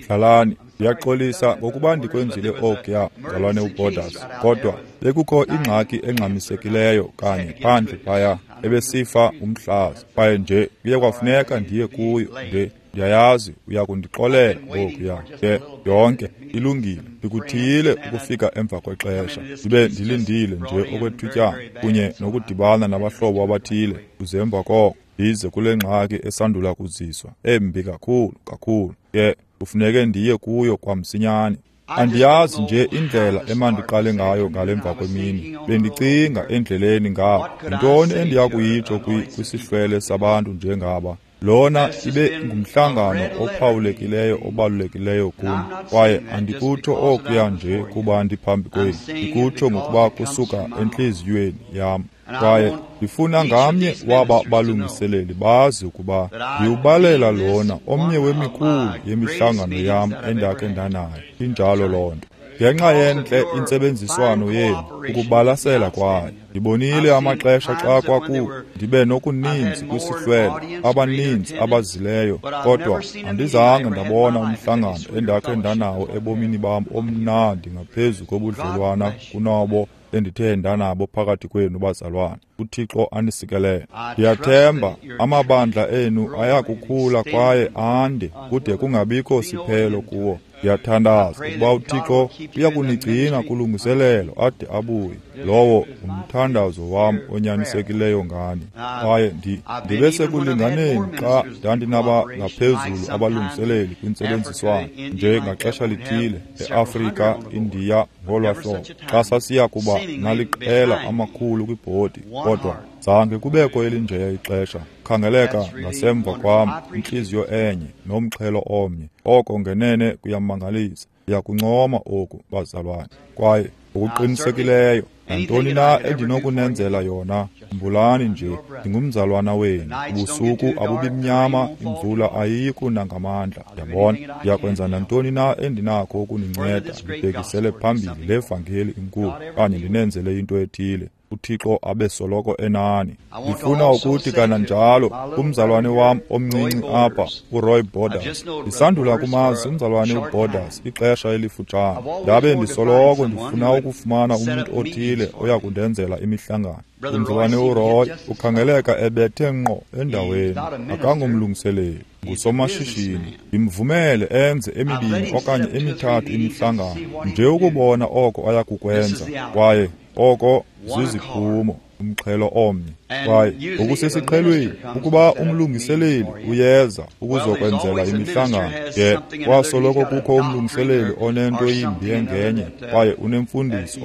Hlalani, ndiyaxolisa ngokuba ndikwenzile okuya, mzalwane uBorders, kodwa bekukho ingxaki engxamisekileyo kanye phandle phaya ebesifa umhlaza, kwaye nje kuye kwafuneka ndiye kuyo nje. Ndiyayazi uyakundixolela ngokuya ke yonke ilungile. Ndikuthiyile ukufika emva kwexesha, ndibe ndilindile nje okwethutyana kunye nokudibana nabahlobo abathile, kuze emva koko ndize kule ngxaki esandula kuziswa embi kakhulu kakhulu. Ke kufuneke ndiye kuyo kwamsinyane. Andiyazi nje indlela emandiqale ngayo ngale mva kwemini. Bendicinga endleleni ngapha, yintoni endiya kuyitsho kwisihlwele sabantu njengaba? Lona ibe ngumhlangano ophawulekileyo obalulekileyo kum, kwaye andikutsho okuya nje kuba ndiphambi kwenu, ndikutsho ngokuba kusuka entliziyweni yam. Kwaye ndifuna ngamnye waba balungiseleli bazi ukuba ndiwubalela lona omnye wemikhulu yemihlangano yam endakhe ndanayo. Injalo loo nto. Ngenxa yentle intsebenziswano yenu, ukubalasela kwayo. Ndibonile amaxesha xa kwaku ndibe nokuninzi kwisihlwele, abaninzi abazileyo, kodwa andizange ndabona umhlangano endakhe ndanawo ebomini bam omnandi ngaphezu kobudlelwana kunobo endithe ndanabo phakathi kwenu bazalwane. UThixo anisikelele. Ndiyathemba amabandla enu ayakukhula kwaye ande kude kungabikho siphelo kuwo. Ndiyathandaza ukuba uThixo uyakunigcina kulungiselelo ade abuye. Lowo ngumthandazo wam onyanisekileyo ngani. Kwaye ndibe sekulinganeni xa ndandinaba ngaphezulu abalungiseleli kwintsebenziswano nje ngaxesha lithile eAfrika, Indiya ngolwa hlobo, xa sasiya kuba naliqela amakhulu kwibhodi, kodwa zange kubekho elinjeya ixesha. Khangeleka ngasemva kwam, intliziyo enye nomxhelo omnye. Oko ngenene kuyamangalisa. Ndiyakuncoma oku, bazalwane. Kwaye ngokuqinisekileyo nantoni na endinokunenzela yona, khumbulani nje, ndingumzalwana wenu. Ubusuku abubimnyama, imvula ayiyi kuna ngamandla. Yabona, ndiyakwenza nantoni na endinakho ukuninceda ndibhekisele phambili le vangeli inkulu, okanye ndinenzele into ethile. uThixo abe soloko enani. Ndifuna ukuthi kananjalo kumzalwane wam omncinci apha, uRoy Borders. Ndisandula kumazi umzalwane uBorders ixesha elifutshane. Ndabe ndisoloko ndifuna ukufumana umntu othile oya kundenzela imihlangano. Umzalwane uRoy ukhangeleka ebethe ngqo endaweni, akangomlungiseleli, ngusomashishini. Ndimvumele enze emibini okanye emithathu imihlangano nje ukubona oko aya kukwenza, kwaye oko ziziphumo, umxhelo omnye. Kwaye ngokusesiqhelweni ukuba umlungiseleli uyeza ukuzokwenzela imihlangano, ke kwasoloko kukho umlungiseleli onento yimbi engenye, kwaye unemfundiso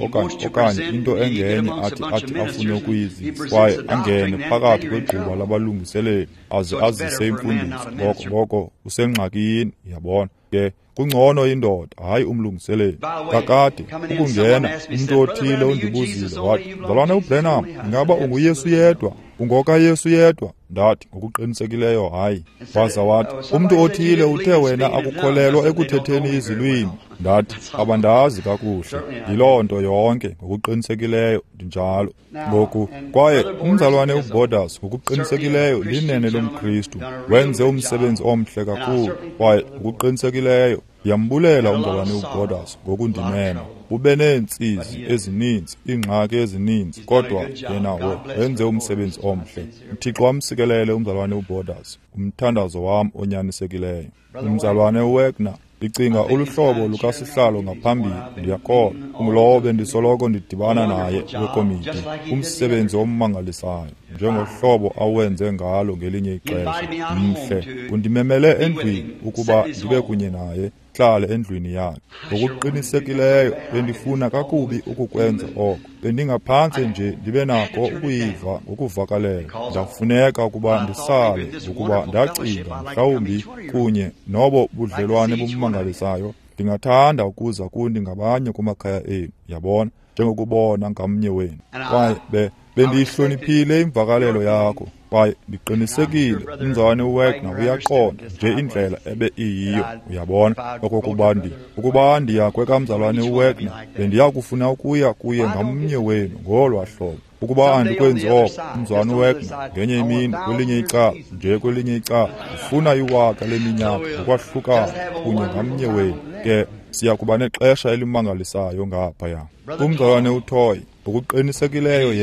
okanye into engenye athi afune ukuyizisa, kwaye angene phakathi kwegquba labalungiseleli aze azise imfundiso. Ngoko usengxakini, yabona. Ke kungcono indoda, hayi umlungiseleli. Kakade ukungena umntu othile undibuzile wathi, mzalwane uBranham, ingaba unguYesu yedwa? UngokaYesu yedwa? Ndathi, ngokuqinisekileyo hayi. Waza wathi, umntu othile uthe wena akukholelwa ekuthetheni izilwimi. Ndathi, abandazi kakuhle. Yiloo nto yonke, ngokuqinisekileyo ndinjalo. Ngoku, kwaye umzalwane uBorders ngokuqinisekileyo linene lomKristu, wenze umsebenzi omhle kakhulu, kwaye ngokuqinisekileyo ndiyambulela umzalwane uBorders ngokundimema. Ube neentsizi ezininzi, iingxaki ezininzi, kodwa yena wenze umsebenzi omhle. UThixo amsikelele umzalwane uBorders, umthandazo wam onyanisekileyo. Umzalwane uWagner, ndicinga uluhlobo lukasihlalo ngaphambili, ndiyakholwa ungulowo bendisoloko ndidibana naye wekomiti, umsebenzi ommangalisayo njengohlobo awenze ngalo ngelinye ixesha. Mhle, undimemele endlwini ukuba ndibe kunye naye, hlale endlwini yakhe. Ngokuqinisekileyo bendifuna kakubi ukukwenza oko, bendingaphantse nje ndibe nako ukuyiva ngokuvakaleyo. Ndafuneka ukuba ndisale ngokuba ndacinga mhlawumbi kunye nobo budlelwane bumangalisayo ndingathanda ukuza kuni ngabanye kumakhaya enu, yabona, njengokubona ngamnye wenu. Kwaye bendiyihloniphile imvakalelo yakho, kwaye ndiqinisekile umzalwane uWagner uyaqonda nje indlela ebe iyiyo, uyabona, okokuba ukuba ndiya kwekamzalwane uWagner, bendiya kufuna ukuya kuye ngamnye wenu ngolwa hlobo. Ukuba andikwenzi oko, umzalwana uWagner, ngenye imini kwelinye icala, nje kwelinye icala, ndifuna 1000 leminyaka ngokwahlukana kunye ngamnye wenu. Ke siya kuba nexesha elimangalisayo ngaphaya. Umzalwane uToy, ngokuqinisekileyo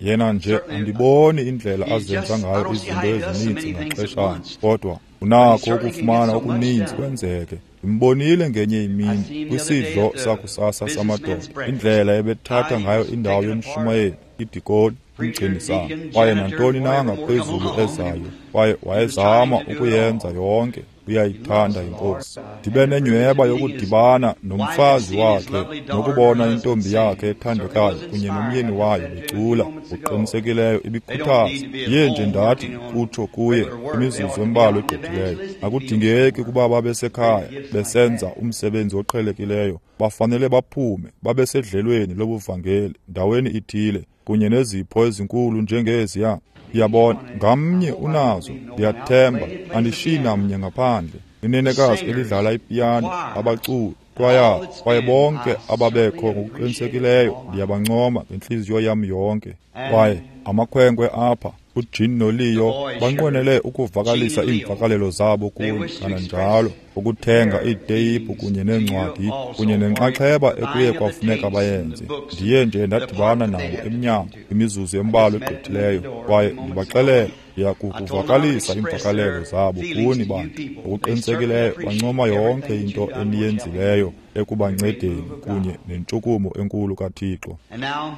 yena nje andiboni indlela azenza ngayo izinto ezininzi ngaxeshanye, kodwa unakho ukufumana okuninzi kwenzeke. Ndimbonile ngenye imini kwisidlo sakusasa samadoda, indlela ebethatha ngayo indawo yomshumayeli, idikoni, umgcinisana, kwaye nantoni na ngaphezulu ezayo, kwaye wayezama ukuyenza yonke. Uyayithanda iNkosi. Ndibe nenyweba yokudibana nomfazi wakhe nokubona intombi yakhe ethandekayo kunye nomyeni wayo becula. Ngokuqinisekileyo ibikhuthaza. Ndiye nje ndathi kutsho kuye imizuzu embalwa egqithileyo, akudingeki ukuba babe sekhaya besenza umsebenzi oqhelekileyo, bafanele baphume babesedlelweni lobuvangeli ndaweni ithile kunye nezipho ezinkulu njengeziya. Ndiyabona ngamnye unazo, ndiyathemba andishiyi namnye ngaphandle. Inenekazi elidlala ipiyano, abaculi, kwaya, kwaye bonke ababekho ngokuqinisekileyo ndiyabancoma ngentliziyo yam yonke. Kwaye amakhwenkwe apha, uJean noLeo, banqwenele ukuvakalisa iimvakalelo zabo kuni kananjalo, ukuthenga iiteyiphu kunye neencwadi kunye nenxaxheba ekuye kwafuneka bayenze. Ndiye nje ndadibana nabo emnyango imizuzu embalwa egqithileyo, kwaye ndibaxelela ndiyakukuvakalisa iimvakalelo zabo kuni bantu. Ngokuqinisekileyo bancoma yonke into eniyenzileyo ekubancedeni kunye nentshukumo enkulu kaThixo.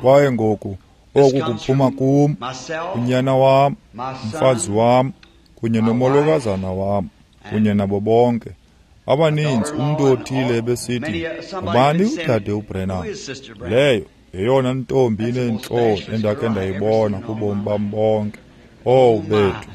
Kwaye ngoku oku kuphuma kum, unyana wam, umfazi wam, kunye nomolokazana wam, kunye nabo bonke. Abaninzi umntu othile ebesithi, ngubani udade uBrenham? Leyo yeyona ntombi ineentloni endakhe ndayibona kubomi bam bonke. Owu bethu!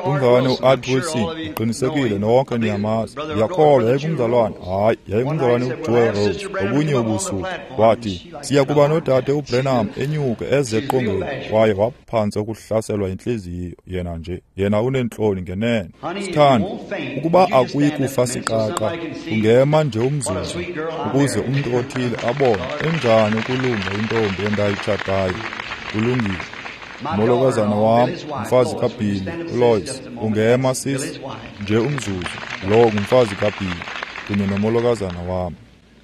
Umzalwane uArt Wilson, ndiqinisekile nonke niyamazi. Ndiyakholwa yayingumzalwane, hayi, yayingumzalwane uJoe Rose. Ngobunye ubusuku wathi, siya kuba nodade uBrenham enyuke eze eqongeni, kwaye waphantse ukuhlaselwa yintliziyo. Yena nje, yena uneentloni ngenene. Sithando, ukuba akuyi kufa siqaqa, ungema nje umzuzu ukuze umntu othile abone enjani ukulunga intombi endayitshatayo. Kulungile. Umolokazana wam, umfazi kaBilly, uLois, ungema sisi nje umzuzu. Lo ngumfazi kaBilly kunye nomolokazana wam.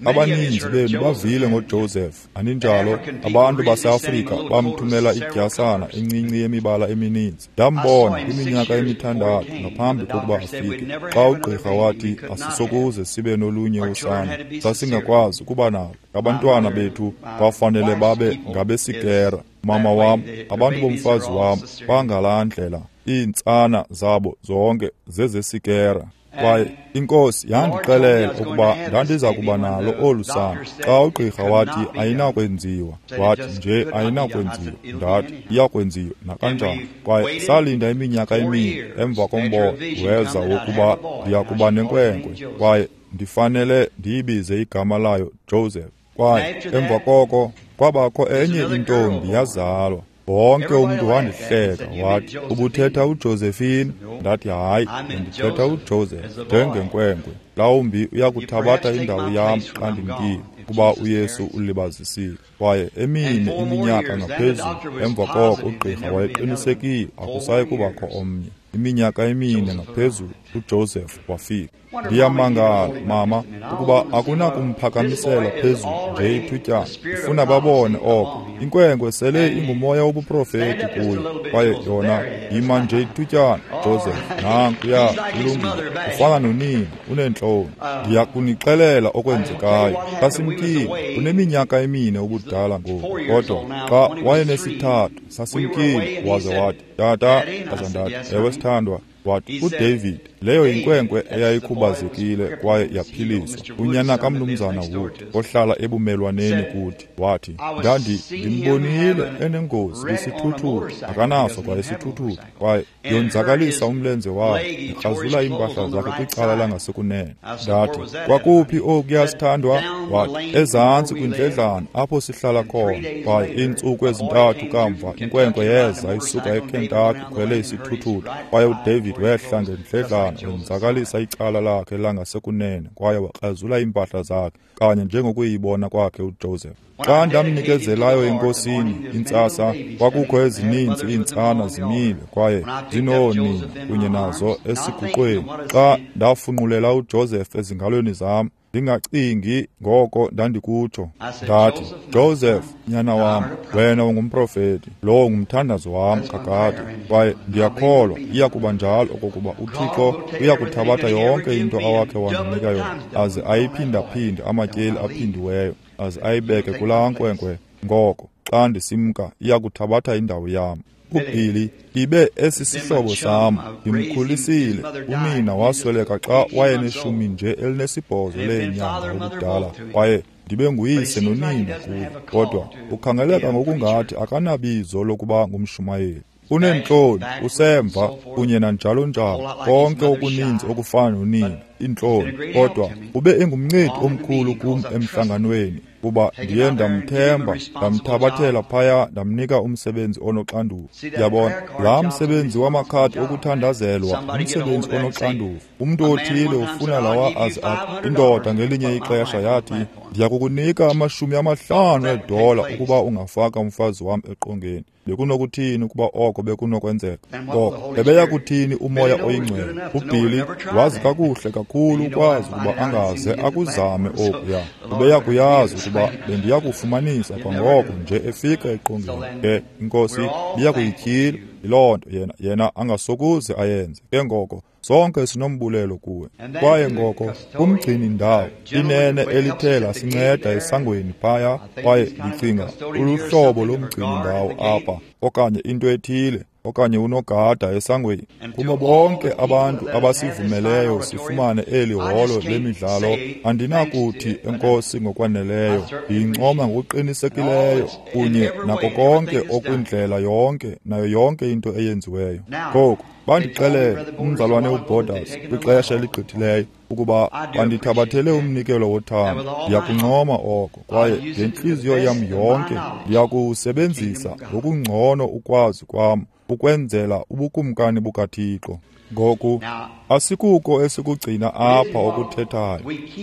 Abaninzi benu bavile ngoJoseph, aninjalo? Abantu baseAfrika bamthumela idyasana encinci yemibala emininzi. Ndambona kwiminyaka emithandathu ngaphambi kokuba afike, xa ugqirha wathi asisokuze sibe nolunye usana, sasingakwazi ukuba nalo. Abantwana bethu bafanele babe ngabesikera. Mama wam, abantu bomfazi wam bangalaa ndlela, iintsana zabo zonke zezesikera. Kwaye iNkosi yandixelela ukuba ndandiza kuba nalo olu sana. Xa ugqirha wathi ayinakwenziwa, wathi nje ayinakwenziwa, ndathi iyakwenziwa nakanjani. Kwaye salinda iminyaka emine emva kombono weza wokuba ndiya kuba nenkwenkwe, kwaye ndifanele ndiyibize igama layo Joseph. Kwaye emva koko kwabakho enye intombi yazalwa. Wonke umntu wandihleka wathi, ubuthetha uJosephine? Ndathi hayi, ndithetha uJoseph njengenkwenkwe. Mhlawumbi uyakuthabatha indawo yam xa ndimkile, kuba uYesu ulibazisile. Kwaye emine iminyaka ngaphezulu emva koko ugqirha wayeqinisekile akusayi kubakho omnye. Iminyaka emine ngaphezulu uJoseph wafika. Ndiyamangala, mama, ukuba akunakumphakamisela phezulu nje ithutyana. Ndifuna babone oko. Inkwenkwe sele ingumoya wobuprofeti kuyo, kwaye yona yima nje ithutyana. Joseph, nankuya, ulungile, ufana nonina, uneentloni. Ndiyakunixelela okwenzekayo. Xa simkile, uneminyaka emine ubudala ngoku, kodwa xa wayenesithathu sasimkile, waze wathi, tata, ndaza ndathi, ewe sithandwa. Wathi, uDavid, leyo yinkwenkwe eyayikhubazekile kwaye yaphiliswa, unyana kamnumzana Wood ohlala ebumelwaneni kuthi. Wathi, ndandimbonile enengozi kwisithuthuthu, akanaso kwa isithuthuthu, kwaye yonzakalisa umlenze wakhe, ikrazula iimpahla zakhe kwicala langasekunene. Ndathi, kwakuphi okuya sithandwa? Wathi, ezantsi kwindledlana apho sihlala khona. Kwaye iintsuku ezintathu kamva inkwenkwe yeza isuka eKentucky ikhwele isithuthuthu, kwaye uDavid wehla ngendledlana mntwana wenzakalisa icala lakhe langasekunene kwaye wakrazula iimpahla zakhe, kanye njengokuyibona kwakhe uJoseph. Xa ndamnikezelayo eNkosini intsasa, kwakukho ezininzi iintsana zimile kwaye zinoonina kunye nazo esiguqweni. Xa ndafunqulela uJoseph ezingalweni zam, ndingacingi ngoko ndandikutsho, ndathi, Joseph, nyana wam, wena ungumprofeti, lowo ngumthandazo wam kakade, kwaye ndiyakholwa iya kuba njalo okokuba uThixo uya kuthabatha yonke into awakhe wandinika yona aze ayiphindaphinde amatyeli aphindiweyo, aze ayibeke kulaa nkwenkwe. Ngoko xa ndisimka iya kuthabatha indawo yam. UBilly ibe esisihlobo sam, ndimkhulisile. Unina wasweleka xa wayeneshumi nje 18 leenyanga ubudala, kwaye ndibe nguyise nonina kuye, kodwa ukhangeleka ngokungathi akanabizo lokuba ngumshumayeli. Uneentloni, usemva kunye nanjalo njalo, konke okuninzi okufana nonina, iintloni, kodwa ube engumncedi omkhulu kum emhlanganweni, kuba ndiye ndamthemba, ndamthabathela phaya, ndamnika umsebenzi onoxanduva. Yabona, laa msebenzi wamakhadi okuthandazelwa ngumsebenzi onoxanduva. Umntu othile ufuna lawa aze athi, indoda ngelinye ixesha yathi, ndiya kukunika $50 ukuba ungafaka umfazi wam eqongeni. Bekunokuthini ukuba oko bekunokwenzeka? Ngoko bebeya kuthini uMoya oyiNgcwele? UBilly wazi kakuhle kakhulu ukwazi ukuba angaze akuzame okuya. Ubeya kuyazi ukuba bendiya kufumanisa kwangoko nje efika eqongeni. Ke iNkosi ibiya kuyityhila yiloo nto yena angasokuze ayenze. Ke ngoko sonke sinombulelo kuwe. Kwaye ngoko kumgcini ndawo inene elithe lasinceda esangweni phaya, kwaye ndicinga uluhlobo lomgcini ndawo apha, okanye into ethile, okanye unogada esangweni. Kubo bonke abantu abasivumeleyo sifumane eli holo lemidlalo, andinakuthi enkosi ngokwaneleyo. Ndiyincoma ngokuqinisekileyo kunye nako konke okwindlela yonke nayo yonke into eyenziweyo. Ngoku bandixelele umzalwane uBorders kwixesha eligqithileyo ukuba bandithabathele umnikelo wothando. Ndiyakuncoma oko, kwaye ngentliziyo yam yonke ndiyakuwusebenzisa ngokungcono ukwazi kwam ukwenzela ubukumkani bukaThixo. Ngoku asikuko esikugcina apha okuthethayo,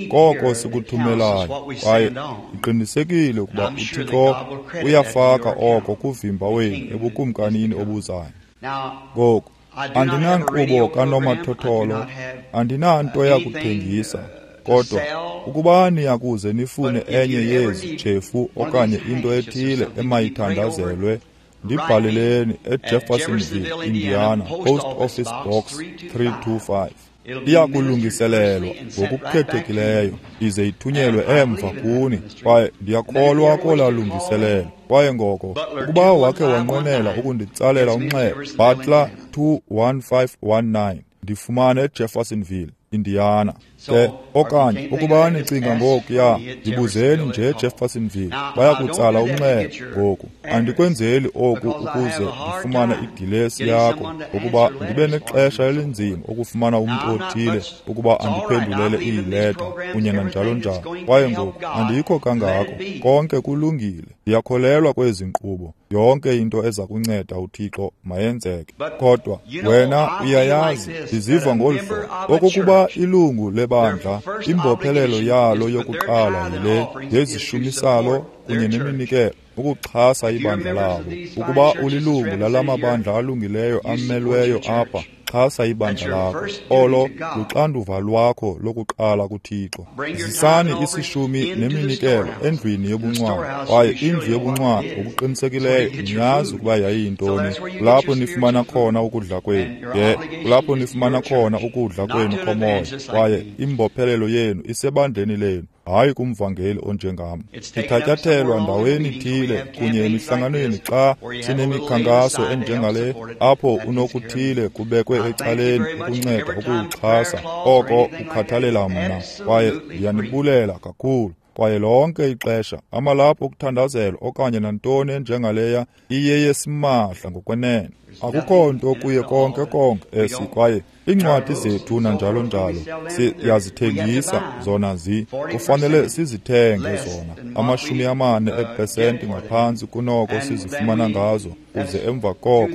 koko sikuthumelayo, kwaye ndiqinisekile ukuba uThixo uyafaka oko kuvimba wenu ebukumkanini obuzayo. Ngoku andinankqubo kanomathotholo, andinanto yakuthengisa, kodwa ukuba niyakuze nifune enye yezi tshefu okanye into ethile emayithandazelwe, ndibhaleleni eJeffersonville, Indiana, Post Office Box 325. Iya kulungiselelwa ngokukhethekileyo ize ithunyelwe emva kuni, kwaye ndiyakholwa kolaa lungiselelo. Kwaye ngoko ukuba wakhe wanqwenela ukunditsalela umnxeba, Butler 21519, ndifumane eJeffersonville, Indiana. Ke okanye ukuba nicinga ngokuya, ndibuzeni nje eJeffersonville, bayakutsala umnxeba. Ngoku andikwenzeli oku ukuze ndifumane idilesi yakho, ukuba ndibe nexesha elinzima ukufumana umntu othile ukuba andiphendulele iileta kunye nanjalo njalo. Kwaye ngoku andikho kangako, konke kulungile. Ndiyakholelwa kwezi nkqubo, yonke into eza kunceda uThixo mayenzeke. Kodwa wena uyayazi, ndiziva ngolu hlobo okokuba ilungu lebandla, imbophelelo yalo yokuqala yile ngezishumisalo kunye neminikelo, ukuxhasa ibandla labo. Ukuba ulilungu lalamabandla alungileyo amelweyo apha, xhasa ibandla lakho. Olo luxanduva lwakho lokuqala kuThixo. Zisani isishumi neminikelo endlwini yobuncwane, kwaye indlu yobuncwane ngokuqinisekileyo niyazi ukuba yayiyintoni. Kulapho nifumana khona ukudla kwenu, ke kulapho nifumana khona ukudla kwenu komoya, kwaye imbophelelo yenu isebandleni lenu, hayi kumvangeli onjengam. Ithatyathelwa ndaweni ithile kunye emihlanganweni xa sinemikhankaso enjengale, apho unokuthile kubekwe ecaleni ukunceda ukuwuxhasa oko kukhathalela mna, kwaye ndiyanibulela kakhulu. Kwaye lonke ixesha amalaphu okuthandazelwa okanye nantoni enjengaleya iyeyesimahla ngokwenene. Akukho nto kuye konke konke esi, kwaye iincwadi zethu nanjalo njalo siyazithengisa zona, kufanele sizithenge zona 40% ngaphantsi kunoko sizifumana ngazo, kuze emva koko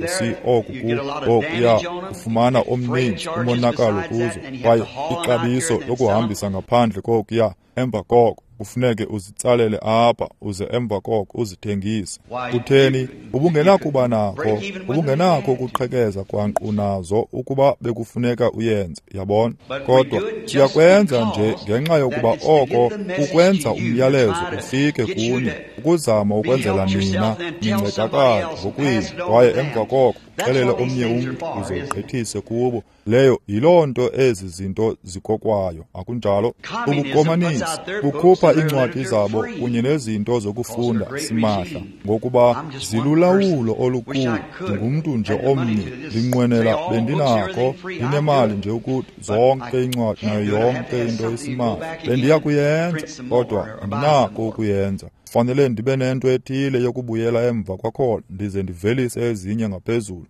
okuya kufumana omninzi umonakalo kuzo, kwaye ixabiso lokuhambisa ngaphandle kokuya emva koko kufuneke uzitsalele apha uze emva koko uzithengise. Kutheni? Ubungenakuba nakho, ubungenakho ukuqhekeza kwanqu nazo ukuba bekufuneka uyenze, yabona. Kodwa siyakwenza nje ngenxa yokuba oko kukwenza umyalezo ufike kuni, ukuzama ukwenzela nina nincedakale ngokwenu, kwaye emva koko uxelele omnye umntu uze ugqithise kubo. Leyo yiloo nto ezi zinto zikokwayo, akunjalo? Ubukomanisi bukhupha iincwadi zabo kunye nezinto zokufunda simahla, ngokuba zilulawulo olukhulu. Ndingumntu nje omnye, ndinqwenela bendinakho, ndinemali nje ukuthi zonke iincwadi nayo yonke into isimahla bendiya kuyenza, kodwa andinako ukuyenza. Fanele ndibe nento ethile yokubuyela emva kwakhona ndize ndivelise ezinye ngaphezulu,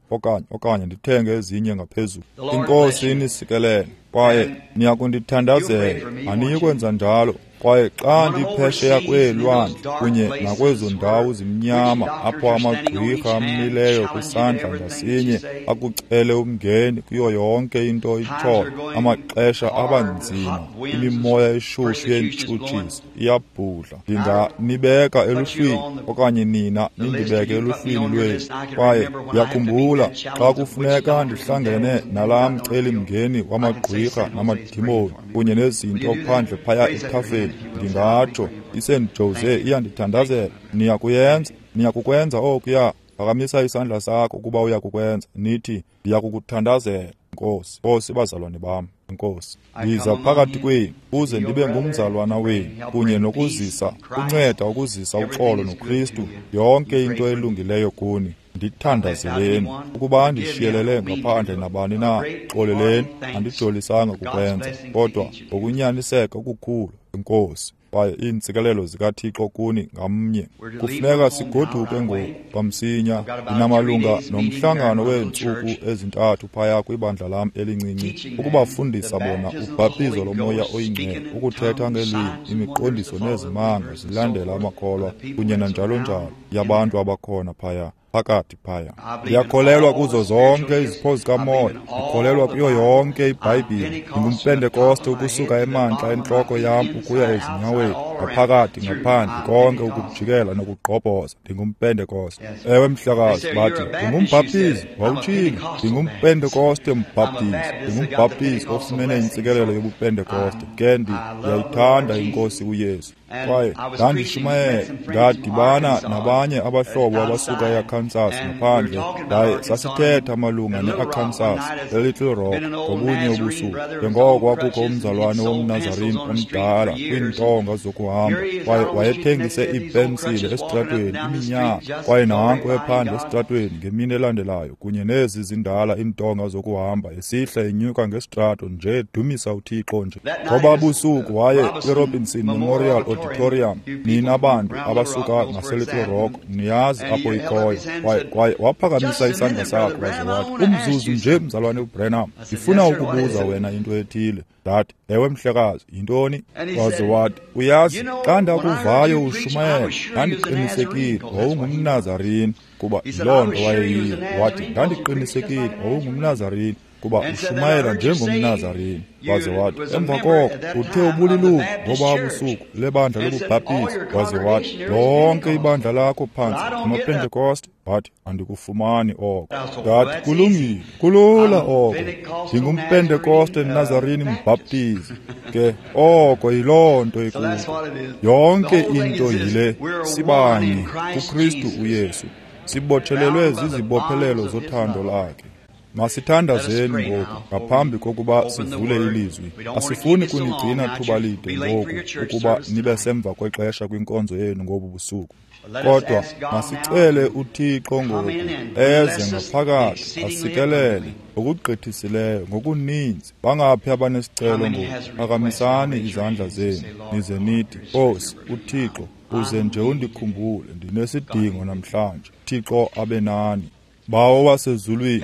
okanye ndithenge ezinye ngaphezulu. Inkosi inisikelele, kwaye niyakundithandazela, aniyi kwenza njalo. Kwaye xa ndiphesheya kweelwandle kunye nakwezo ndawo zimnyama apho amagqwirha amileyo kwisandla ngasinye akucele umngeni kuyo yonke into itshoyo, amaxesha abanzima, imimoya eshushu yentshutshiso iyabhudla. Ndinganibeka eluhlwini okanye nina nindibeke eluhlwini lwenu. Kwaye ndiyakhumbula xa kufuneka ndihlangene nalaa mcelimngeni wamagqwirha namadimoni kunye nezinto phandle phaya ethafeni, ndingatsho iSt Jose iyandithandazela. Niyakuyenza, niyakukwenza okuya. Phakamisa isandla sakho ukuba uyakukwenza, nithi ndiyakukuthandazela, Nkosi. Nkosi, bazalwane bam, Nkosi, ndiza phakathi kwenu uze ndibe ngumzalwana wenu kunye nokuzisa, unceda ukuzisa uxolo noKristu, yonke into elungileyo kuni. Ndithandazeleni. Ukuba ndishiyelele ngaphandle nabani na, xoleleni, andijolisanga kukwenza, kodwa ngokunyaniseka okukhulu, Enkosi. Kwaye iintsikelelo zikaThixo kuni ngamnye. Kufuneka sigoduke ngoku kwamsinya. Ndinamalunga nomhlangano weentsuku ezintathu phaya kwibandla lam elincinci, ukubafundisa bona ubhaptizo loMoya oyiNgcwele, ukuthetha ngeelwimi, imiqondiso nezimanga zilandela amakholwa kunye nanjalo njalo yabantu abakhona phaya phakathi phaya. Ndiyakholelwa kuzo zonke izipho zikamoya, ndikholelwa kuyo yonke iBhayibhile. NdingumPentekoste ukusuka emantla entloko yam ukuya ezinyaweni, ngaphakathi ngaphandle, konke ukujikela nokugqobhoza. NdingumPentekoste. Ewe mhlekazi, bathi ndingumbhaptizi, wawutshilo. NdingumPentekoste mbhaptizi, ndingumbhaptizi ofumene intsikelelo yobuPentekoste. Ke ndiyayithanda iNkosi uYesu. Kwaye ndandishumayela, ndadibana nabanye abahlobo abasuka eArkansas ngaphandle, ndaye sasithetha malunga neArkansas, eLittle Rock, ngobunye ubusuku. Njengoko kwakukho umzalwane womNazarene omdala kwiintonga zokuhamba, kwaye wayethengise iipensile esitratweni iminyaka, kwaye nanku ephandle esitratweni ngemini elandelayo kunye nezi zindala iintonga zokuhamba esihla enyuka ngesitrato nje edumisa uThixo nje. Ngoba busuku waye kwiRobinson Memorial Auditorium, nina bantu abasuka ngaseLittle Rock niyazi apho ikhoyo. Kwaye waphakamisa isandla sakhe waze wathi, umzuzu nje mzalwane uBranham, ndifuna ukubuza wena into ethile. Ndathi, ewe mhlekazi, yintoni? Waze wathi, uyazi, xa ndakuvayo ushumayela, ndandiqinisekile wawungumNazarene, kuba yiloo nto wayeyiyo. Wathi, ndandiqinisekile wawungumNazarene, kuba ushumayela njengomNazarene. Waze wathi, emva koko uthe ubulilungu ngoba busuku lebandla lobubhaptizi. Waze wathi, lonke ibandla lakho phantsi ngamaPentekoste. Wathi, andikufumani oko. Ndathi, kulungile, kulula oko. NdingumPentekoste Nazarene mbhaptizi. Ke oko yiloo nto ikuyo. Yonke into yile, sibanye kuKristu uYesu, sibotshelelwe zizibophelelo zothando lakhe. Masithandazeni ngoku ngaphambi kokuba sivule ilizwi. Asifuni kunigcina thuba lide ngoku ukuba nibe semva kwexesha kwinkonzo yenu ngobu busuku. Kodwa masicele uThixo ngoku eze ngaphakathi asikelele ngokugqithisileyo ngokuninzi. Bangaphi abanesicelo ngoku? Phakamisani izandla zenu nize nithi, Nkosi uThixo, uze nje undikhumbule, ndinesidingo namhlanje. Thixo abe nani. Bawo wasezulwini,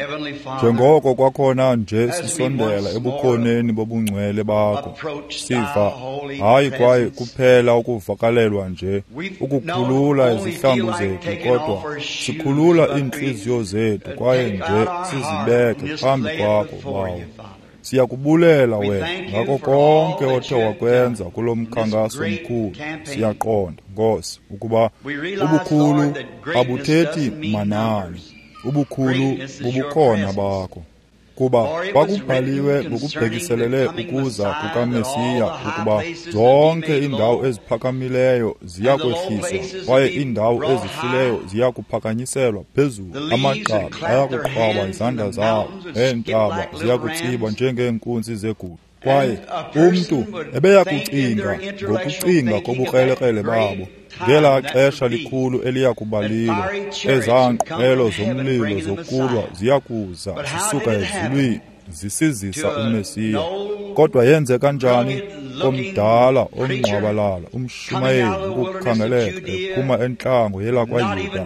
njengoko kwakhona nje sisondela ebukhoneni bobungcwele bakho, siva hayi kwaye kuphela ukuvakalelwa nje ukukhulula izihlangu zethu, kodwa sikhulula iintliziyo zethu kwaye nje sizibeke phambi kwakho, Bawo. Siyakubulela wena ngako konke othe wakwenza kulo mkhankaso mkhulu. Siyaqonda, Nkosi, ukuba ubukhulu abuthethi manani. Ubukhulu bubukhona bakho, kuba kwakubhaliwe ngokubhekiselele ukuza kukaMesiya ukuba zonke iindawo eziphakamileyo ziya kwehliswa kwaye iindawo ezihlileyo ziya kuphakanyiselwa phezulu. Amagqabi ayakuqhwaba izandla zawo, neentaba ziya kutsiba njengeenkunzi zegusha. Kwaye umntu ebeya kucinga ngokucinga kobukrelekrele babo ngelaa xesha likhulu eliya kubalilo, ezaa nqwelo zomlilo zokulwa ziya kuza zisuka ezulwini zisizisa uMesiya. Kodwa yenzeka njani komdala ongqwabalala umshumayeli ukukhangeleka ephuma entlango yelakwaYuda,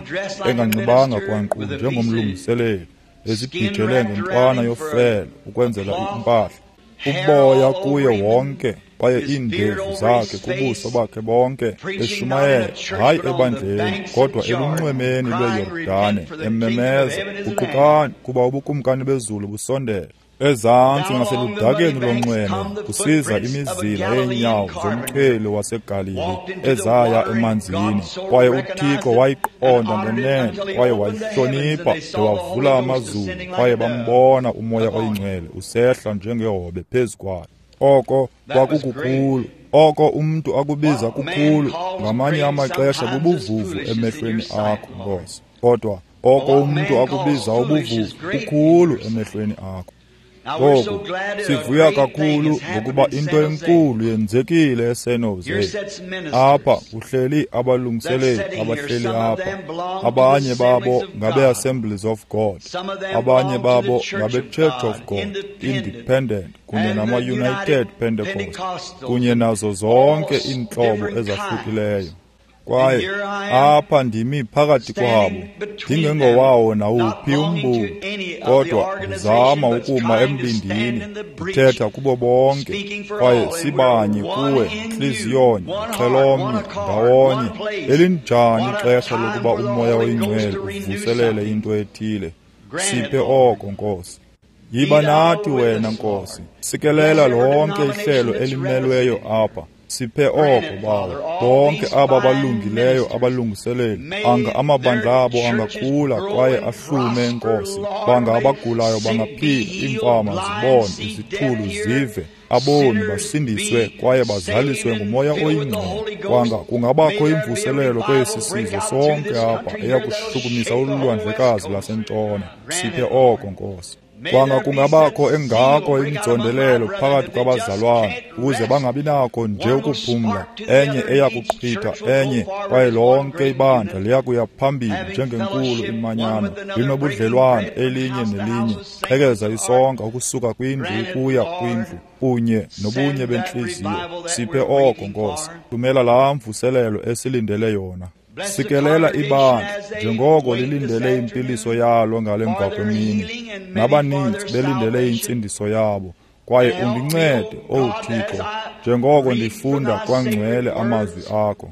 enganxibanga kwankqu njengomlungiseleli, ezibhijele ngentwana yofele ukwenzela impahla, uboya kuye wonke kwaye iindevu zakhe kubuso bakhe bonke, eshumayela hayi ebandleni kodwa elunxwemeni lweYordane, ememeza, guqukani kuba ubukumkani bezulu busondele. Ezantsi ngaseludakeni lonxweme kusiza imizila yeenyawo zomchweli waseGalili ezaya emanzini, kwaye uThixo wayiqonda ngenene kwaye wayihlonipha de wavula amazulu, kwaye bambona uMoya oyiNgcwele usehla njengehobe phezu kwayo. Oko kwakukukhulu. Oko umntu akubiza kukhulu ngamanye amaxesha bubuvuvu emehlweni akho, Nkosi, kodwa oko umntu akubiza ubuvuvu kukhulu emehlweni akho. Ngoku sivuya kakhulu ngokuba into enkulu yenzekile eSan Jose. Apha kuhleli abalungiseleli abahleli apha, abanye babo ngabe-Assemblies of God, abanye babo ngabe-Church of God, Independent kunye nama-United Pentecost, kunye nazo zonke iintlobo ezahlukileyo. Kwaye apha ndimi phakathi kwabo, ndingengowawo nawuphi umbutho, kodwa ndizama ukuma embindini, ndithetha kubo bonke, kwaye sibanye kuwe, ntliziyonye, xhelomnye, ndawonye. Elinjani ixesha lokuba uMoya oyiNgcwele uvuselele into ethile. Siphe oko, Nkosi. Yiba nathi wena, Nkosi. Sikelela lonke ihlelo elimelweyo apha. Siphe oko, Bawo. Bonke aba balungileyo abalungiseleli, anga amabandla abo angakhula kwaye ahlume, Nkosi. Banga abagulayo bangaphila, iimfama zibone, izithulu zive, aboni basindiswe kwaye bazaliswe nguMoya oyiNgcwele. Kwanga kungabakho imvuselelo kwesi sizwe sonke apha eya kushukumisa ulwandlekazi lwasentshona. Siphe oko, Nkosi. Kwanga kungabakho engako inzondelelo phakathi kwabazalwana ukuze bangabi nako nje ukuphumla, enye eya kuqhitha enye, kwaye lonke ibandla liya kuya phambili njengenkulu imanyano, linobudlelwane elinye nelinye, qhekeza isonka ukusuka kwindlu ukuya kwindlu, kunye nobunye bentliziyo. Siphe oko, Nkosi. Thumela laa mvuselelo esilindele yona. Sikelela ibandla njengoko lilindele impiliso yalo ngale mva kwemini, nabaninzi belindele intsindiso yabo. Kwaye undincede, Owu Thixo, njengoko ndifunda kwangcwele amazwi akho.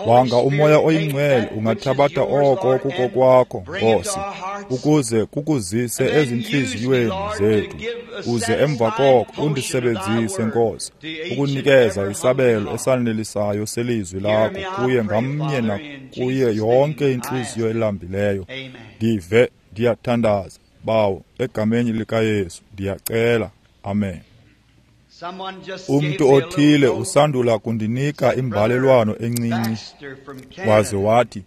Wanga uMoya oyiNgcwele ungathabatha oko kukokwakho, Nkosi, ukuze kukuzise ezintliziyweni zethu, uze emva koko undisebenzise, Nkosi, ukunikeza isabelo esanelisayo selizwi lakho kuye ngamnye nakuye yonke intliziyo elambileyo. Ndive, ndiyathandaza, Bawo, egameni likaYesu, ndiyacela. Amen. Umntu othile usandula kundinika imbalelwano encinci, waze wathi,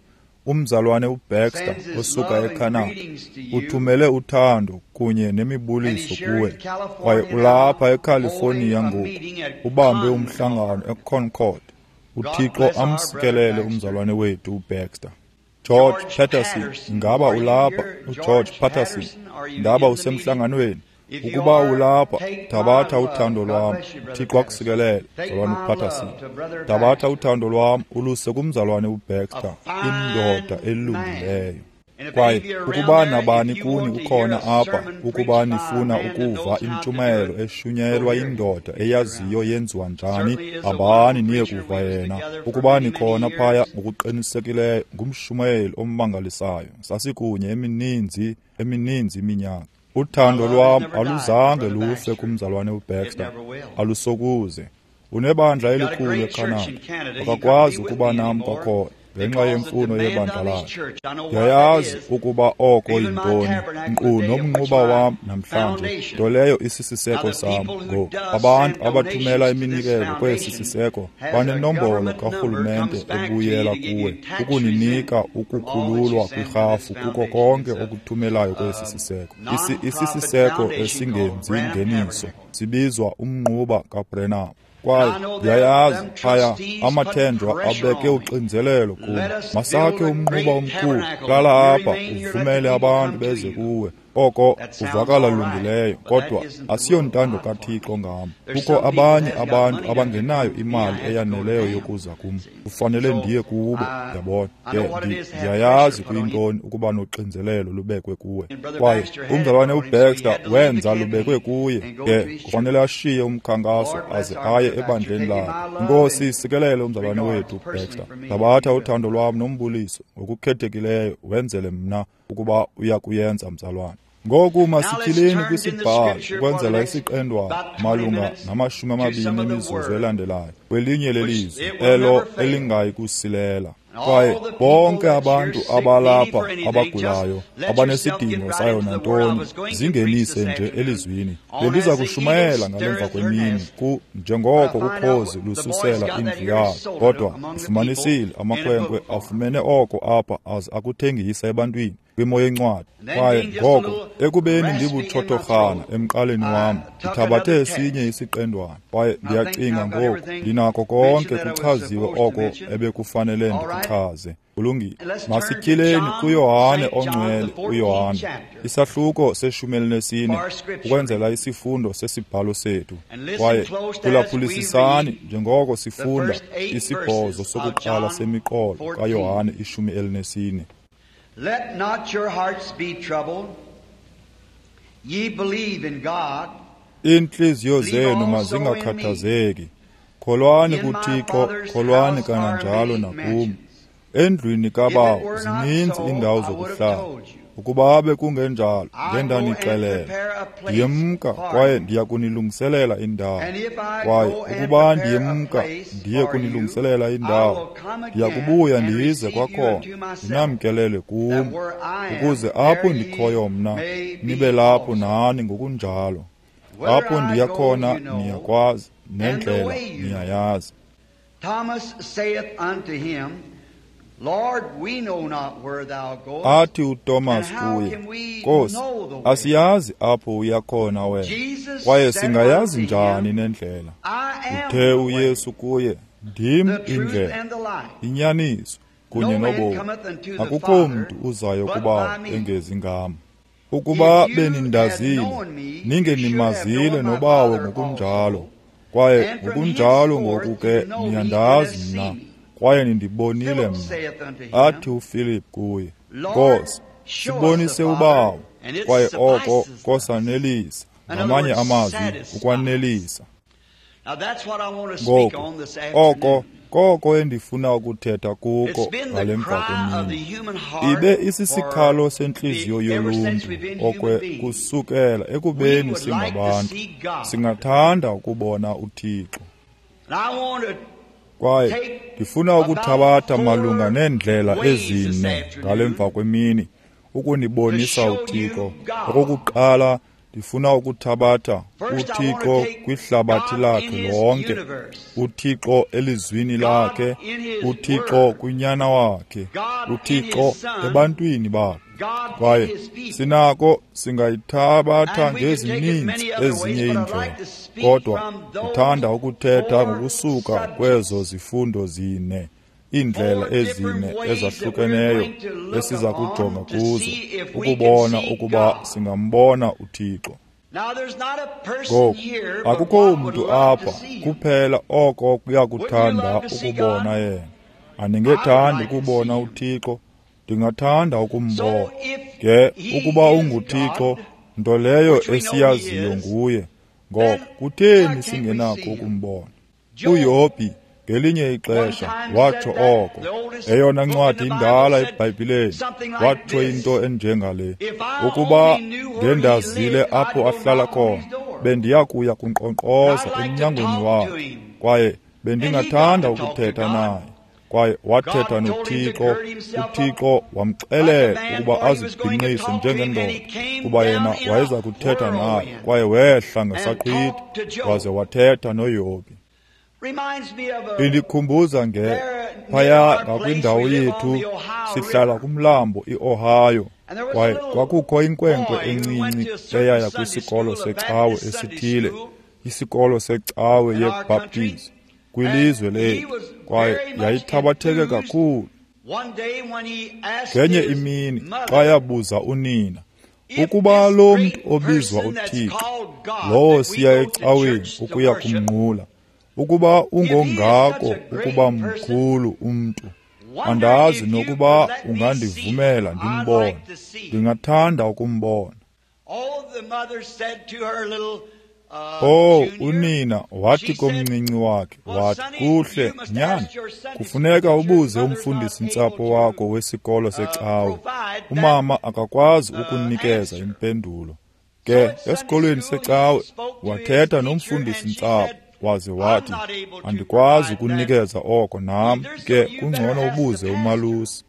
Umzalwane uBaxter osuka eCanada uthumele uthando kunye nemibuliso kuwe, kwaye ulapha eCalifornia ngoku ubambe umhlangano eConcord. UThixo amsikelele umzalwane wethu uBaxter. George Patterson, ngaba ulapha? UGeorge Patterson, ngaba usemhlanganweni? Ukuba ulapha, thabatha uthando lwam. UThixo akusikelele, mzalwane uPatterson. Thabatha uthando lwam uluse kumzalwane uBaxter, indoda elungileyo. Kwaye ukuba nabani kuni ukhona apha, ukuba nifuna ukuva intshumayelo eshunyayelwa indoda eyaziyo yenziwa njani, hambani niye kuva yena. Ukuba nikhona phaya, ngokuqinisekileyo ngumshumayeli ommangalisayo. Sasikunye emininzi iminyaka. Uthando lwam aluzange lufe kumzalwane uBaxter, alusokuze. Unebandla elikhulu eCanada, akakwazi ukuba nam kwakhona ngenxa yemfuno yebandla lakhe. Ndiyayazi ukuba oko yintoni, nkqu nomnquba wam namhlanje, nto leyo isisiseko sam. Ngoku abantu abathumela iminikelo kwesi siseko banenombolo karhulumente ebuyela kuwe ukuninika ukukhululwa kwirhafu kuko konke okuthumelayo kwesi siseko. Isisiseko esingenzi ngeniso sibizwa umnquba kaBrenham. Kwaye ndiyayazi phaya amathenjwa abeke uxinzelelo kum. Masakhe umnquba omkhulu, hlala apha uvumele abantu beze kuwe. Oko kuvakala lungileyo, kodwa asiyontando kaThixo ngam. Kukho abanye abantu abangenayo imali eyaneleyo yokuza kum. Kufanele ndiye kubo, yabona. Ke ndiyayazi kuyintoni ukuba noxinzelelo lubekwe kuwe. Kwaye umzalwane uBaxter wenza lubekwe kuye, ke kufanele ashiye umkhankaso aze aye ebandleni lakhe. Inkosi isikelele umzalwane wethu uBaxter. Thabatha uthando lwam nombuliso ngokukhethekileyo wenzele mna ukuba uya kuyenza, mzalwane. Ngoku masityhileni kwisibhalo ukwenzela isiqendwana malunga nama-20 emizuzu elandelayo kwelinye lelizwi elo elingayi kusilela. Kwaye bonke abantu abalapha abagulayo abanesidingo sayo nantoni, zingenise nje elizwini. Bendiza kushumayela ngalemva kwemini njengoko ukhozi lususela indlu yalo, kodwa ndifumanisile amakhwenkwe afumene oko apha aze akuthengisa ebantwini kwimo yencwadi. Kwaye ngoko ekubeni ndibutshotorhana emqaleni wam, ndithabathe esinye isiqendwana. Kwaye ndiyacinga ngoku ndinako konke kuchaziwe oko ebekufanele ndikuchaze. Kulungile. Masityhileni kuYohane ongcwele, uYohane, isahluko se-14, ukwenzela isifundo sesibhalo sethu. Kwaye phulaphulisisani njengoko sifunda isibhozo sokuqala semiqolo kaYohane 14. Let not your hearts be troubled. Ye believe in God. Iintliziyo zenu mazingakhathazeki. Kholwani kuThixo, kholwani kananjalo nakum. Endlwini kaBawo zininzi iindawo zokuhlala. Ukuba bekungenjalo, ngendanixelela. Ndiyemka kwaye ndiya kunilungiselela indawo. Kwaye ukuba ndiyemka ndiye kunilungiselela indawo, ndiya kubuya ndize kwakhona ndinamkelele kum, ukuze apho ndikhoyo mna nibe lapho nani ngokunjalo. Apho ndiya khona niyakwazi, nendlela niyayazi. Thomas saith unto him, Lord, we know not where thou goest. Athi uThomas kuye, Nkosi, asiyazi apho uya khona wena, kwaye singayazi njani nendlela? Uthe uYesu kuye, Ndim indlela, inyaniso kunye nobomi. Akukho mntu uzayo kuBawo engezi ngam. Ukuba benindazile, ningenimazile noBawo ngokunjalo, kwaye ngokunjalo ngoku ke niyandazi mna, kwaye nindibonile mna. Athi uFilip kuye, Nkosi, sibonise uBawo, kwaye oko kosanelisa. Ngamanye amazwi, ukwanelisa. Ngoku oko koko endifuna ukuthetha kuko ngale mva kwemini. Ibe isisikhalo sentliziyo yoluntu okwe kusukela ekubeni singabantu, singathanda ukubona uThixo. Kwaye ndifuna ukuthabatha malunga neendlela ezine ngale mva kwemini ukunibonisa uThixo. Okokuqala, ndifuna ukuthabatha uThixo kwihlabathi lakhe lonke, uThixo elizwini lakhe, uThixo kunyana wakhe, uThixo ebantwini bakhe. Kwaye sinako singayithabatha ngezininzi ezinye iindlela, kodwa ndithanda ukuthetha ngokusuka kwezo zifundo zine, iindlela ezine ezahlukeneyo esiza kujonga kuzo ukubona ukuba singambona uThixo. Ngoku akukho mntu apha kuphela oko kuyakuthanda ukubona yena. Andingethandi ukubona uThixo, ndingathanda ukumbona. Ke ukuba unguThixo, nto leyo esiyaziyo nguye, ngoko kutheni singenakho ukumbona? UYobhi ngelinye ixesha watsho oko, eyona ncwadi indala eBhayibhileni, watsho into enjengale: ukuba ngendazile apho ahlala khona, bendiya kuya kunkqonkqoza emnyangweni wakhe, kwaye bendingathanda ukuthetha naye. Kwaye wathetha noThixo, uThixo wamxelela ukuba azibhinqise njengendoda, kuba yena wayeza kuthetha naye. Kwaye wehla ngesaqhwithi waze wathetha noYobhi. Indikhumbuza nge phaya ngakwindawo yethu, sihlala kumlambo iOhio, kwaye kwakukho inkwenkwe encinci eyaya kwisikolo secawe esithile, isikolo secawe yeBaptist kwilizwe lethu, kwaye yayithabatheke kakhulu. Ngenye imini xa yabuza unina ukuba lo mntu obizwa uThixo, lowo siya ecaweni ukuya kumnqula, ukuba ungongako ukuba mkhulu umntu, andazi nokuba ungandivumela ndimbone, ndingathanda ukumbona. Oh, unina wathi komncinci wakhe, wathi, kuhle nyana, kufuneka ubuze umfundisi ntsapho wakho wesikolo secawe. Umama akakwazi ukunikeza impendulo. Ke esikolweni secawe wathetha nomfundisi ntsapho, waze wathi, andikwazi ukunikeza oko nam, ke kungcono ubuze umalusi.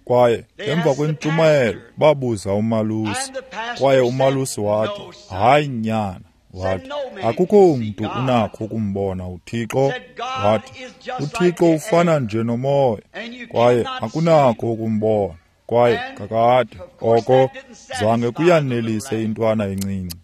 Kwaye emva kwentshumayelo babuza umalusi, kwaye umalusi wathi, hayi nyana, wathi, akukho mntu unakho ukumbona uThixo. Wathi, uThixo ufana nje nomoya, kwaye akunakho ukumbona. Kwaye kakade oko zange kuyanelise intwana encinci.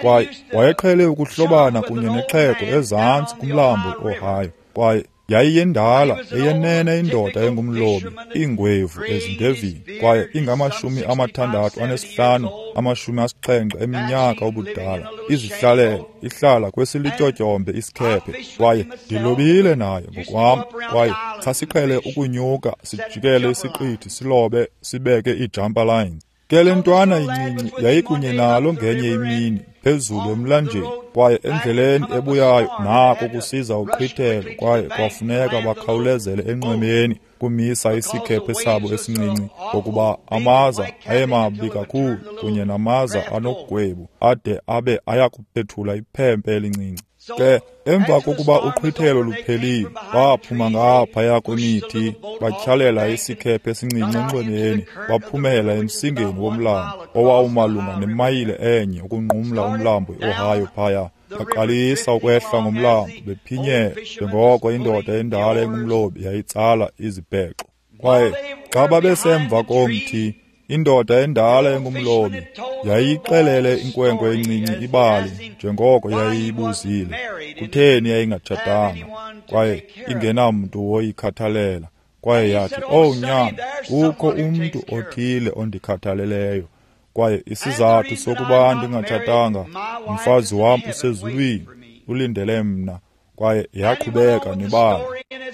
Kwaye wayeqhele ukuhlobana kunye nexhego ezantsi kumlambo iOhio, kwaye yayiyendala eyenene indoda engumlobi, iingwevu ezindevini, kwaye ingama-65 70 eminyaka ubudala, izihlalele ihlala kwesilityotyombe isikhephe. Kwaye ndilobile naye ngokwam, kwaye sasiqhele ukunyuka sijikele isiqithi silobe sibeke ii-jumper lines. Ke le ntwana incinci yayikunye nalo ngenye imini phezulu emlanjeni, kwaye endleleni ebuyayo nako kusiza uqhwithelo, kwaye kwafuneka bakhawulezele enxwemeni kumisa isikhephe sabo esincinci, ngokuba amaza ayemabi kakhulu kunye namaza anogwebu ade abe ayakuphethula iphempe elincinci. Ke emva kokuba uqhwithelo luphelile, baphuma ngaphaya kwemithi, batyhalela isikhephe esincinci enxwemeni, baphumela emsingeni womlambo owawumalunga nemayile enye ukunqumla umlambo iOhio phaya. Baqalisa ukwehla ngomlambo bephinyela njengoko indoda endala engumlobi yayitsala izibhexo. Kwaye xa babesemva komthi, indoda endala engumlobi yayixelele inkwenkwe encinci ibali njengoko yayiyibuzile kutheni yayingatshatanga kwaye ingenamntu woyikhathalela. Kwaye yathi, "Oh nyana, kukho umntu othile ondikhathaleleyo, kwaye isizathu sokuba ndingatshatanga, umfazi wam usezulwini ulindele mna." Kwaye yaqhubeka nebali.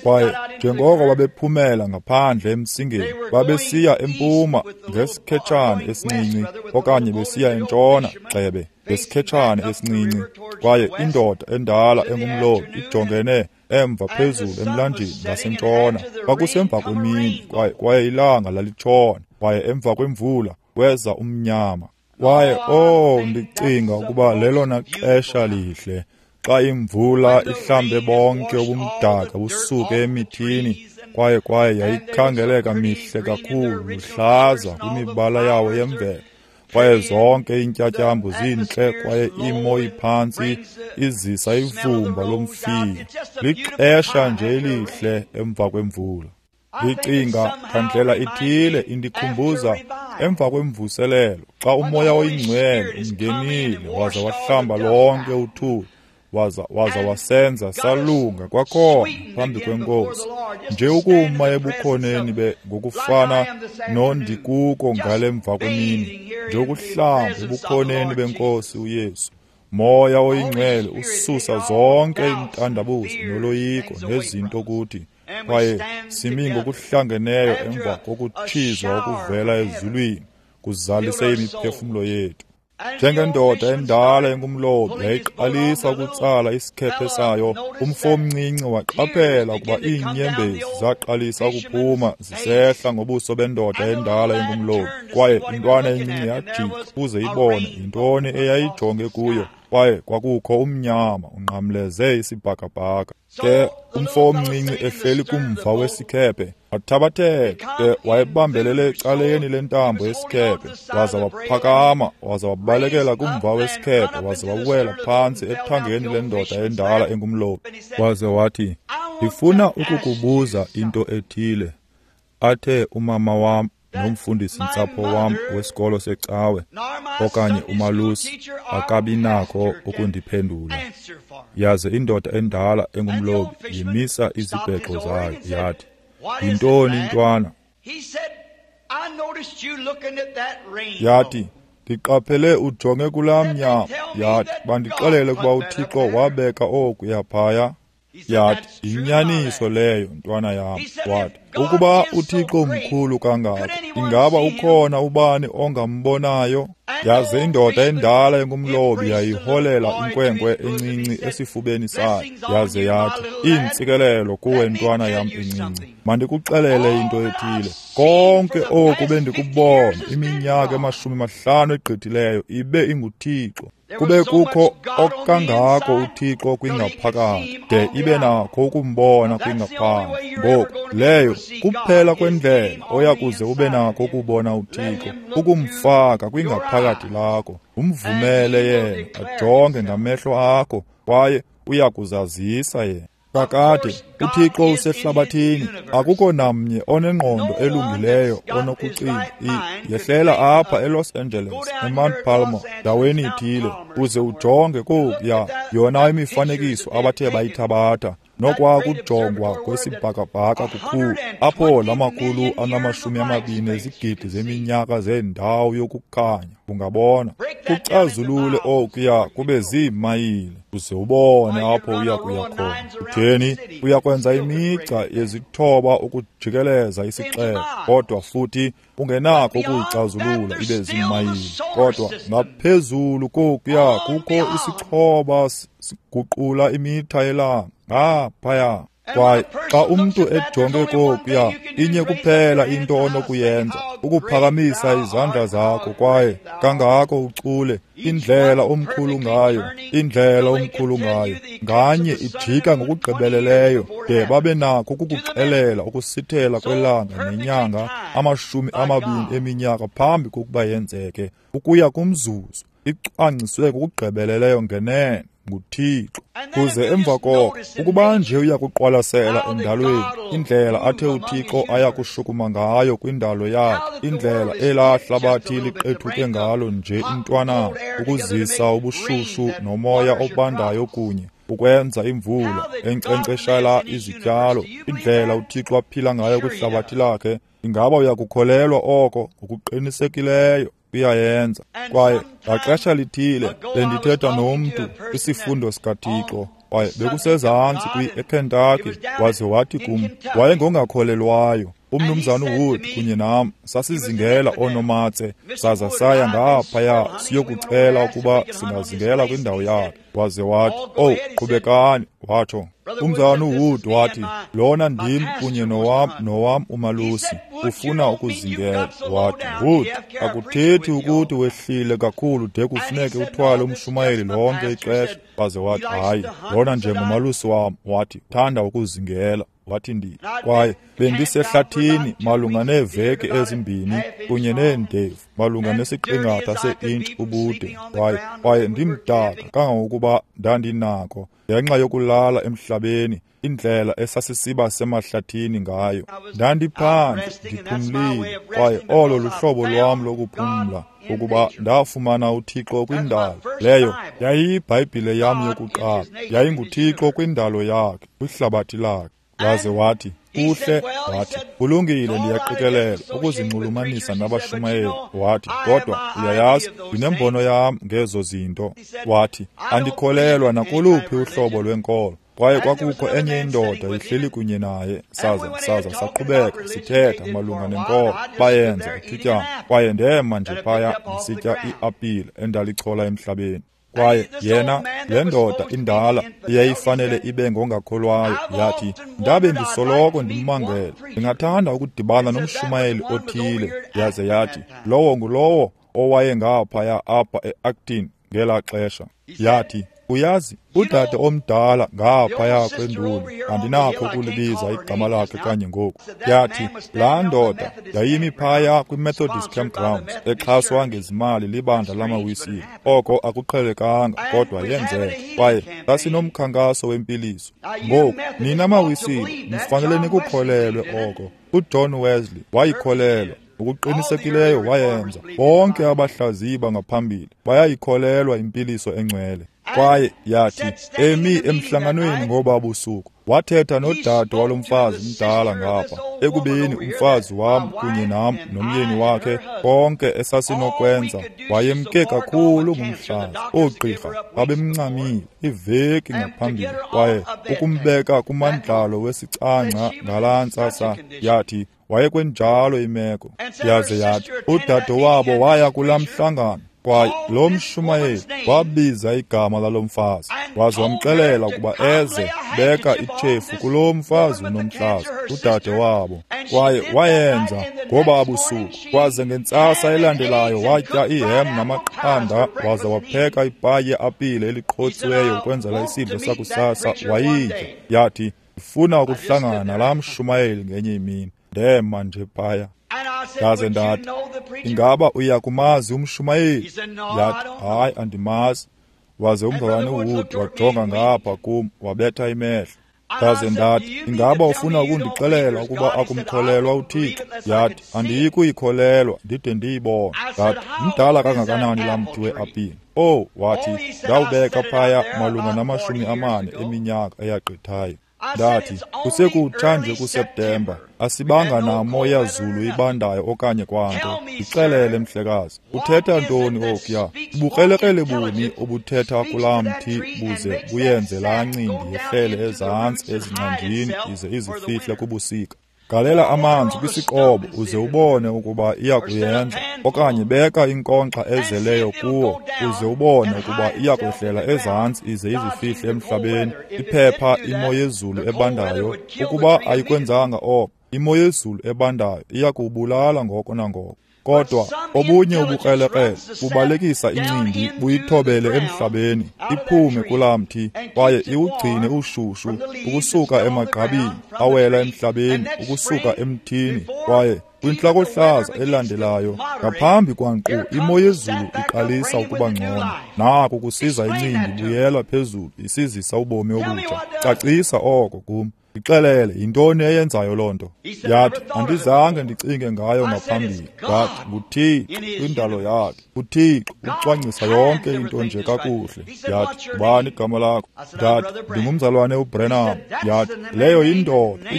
Kwaye njengoko babephumela ngaphandle emsingeni, babesiya empuma ngesikhetshane esincinci, okanye besiya entshona gxebe ngesikhetshane esincinci. Kwaye indoda endala engumlobi ijongene emva phezulu emlanjeni ngasentshona. Kwakusemva kwemini, kwaye ilanga lalitshona, kwaye emva kwemvula kweza umnyama. Kwaye oh, ndicinga ukuba lelona xesha lihle, xa imvula ihlambe bonke ubumdaka busuke emithini, kwaye yayikhangeleka mihle kakhulu, luhlaza kwimibala yawo yemvelo. Kwaye zonke iintyatyambo zintle kwaye imo iphantsi izisa ivumba lomfino. Lixesha nje elihle emva kwemvula. Ndicinga ngandlela ithile indikhumbuza emva kwemvuselelo xa uMoya oyiNgcwele ungenile waza wahlamba lonke uthuli waza wasenza salunga kwakhona phambi kweNkosi. Nje ukuma ebukhoneni ngokufana nondikuko ngale mva kwemini, nje ukuhlamba ebukhoneni beNkosi uYesu. Moya oyiNgcwele ususa zonke iintandabuzo noloyiko nezinto kuthi, kwaye simi ngokuhlangeneyo emva kokutshizwa okuvela ezulwini kuzalise imiphefumlo yethu. Njengendoda endala engumlobi yayiqalisa ukutsala isikhephe sayo, umfo omncinci waqaphela ukuba iinyembezi zaqalisa ukuphuma zisehla ngobuso bendoda endala engumlobi, kwaye intwana encinci yajika ukuze ibone yintoni eyayijonge kuyo, kwaye kwakukho umnyama unqamleze isibhakabhaka. Ke umfo omncinci ehleli kumva wesikhephe wathabatheka, ke wayebambelele ecaleni lentambo yesikhephe, waza waphakama waza wabalekela kumva wesikhephe waza wawela phantsi ethangeni lendoda endala engumlobi. Waze wathi, "Ndifuna ukukubuza into ethile athe umama wam nomfundisi-ntsapho wam wesikolo secawe okanye umalusi akabi nako ukundiphendula." Yaze indoda endala engumlobi yimisa izibhexo zayo yathi, "Yintoni ntwana?" Yathi, "Ndiqaphele ujonge kulaa mnyama." Yathi, "Bandixelele ukuba uThixo wabeka okuya phaya." Yathi, "Yinyaniso leyo, ntwana yam." Wathi, "Ukuba uThixo mkhulu kangako, ingaba ukhona ubani ongambonayo?" Yaze indoda endala engumlobi yayiholela inkwenkwe encinci esifubeni sayo, yaze yathi, "Iintsikelelo kuwe, ntwana yam encinci. Mandikuxelele into ethile. Konke oku bendikubona iminyaka ema-50 egqithileyo ibe inguThixo. Kube kukho okangako uThixo kwingaphakathi, de ibe nakho ukumbona kwingaphandle. Ngoku leyo kuphela kwendlela oya kuze ube nakho ukubona uThixo, ukumfaka kwingaphakathi lakho, umvumele yena ajonge ngamehlo akho, kwaye uya kuzazisa yena." Kakade, uThixo usehlabathini, akukho namnye onengqondo elungileyo onokucinga yehlela apha eLos Angeles, eMount Palmer, ndaweni ithile, uze ujonge kokuya yona imifanekiso abathe bayithabatha, nokwakujongwa kwesibhakabhaka kukhulu, apho lamakhulu anama-20 ezigidi zeminyaka zendawo yokukhanya ungabona. Kucazulule okuya kube ziimayile, uze ubone apho uya kuya khona. Utheni? Uya kwenza imigca yezithoba ukujikeleza isixeko, kodwa futhi ungenakho ukuyicazulula ibe ziimayile. Kodwa ngaphezulu kokuya kukho isixhoba siguqula imitha yelanga ngaphaya. Kwaye xa umntu ejonge kokuya, inye kuphela into onokuyenza, ukuphakamisa izandla zakho kwaye kangako ucule indlela omkhulu ngayo, indlela omkhulu ngayo. Nganye ijika ngokugqibeleleyo de babe nakho ukukuxelela ukusithela kwelanga nenyanga 20 eminyaka phambi kokuba yenzeke, ukuya kumzuzu, icwangciswe ngokugqibeleleyo ngenene nguThixo. Kuze emva koko, ukuba nje uya kuqwalasela endalweni indlela athe uThixo aya kushukuma ngayo kwindalo yakhe, indlela elaa hlabathi liqethuke ngalo nje intwanana ukuzisa ubushushu nomoya obandayo kunye, ukwenza imvula enkcenkceshela izityalo, indlela uThixo aphila ngayo kwihlabathi lakhe, ingaba uyakukholelwa oko? Ngokuqinisekileyo uyayenza. Kwaye ngaxesha lithile bendithetha nomntu kwisifundo sikaThixo, kwaye bekusezantsi eKentucky, waze wathi kum, wayengongakholelwayo. Umnumzana uWood kunye nam sasizingela oonomatse, saza saya ngaphaya siyokucela ukuba singazingela kwindawo yakhe. Waze wathi, "Oh, qhubekani," watsho. Umzalwana uWood wathi, "Lona ndim kunye nowam umalusi ufuna ukuzingela." Wathi, "Wood, akuthethi ukuthi wehlile kakhulu de kufuneke uthwale umshumayeli lonke ixesha." Waze wathi, "Hayi, lona njengomalusi wam," wathi, "thanda ukuzingela." Wathi ndi, kwaye bendisehlathini malunga neeveki ezimbini kunye neendevu malunga nesiqingatha se-intshi ubude, kwaye ndimdaka kangangokuba ndandinako ngenxa yokulala emhlabeni, indlela esasisiba semahlathini ngayo. Ndandiphandle ndiphumlile, kwaye olo luhlobo lwam lokuphumla, ukuba ndafumana uThixo kwindalo. Leyo yayiyiBhayibhile yam yokuqala, yayinguThixo kwindalo yakhe, kwihlabathi lakhe. Waze wathi, kuhle, wathi, kulungile, ndiyaqikelela ukuzinxulumanisa nabashumayeli. Wathi, kodwa uyayazi, ndinembono yam ngezo zinto. Wathi, andikholelwa nakoluphi uhlobo lwenkolo. Kwaye kwakukho enye indoda ihleli kunye naye, saza saqhubeka sithetha malunga nenkolo, bayenza ithutyana. Kwaye ndema nje phaya ndisitya iapile endalichola emhlabeni. Kwaye yena, le ndoda indala eyayifanele ibe ngongakholwayo, yathi, ndabe ndisoloko ndimmangele, ndingathanda ukudibana nomshumayeli othile. Yaze yathi, lowo ngulowo owayengaphaya apha e-Acton ngelaa xesha. Yathi, uyazi, udade omdala ngaphaya kwenduli, andinakho ukulibiza igama lakhe kanye ngoku. Yathi, laa ndoda yayimi phaya kwi-Methodist Campgrounds, exhaswa ngezimali libandla lamaWisile. Oko akuqhelekanga, kodwa yenzeka. Kwaye sasinomkhankaso wempiliso. Ngoku, nina maWisile, nifanele nikukholelwe oko. UJohn Wesley wayikholelwa. Ngokuqinisekileyo wayenza. Bonke abahlaziyi bangaphambili bayayikholelwa impiliso engcwele. Kwaye yathi, emi emhlanganweni ngoba busuku, wathetha nodade walo mfazi mdala ngapha, ekubeni umfazi wam kunye nam nomyeni wakhe konke esasinokwenza, wayemke kakhulu ngumhlaza. Oogqirha babemncamile iveki ngaphambili, kwaye ukumbeka kumandlalo wesicangca ngalaa ntsasa, yathi wayekwenjalo imeko. Yaze yathi, udade wabo waya kulaa mhlangano, kwaye lo mshumayeli wabiza igama lalo mfazi, waze wamxelela ukuba eze beka itshefu kulo mfazi unomhlaza, udade wabo. Kwaye wayenza ngoba busuku. Kwaze ngentsasa elandelayo watya ihem namaqanda, waze wapheka ipayi yeapile eliqhotsiweyo ukwenzela isidlo sakusasa, wayitya. Yathi, ndifuna ukuhlangana nalaa mshumayeli ngenye imini. Ndema nje phaya. Ndaze ndathi, ingaba uya kumazi umshumayeli? Yathi, hayi, andimazi. Waze umzalwane uWood wajonga ngapha kum, wabetha imehlo. Ndaze ndathi, ingaba ufuna ukundixelela ukuba akumkholelwa uThixo? Yathi, andiyi kuyikholelwa ndide ndiyibone. Ndathi, mdala kangakanani laa mthi weapile? Oh, wathi, ndawubeka phaya malunga na-40 eminyaka eyagqithayo. Ndathi, kusekutsha nje kuSeptemba, asibanga namo yazulu ibandayo okanye kwanto. Ndixelele, mhlekazi, uthetha ntoni okuya? Ubukrelekrele buni obuthetha kulaa mthi buze buyenze laa ncindi yehlele ezantsi ezingcanjini ize izifihle kubusika? Galela amanzi kwisiqobo uze ubone ukuba iyakuyenza, okanye beka inkonkxa ezeleyo kuwo uze ubone ukuba iyakwehlela ezantsi ize izifihle emhlabeni. Iphepha imo yezulu ebandayo, ukuba ayikwenzanga oko, imo yezulu ebandayo iyakubulala ngoko nangoko. Kodwa obunye ubukrelekrele bubalekisa incindi buyithobele emhlabeni, iphume kulaa mthi, kwaye iwugcine ushushu ukusuka emagqabini awela emhlabeni, ukusuka emthini. Kwaye kwintlakohlaza elandelayo, ngaphambi kwanqu imo yezulu iqalisa ukuba ngcono, naku kusiza incindi buyela phezulu isizisa ubomi obutsha. Cacisa oko kum. Ndixelele, yintoni eyenzayo loo nto? Yathi, andizange ndicinge ngayo ngaphambili. Ndathi, nguThixo kwindalo yakhe. uThixo ucwangcisa yonke into nje kakuhle. Yathi, ubani igama lakho? Ndathi, ndingumzalwane uBrenham. Yathi, leyo yindoda,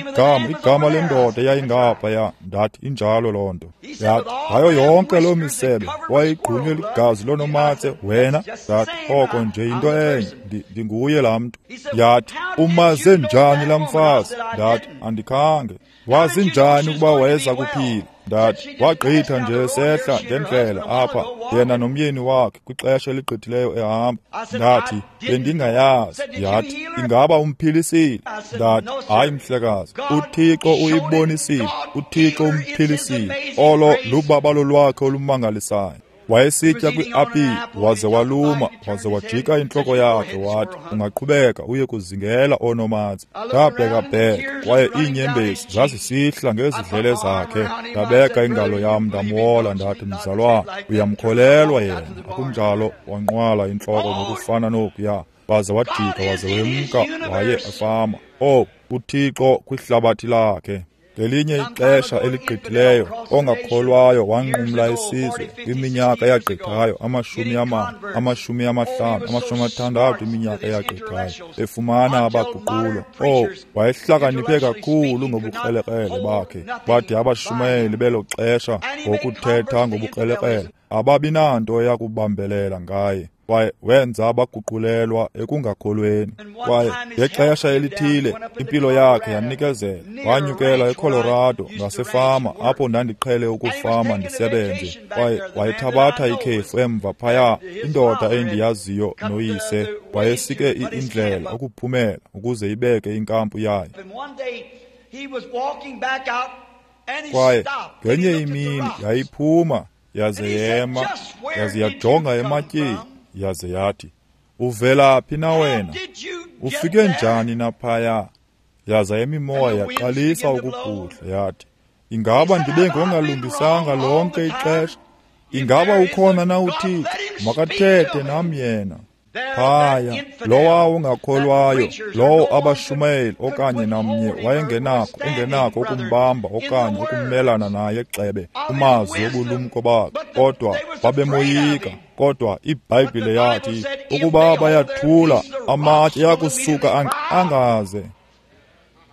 igama lendoda eyayingaphaya. Ndathi, injalo loo nto. Yathi, ngayo yonke loo misebe wayigqunywe ligazi lonomatse wena. Ndathi, oko nje yinto enye, ndinguye laa mntu. Yathi, umaze njani laa mfazi? Ndathi, andikhange. Wazi njani ukuba wayeza kuphila? Ndathi, wagqitha nje sehla ngendlela apha, yena nomyeni wakhe kwixesha eligqithileyo ehamba. Ndathi, bendingayazi. Yathi, ingaba umphilisile? Ndathi, hayi mhlekazi, uThixo uyibonisile, uThixo umphilisile. Olo lubabalo lwakhe olumangalisayo. Wayesitya kwi-apile, waze waluma, waze wajika intloko yakhe wathi, ungaqhubeka uye kuzingela oonomatse. Ndabhekabheka, kwaye iinyembezi zazisihla ngezidlele zakhe. Ndabeka ingalo yam ndamwola, ndathi, mzalwana, uyamkholelwa yena, akunjalo? Wanqwala intloko ngokufana nokuya, waze wajika waze wemka waye efama. Oh, uThixo kwihlabathi lakhe. Ngelinye ixesha eligqithileyo, ongakholwayo wanqumla isizwe kwiminyaka eyagqithayo, 40, 50, 60 iminyaka eyagqithayo, efumana abaguqulwa. Oh, wayehlakaniphe kakhulu ngobukrelekrele bakhe, bade abashumayeli belo xesha ngokuthetha ngobukrelekrele ababi nanto yakubambelela ngaye. Kwaye wenza abaguqulelwa ekungakholweni. Kwaye ngexesha elithile impilo yakhe yanikezela, wanyukela eColorado ngasefama apho ndandiqhele ukufama ndisebenze. Kwaye wayethabatha ikhefu emva phaya, indoda endiyaziyo noyise wayesike indlela ukuphumela ukuze ibeke inkampu yayo. Kwaye ngenye imini yayiphuma yaze yema, yaze yajonga ematyeni, yaze yathi, uvela phi na wena? Ufike njani na phaya? Yaza imimoya yaqalisa ukubhudla, yathi, ingaba ndibe ngongalungisanga lonke ixesha? Ingaba ukhona na uThixo? Makathethe nam yena. Phaya, lowa ungakholwayo, lowo abashumayeli okanye namnye wayengenakho ungenakho ukumbamba okanye ukumelana naye xebe kumazwi obulumko bakhe, kodwa babemoyika. Kodwa iBhayibhile yathi ukuba bayathula, amatye ayakusuka angaze.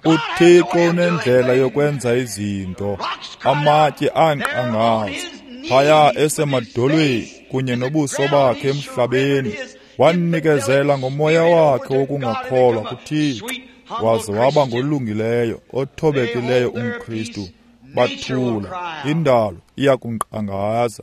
uThixo unendlela yokwenza izinto, amatye anqangaze. Phaya esemadolweni kunye nobuso bakhe emhlabeni, wanikezela ngomoya wakhe wokungakholwa kuThixo, waze waba ngolungileyo, othobekileyo umKristu. Bathula, indalo iyakunkqangaza.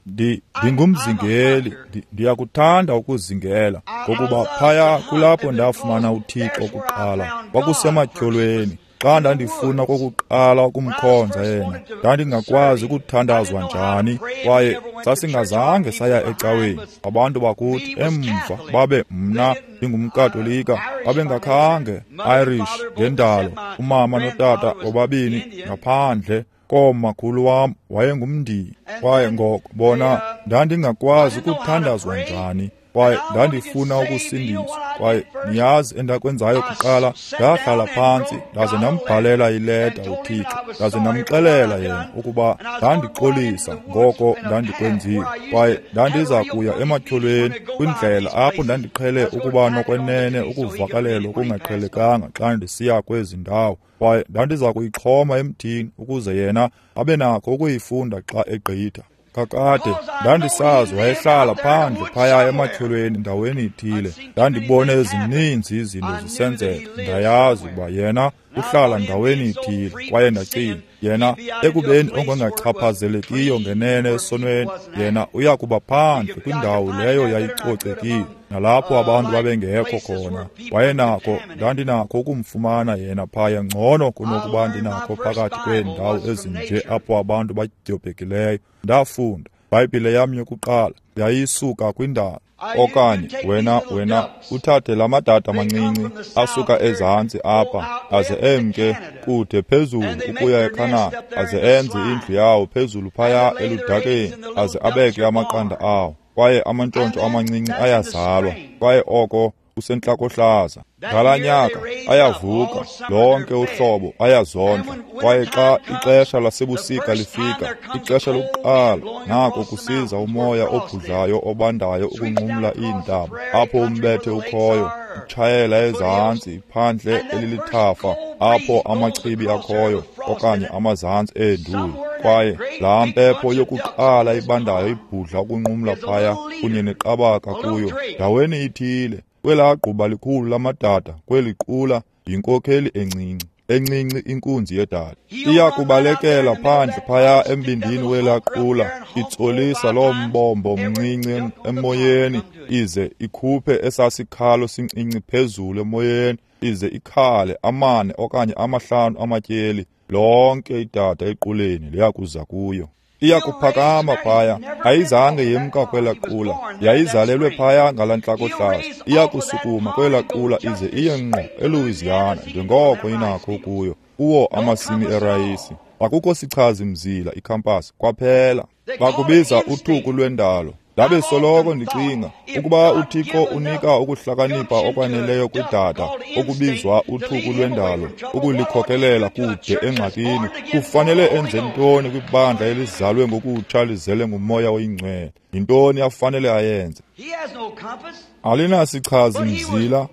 Ndingumzingeli, ndiyakuthanda ukuzingela, ngokuba phaya kulapho ndafumana uThixo kuqala, kwakusematyholweni. Xa ndandifuna kokuqala ukumkhonza yena, ndandingakwazi ukuthandazwa njani, kwaye sasingazange saya ecaweni. Abantu bakuthi emva babe mna ndingumKatolika, babengakhange Irish ngendalo, umama notata bobabini ngaphandle komakhulu wam wayengumNdiya. Kwaye ngoko bona ndandingakwazi ukuthandazwa njani, kwaye ndandifuna ukusindiswa. Kwaye niyazi endakwenzayo kuqala, ndahlala phantsi ndaze ndambhalela ileta uThixo, ndaze ndamxelela yena ukuba ndandixolisa ngoko ndandikwenzile, kwaye ndandiza kuya ematyholweni kwindlela apho ndandiqhele ukuba nokwenene ukuvakalelwa okungaqhelekanga xa ndisiya kwezi ndawo. Kwaye ndandiza kuyixhoma emthini ukuze yena abe nakho ukuyifunda xa egqitha. Kakade ndandisazi wayehlala phandle phaya ematyholweni ndaweni ithile. Ndandibone ezininzi izinto zisenzeka, ndayazi ukuba yena uhlala ndaweni ithile. Kwaye ndacinga, yena ekubeni ongengachaphazelekiyo ngenene esonweni, yena uya kuba phandle kwindawo leyo yayicocekile nalapho abantu babengekho khona. Wayenakho, ndandinakho ukumfumana yena phaya ngcono kunokuba ndinakho phakathi kweendawo ezinje apho abantu badyobhekileyo. Ndafunda iBhayibhile yam yokuqala yayisuka kwindalo. Okanye wena uthathe la madada amancinci asuka ezantsi apha aze emke kude phezulu ukuya eKhanada, aze enze indlu yawo phezulu phaya eludakeni, aze abeke amaqanda awo, kwaye amantshontsho amancinci ayazalwa, kwaye oko kusentlakohlaza. Ngalaa nyaka ayavuka lonke uhlobo, ayazondla. Kwaye xa ixesha lasebusika lifika, ixesha lokuqala, nako kusiza umoya obhudlayo obandayo ukunqumla iintaba apho umbethe ukhoyo, utshayela ezantsi phandle elilithafa apho amachibi akhoyo okanye amazantsi eenduli. Kwaye laa mpepho yokuqala ibandayo ibhudla ukunqumla phaya kunye neqabaka kuyo ndaweni ithile. Kwelaa gquba likhulu lamadada, kweli qula yinkokheli encinci, encinci inkunzi yedada. Iya kubalekela phandle phaya embindini welaa qula, itsolisa loo mbombo mncinci emoyeni, ize ikhuphe esasikhalo sincinci phezulu emoyeni, ize ikhale 4 okanye 5 amatyeli. Lonke idada equleni liya kuza kuyo. Iyakuphakama phaya, ayizange yemka kwela qula, yayizalelwe phaya ngala ntlakohlaza. Iyakusukuma kwela qula ize iye ngqo eLouisiana njengoko inakho kuyo, kuwo amasimi erayisi. Akukho sichazi mzila ikhampasi kwaphela. Bakubiza uthuku lwendalo. Ndabe soloko ndicinga ukuba uThixo unika ukuhlakanipha okwaneleyo kwidada okubizwa uthuku lwendalo ukulikhokelela kude engxakini, kufanele enze ntoni kwibandla elizalwe ngokutsha lizele nguMoya oyiNgcwele? Yintoni afanele ayenze? Alinasichazi mzila,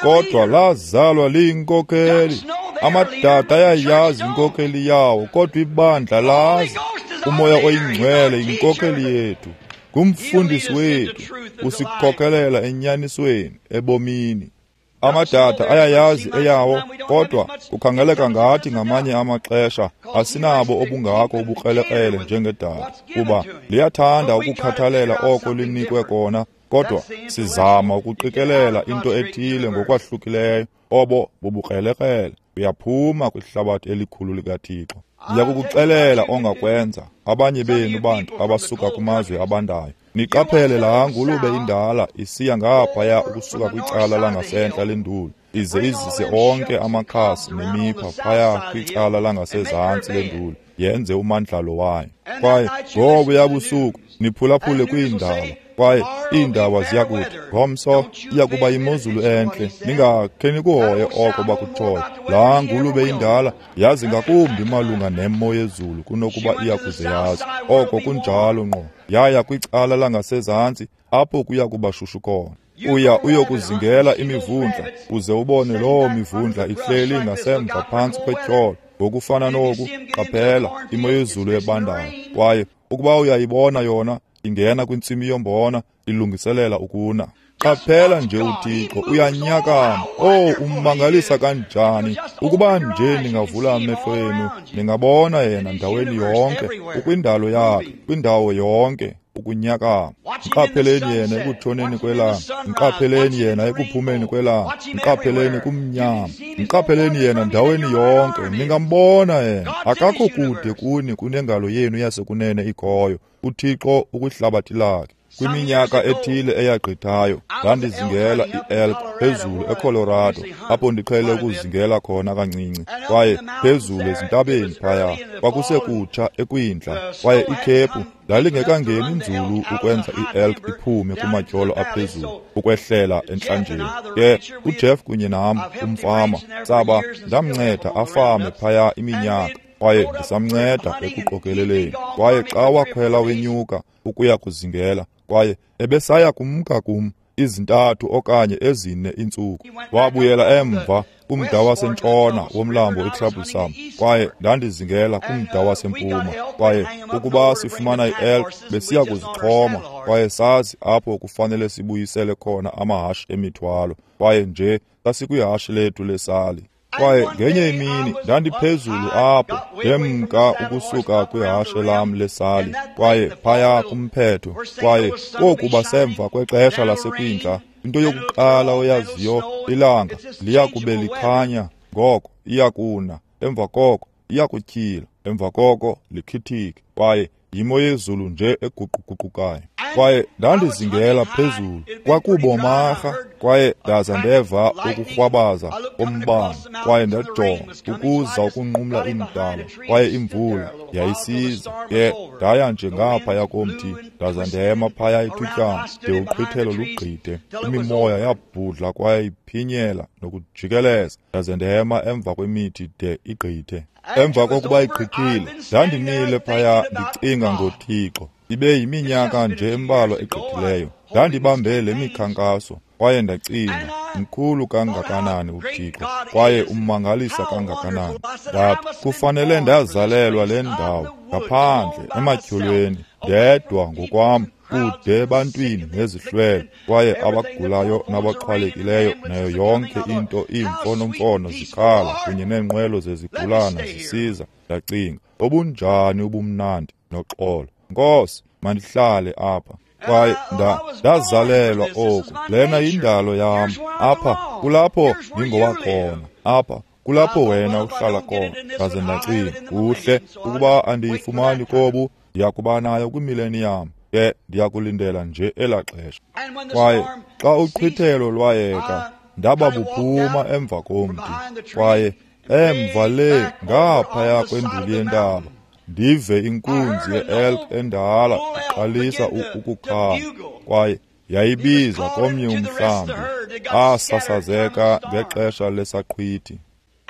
kodwa lazalwa liyinkokeli. Amadada ayayazi inkokeli yawo, kodwa ibandla lazi. UMoya oyiNgcwele yinkokeli yethu, ngumfundisi wethu, usikhokelela enyanisweni ebomini. Amadada ayayazi eyawo, kodwa kukhangeleka ngathi ngamanye amaxesha asinabo obungako ubukrelekrele njengedada, kuba liyathanda ukukhathalela oko linikwe kona, kodwa sizama ukuqikelela into ethile ngokwahlukileyo. Obo bubukrelekrele. Uyaphuma kwihlabathi elikhulu likaThixo. Ndiyakukuxelela ongakwenza, abanye benu bantu abasuka kumazwe abandayo. Niqaphele laa ngulube indala isiya ngaphaya ukusuka kwicala langasentla lenduli, ize izise onke amakhasi nemipha phaya kwicala langasezantsi lenduli, yenze umandlalo wayo. Kwaye ngobuya busuku niphulaphule kwiindaba, kwaye iindaba ziyakuthi ngomso iyakuba yimozulu entle. Ningakhe nikuhoye oko bakutshoyo. Laa ngulube indala yazi ngakumbi malunga nemo yezulu kunokuba iyakuze yazi. Oko kunjalo ngqo. Yaya kwicala langasezantsi apho kuya kuba shushu khona. Uya uyokuzingela imivundla, uze ubone loo mivundla ihleli ngasemva phantsi kwetyholo. Ngokufana noku, qaphela imo yezulu ebandayo. Kwaye ukuba uyayibona yona ingena kwintsimi yombona, ilungiselela ukuna. Qaphela nje uThixo uyanyakama. Oh, ummangalisa kanjani! Ukuba nje ningavula amehlo enu, ningabona yena ndaweni yonke, ukwindalo yakhe, kwindawo yonke, ukunyakama. Mqapheleni yena ekutshoneni kwelanga, mqapheleni yena ekuphumeni kwelanga, mqapheleni kumnyama, mqapheleni yena ndaweni yonke. Ningambona yena. Akakho kude kuni kunengalo yenu yasekunene ikhoyo. uThixo ukwihlabathi lakhe. Kwiminyaka ethile eyagqithayo ndandizingela i-elk phezulu eColorado, apho ndiqhele ukuzingela khona kancinci. Kwaye phezulu ezintabeni phaya kwakusekutsha ekwindla, kwaye ikhephu lalingekangeni nzulu ukwenza i-elk iphume kumatyholo aphezulu ukwehlela entlanjeni. Ke uJeff kunye nam, umfama, saba ndamnceda afame phaya iminyaka, kwaye ndisamnceda ekuqokeleleni. Kwaye xa wakhwela wenyuka ukuya kuzingela, kwaye ebesaya kumka kum izintathu okanye ezine iintsuku, wabuyela emva kumda wasentshona womlambo iTroublesome, kwaye ndandizingela kumda wasempuma. Kwaye ukuba sifumana i-elk besiya kuzixhoma, kwaye sazi apho kufanele sibuyisele khona amahashe emithwalo, kwaye nje sasikwihashe lethu lesali. Kwaye ngenye imini ndandiphezulu apho, ndemka ukusuka kwihashe lam lesali, kwaye phaya kumphetho. Kwaye kokuba semva kwexesha lasekwindla, into yokuqala oyaziyo, ilanga liyakube likhanya, ngoko iyakuna, emva koko iyakutyhila, emva koko likhithike, kwaye yimo yezulu nje eguquguqukayo. Kwaye ndandizingela phezulu, kwakubomarha, kwaye ndaza ndeva ukurhwabaza kombane, kwaye ndajonga ukuza ukunqumla iintaba, kwaye imvula yayisiza. Ke ndaya nje ngaphaya komthi, ndaza ndema phaya ithutyana de uqhwithelo lugqithe. Imimoya yabhudla kwaye iphinyela nokujikeleza, ndaze ndema emva kwemithi de igqithe. Emva kokuba igqithile, ndandimile phaya ndicinga ngoThixo. Ibe yiminyaka nje embalwa egqithileyo, ndandibambe le mikhankaso, kwaye ndacinga, mkhulu kangakanani uThixo, kwaye ummangalisa kangakanani. Ndathi, kufanele ndazalelwa le ndawo, ngaphandle ematyholweni, ndedwa ngokwam, kude ebantwini nezihlwele, kwaye abagulayo nabaxhwalekileyo, nayo yonke into, iimfonomfono zikhala kunye neenqwelo zezigulana zisiza. Ndacinga, obunjani ubumnandi noxolo. Nkosi, mandihlale apha. Kwaye ndazalelwa oku. Lena yindalo yam. Apha kulapho ndingowakhona. Apha kulapho wena uhlala khona. Ndaze ndacinga, kuhle ukuba andiyifumani kobu, Ndiyakuba nayo kwimileniyam, ke ndiyakulindela nje elaa xesha. Kwaye xa uqhwithelo lwayeka, ndaba buphuma emva komthi, kwaye emva le ngaphaya kwenduli yentaba, ndive inkunzi ye-elk endala iqalisa ukukhala, kwaye yayibiza komnye umhlambi asasazeka ngexesha lesaqhwithi.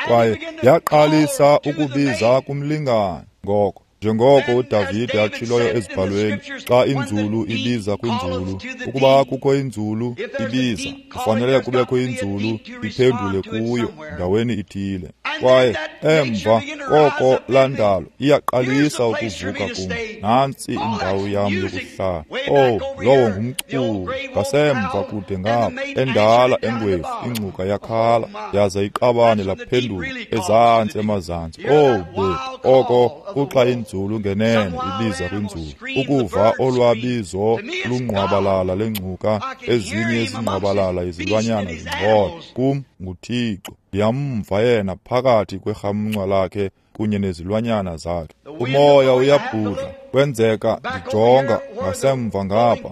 Kwaye yaqalisa ukubiza kumlingane. Ngoko njengoko uDavide atshiloyo ezibhalweni, xa inzulu ibiza kwinzulu, ukuba kukho inzulu ibiza, kufanele kubekho inzulu iphendule kuyo ndaweni ithile. Kwaye emva koko laa ndalo iyaqalisa ukuvuka kum. Nantsi indawo yam yokuhlala. Oh, lowo ngumculo. Ngasemva kude ngapha, endala engwevu ingcuka yakhala, yaza iqabane laphendula ezantsi emazantsi. Oh, bethu, oko kuxa inzulu ngenene ibiza kwinzulu. Ukuva olwabizo lungqwabalala lengcuka, ezinye izingqwabalala izilwanyana zingxola. Kum nguThixo. Ndiyamva yena phakathi kwerhamncwa lakhe kunye nezilwanyana zakhe. Umoya uyabhudla, kwenzeka ndijonga ngasemva ngapha.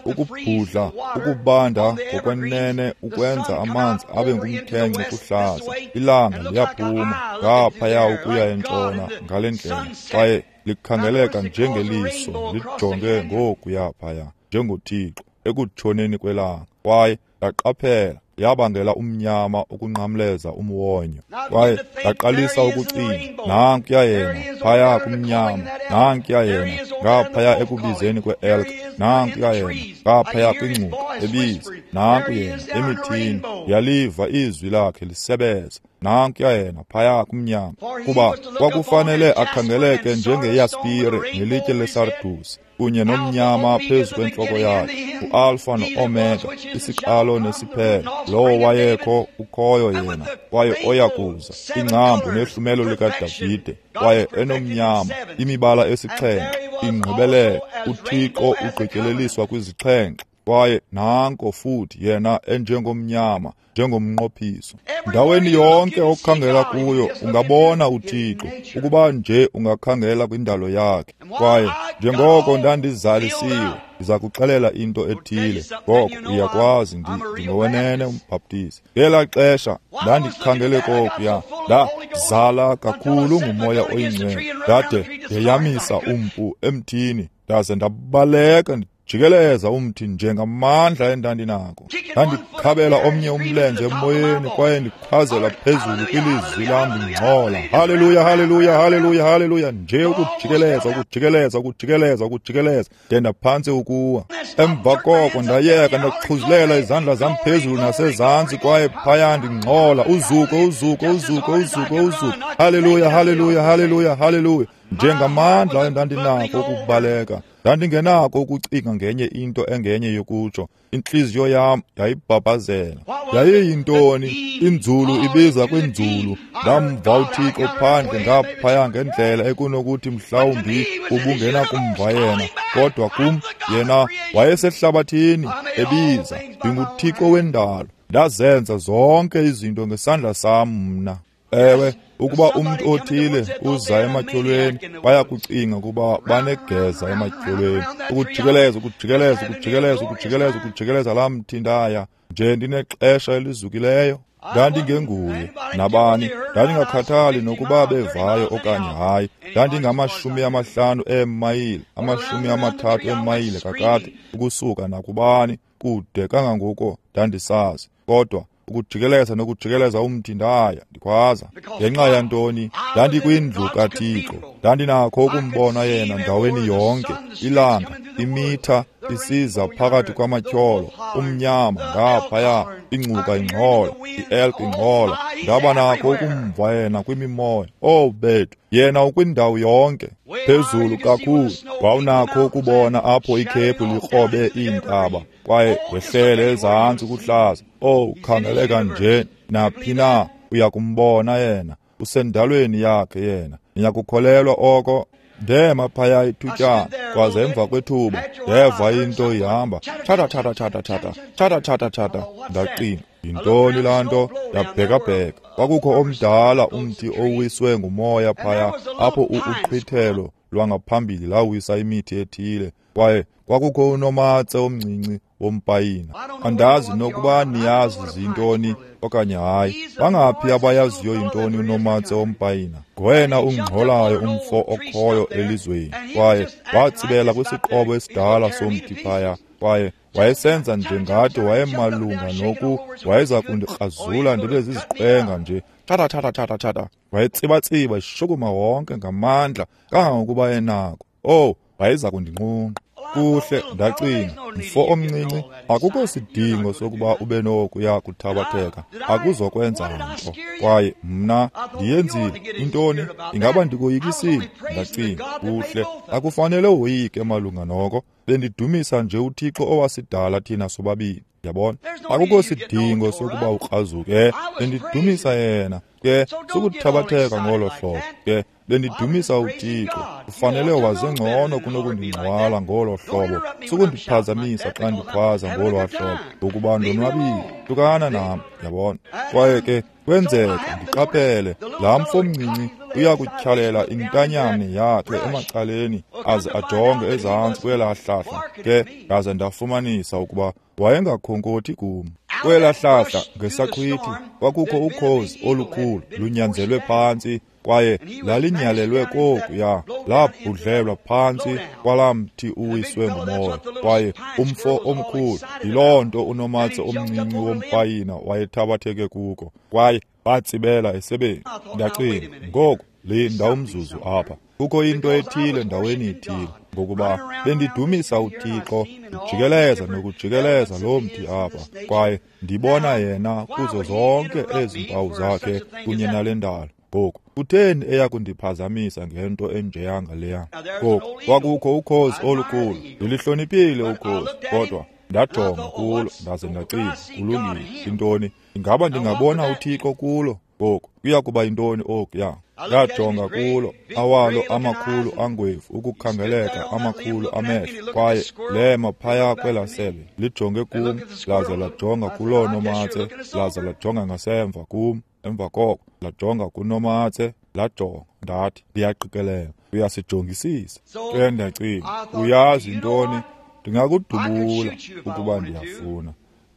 Ukubhudla, ukubanda ngokwenene ukwenza amanzi abe ngumkhenkce kuhlaza. Ilanga liyaphuma ngaphaya ukuya entshona ngale ndlela, kwaye likhangeleka njengeliso lijonge ngokuya phaya njengoThixo ekutshoneni kwelanga. Kwaye ndaqaphela yabangela umnyama ukunqamleza umwonyo. Kwaye ndaqalisa ukucinga, nankuya yena phaya kumnyama, nankuya yena ngaphaya ekubizeni kwe-elk, nankuya yena ngaphaya kwingcuka ebiza, nanku yena emithini, yaliva izwi lakhe lisebeza, nankuya yena phaya kumnyama. Kuba kwakufanele akhangeleke njengeyaspire nelitye lesardusi kunye nomnyama phezu kwentloko yakhe, uAlfa noOmega, isiqalo nesiphelo, lowo wayekho, ukhoyo yena, kwaye oya kuza, ingcambu nehlumelo likaDavide, kwaye enomnyama, imibala esixhenxe, ingqibelelo, uThixo ugqityeleliswa kwizixhenxe. Kwaye nanko futhi yena enjengomnyama, njengomnqophiso. Ndaweni yonke okhangela kuyo ungabona uThixo, ukuba nje ungakhangela kwindalo yakhe. Kwaye njengoko ndandizalisiwe, ndiza kuxelela into ethile, ngoko uyakwazi ndingowenene umbhaptizi. Ngelaa xesha ndandikhangele kokuya, ndazala kakhulu nguMoya oyiNgcwele, ndade ndeyamisa umpu emthini, ndaze ndabaleka jikeleza umthi njengamandla endandinako. Ndandikhabela omnye umlenze emoyeni, kwaye ndikhwazela phezulu kwilizwi lam ndingxola, haleluya, haleluya, haleluya, haleluya, nje ukujikeleza, ukujikeleza, ukujikeleza, ukujikeleza, de ndaphantsi ukuwa. Emva koko ndayeka, ndaxhuzulela izandla zam phezulu nasezantsi, kwaye phaya ndingxola, uzuko, uzuko, uzuko, uzuko, uzuko, haleluya, haleluya, haleluya, haleluya, njengamandla endandinako ukubaleka. Ndandingenako ukucinga ngenye into engenye yokutsho. Intliziyo yam yayibhabhazela. Yayiyintoni? Inzulu ibiza kwinzulu. Ndamva uThixo phandle ngaphaya ngendlela ekunokuthi mhlawumbi ubungenakumva yena, kodwa kum yena wayesehlabathini ebiza. NdinguThixo wendalo, ndazenza zonke izinto ngesandla sam mna. Ewe, ukuba umntu othile uza ematyholweni, bayakucinga ukuba banegeza ematyholweni. Ukujikeleza, ukujikeleza, ukujikeleza, ukujikeleza, ukujikeleza laa mthi ndaya nje ndinexesha elizukileyo. Ndandingenguye nabani, ndandingakhathali nokuba bevayo okanye hayi. Ndandingama-50 eemayile, 30 eemayile kakade ukusuka nakubani, kude kangangoko ndandisazi. Kodwa ukujikeleza nokujikeleza umthi ndaya ndikhwaza. Ngenxa yantoni? Ndandikwindlu kaThixo, ndandinakho ukumbona yena ndaweni yonke. Ilanga, imitha isiza phakathi kwamatyholo, umnyama ngaphaya, ingcuka ingxola, i-elk ingxola. Ndaba nakho ukumva yena kwimimoya. Oh bethu, yena ukwindawo yonke, phezulu kakhulu. Wawunakho ukubona apho ikhephu likrobe iintaba, kwaye wehlele ezantsi kuhlaza. Oh, khangeleka nje naphi na, uyakumbona yena, usendalweni yakhe yena. Niyakukholelwa oko? Ndema phaya ithutyana, kwaze emva kwethuba ndeva into ihamba tshata tshata tshata tshata tshata tshata tshata. Ndacinga, yintoni laa nto? Ndabhekabheka, kwakukho omdala umthi owiswe ngumoya phaya apho uqhwithelo lwangaphambili lawisa imithi ethile, kwaye kwakukho unomatse omncinci wompayina. Andazi nokuba niyazi zintoni okanye hayi. Bangaphi abayaziyo yintoni unomatse wompayina? Ngwena ungxolayo umfo okhoyo elizweni. Kwaye watsibela kwisiqobo esidala somthi phaya, kwaye wayesenza njengathi wayemalunga noku wayeza kundikrazula ndibe ziziqwenga nje. Tata tata tata tata. Wayetsibatsiba eshukuma wonke ngamandla kangangokuba enako. Oh, wayeza kundinqunqa. Kuhle, ndacinga, mfo omncinci, akukho sidingo sokuba ube nokuya kuthabatheka, akuzokwenza nto. Kwaye mna ndiyenzile intoni? Ingaba ndikoyikisile? Ndacinga, kuhle, akufanele woyike malunga noko. Bendidumisa nje uThixo owasidala thina sobabini. Yabona, akukho sidingo sokuba ukrazuke. Bendidumisa yena. Ke sukuthabatheka ngolo hlobo. Ke bendidumisa uThixo. Ufanele waze ngcono kunokundingxwala ngolo hlobo. Sukundiphazamisa xa ndikhwaza ngolo hlobo, ngokuba ndonwabile. Hlukana nam, yabona. Kwaye ke kwenzeka ndiqaphele laa mfo mncinci uyakutyhalela intanyane yakhe emacaleni aze ajonge ezantsi kwelaa hlahla. Ke ndaze ndafumanisa ukuba wayengakhonkothi kum. Kwelaa hlahla ngesaqhwithi kwakukho ukhozi olukhulu lunyanzelwe phantsi, kwaye lalinyalelwe kokuya, labhudlelwa phantsi kwalaa mthi uwiswe ngumoya. Kwaye umfo omkhulu, yiloo nto unomatse omncinci wompayina wayethabatheke kuko, kwaye batsibela esebeni. Ndacinga, ngoku linda umzuzu apha, kukho into ethile ndaweni ithile, ngokuba bendidumisa uThixo ndijikeleza nokujikeleza lo mthi apha, kwaye ndibona yena kuzo zonke ezi mpawu zakhe kunye nale ndalo. Ngoku kutheni eya kundiphazamisa ngento enjeyanga leya? Ngoku kwakukho ukhozi olukhulu, ndilihloniphile ukhozi, kodwa ndajonga kulo ndaze ndacinga, kulungile, intoni? Ingaba ndingabona uThixo kulo? Ngoku kuya kuba yintoni okuya? Ndajonga kulo, awalo amakhulu angwevu ukukhangeleka, amakhulu amehlo, kwaye lema phaya kwelaa sebe lijonge kum, laze lajonga kuloo nomatse, laze lajonga ngasemva kum. Emva koko lajonga kunomatse, lajonga. Ndathi, ndiyaqikelela uyasijongisisa. Ke ndacinga, uyazi intoni? Ndingakudubula ukuba ndiyafuna.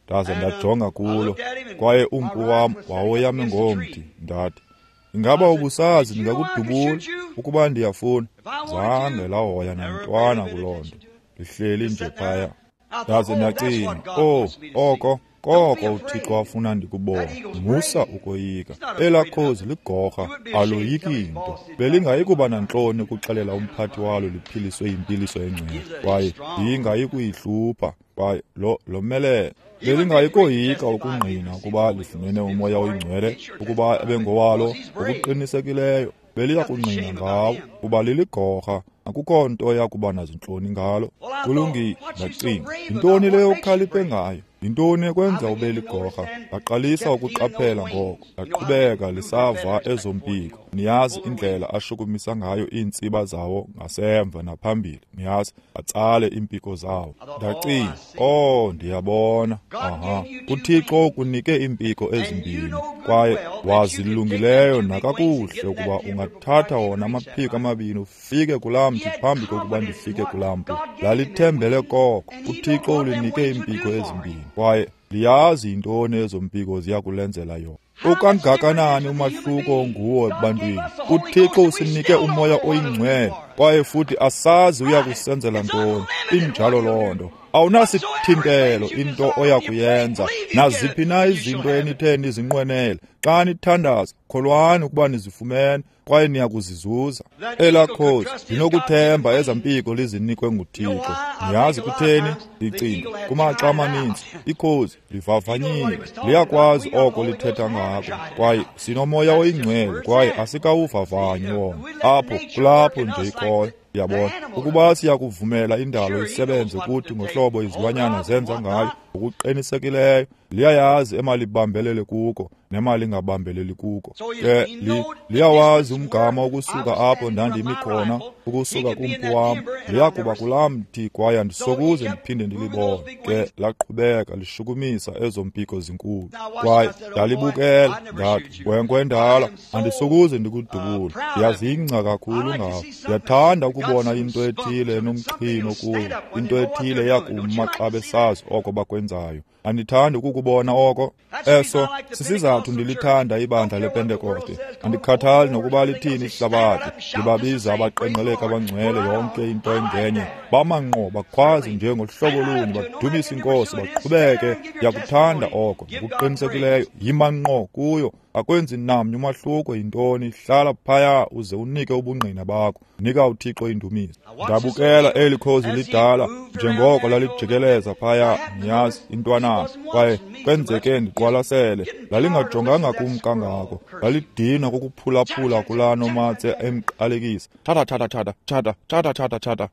Ndaze ndajonga kulo, kwaye umpu wam wawoyame ngomthi. Ndathi, ingaba ubusazi ndingakudubula ukuba ndiyafuna? Zange lahoya nantwana kuloo nto, lihleli nje phaya. Ndaze ndacinga, oh, oko koko uThixo afuna ndikubona. Musa ukoyika. Elaa khozi ligorha, aloyiki nto. Belingayikuba nantloni ukuxelela umphathi walo liphiliswe yimpiliso engcwele, kwaye ndingayikuyihlupha, kwaye lomelele. Belingayikoyika ukungqina ukuba lifumene uMoya oyiNgcwele, ukuba ebengowalo ngokuqinisekileyo. Beliya kungqina ngawo, kuba liligorha, akukho nto yakuba nazintloni ngalo. Kulungile, ndacinga, yintoni leyo ukhaliphe ngayo? Yintoni ekwenza ube ligorha? Ndaqalisa ukuqaphela ngoko, ndaqhubeka lisava ezo mpiko. Niyazi indlela ashukumisa ngayo iintsiba zawo ngasemva naphambili, niyazi, atsale iimpiko zawo. Ndacinga, oh, ndiyabona. Aha, uThixo ukunike iimpiko ezimbini, kwaye wazilungileyo nakakuhle ukuba ungathatha wona amaphiko amabini ufike kulaa mthi phambi kokuba ndifike kulaa mpu. Lalithembele koko, uThixo ulinike iimpiko ezimbini, kwaye liyazi yintoni ezo mpiko ziya kulenzela yona. Ukangakanani umahluko nguwo ebantwini? uThixo usinike uMoya oyiNgcwele, kwaye futhi asazi uya kusenzela ntoni. Injalo loo nto. Awunasithintelo into oya kuyenza. Naziphi na izinto enithe nizinqwenele, xa nithandaza, kholwani ukuba nizifumene, kwaye niya kuzizuza. Elaa khozi linokuthemba ezaa mpiko lizinikwe nguThixo. Niyazi kutheni? Ndicinga kumaxa amaninzi ikhozi livavanyile, liyakwazi oko lithetha ngako, kwaye sinoMoya oyiNgcwele, kwaye asikawuvavanyi wona. Apho kulapho nje ikhoyo. Yabona, ukuba siyakuvumela indalo isebenze kuthi ngohlobo izilwanyana zenza ngayo, Ngokuqinisekileyo liyayazi emalibambelele kuko nemali ingabambeleli kuko. Ke liyawazi umgama ukusuka apho ndandimi khona, ukusuka kumpu wam, liyakuba kulaa mthi kwaye andisokuze ndiphinde ndilibone. Ke laqhubeka lishukumisa ezo mpiko zinkulu. Kwaye ndalibukela, ndathi, nkwenkwe endala, andisokuze ndikudubule. Ndiyazingca kakhulu ngawo. Ndiyathanda ukubona into ethile enomxhino kuyo, into ethile eyakuma xa besazi oko bakwenzayo. Andithandi ukukubona oko. Eso sisizathu ndilithanda ibandla lePentekoste. Andikhathali nokuba lithini ihlabathi, ndibabiza abaqenqeleki abangcwele yonke into engenye. Bama ngqo bakhwaze nje ngohlobo olunye, badumise iNkosi, baqhubeke. Ndiyakuthanda oko. Ngokuqinisekileyo yima ngqo kuyo. Akwenzi namnye umahluko yintoni, hlala phaya uze unike ubungqina bakho. Nika uThixo indumiso. Ndabukela eli khozi lidala njengoko lalijikeleza phaya, niyazi, intwanana. Kwaye kwenzeke ndiqwalasele, lalingajonganga kum kangako, lalidinwa kukuphulaphula kulaa nomatse emqalekisa. Tshata, tshata, tshata, tshata, tshata, tshata, tshata.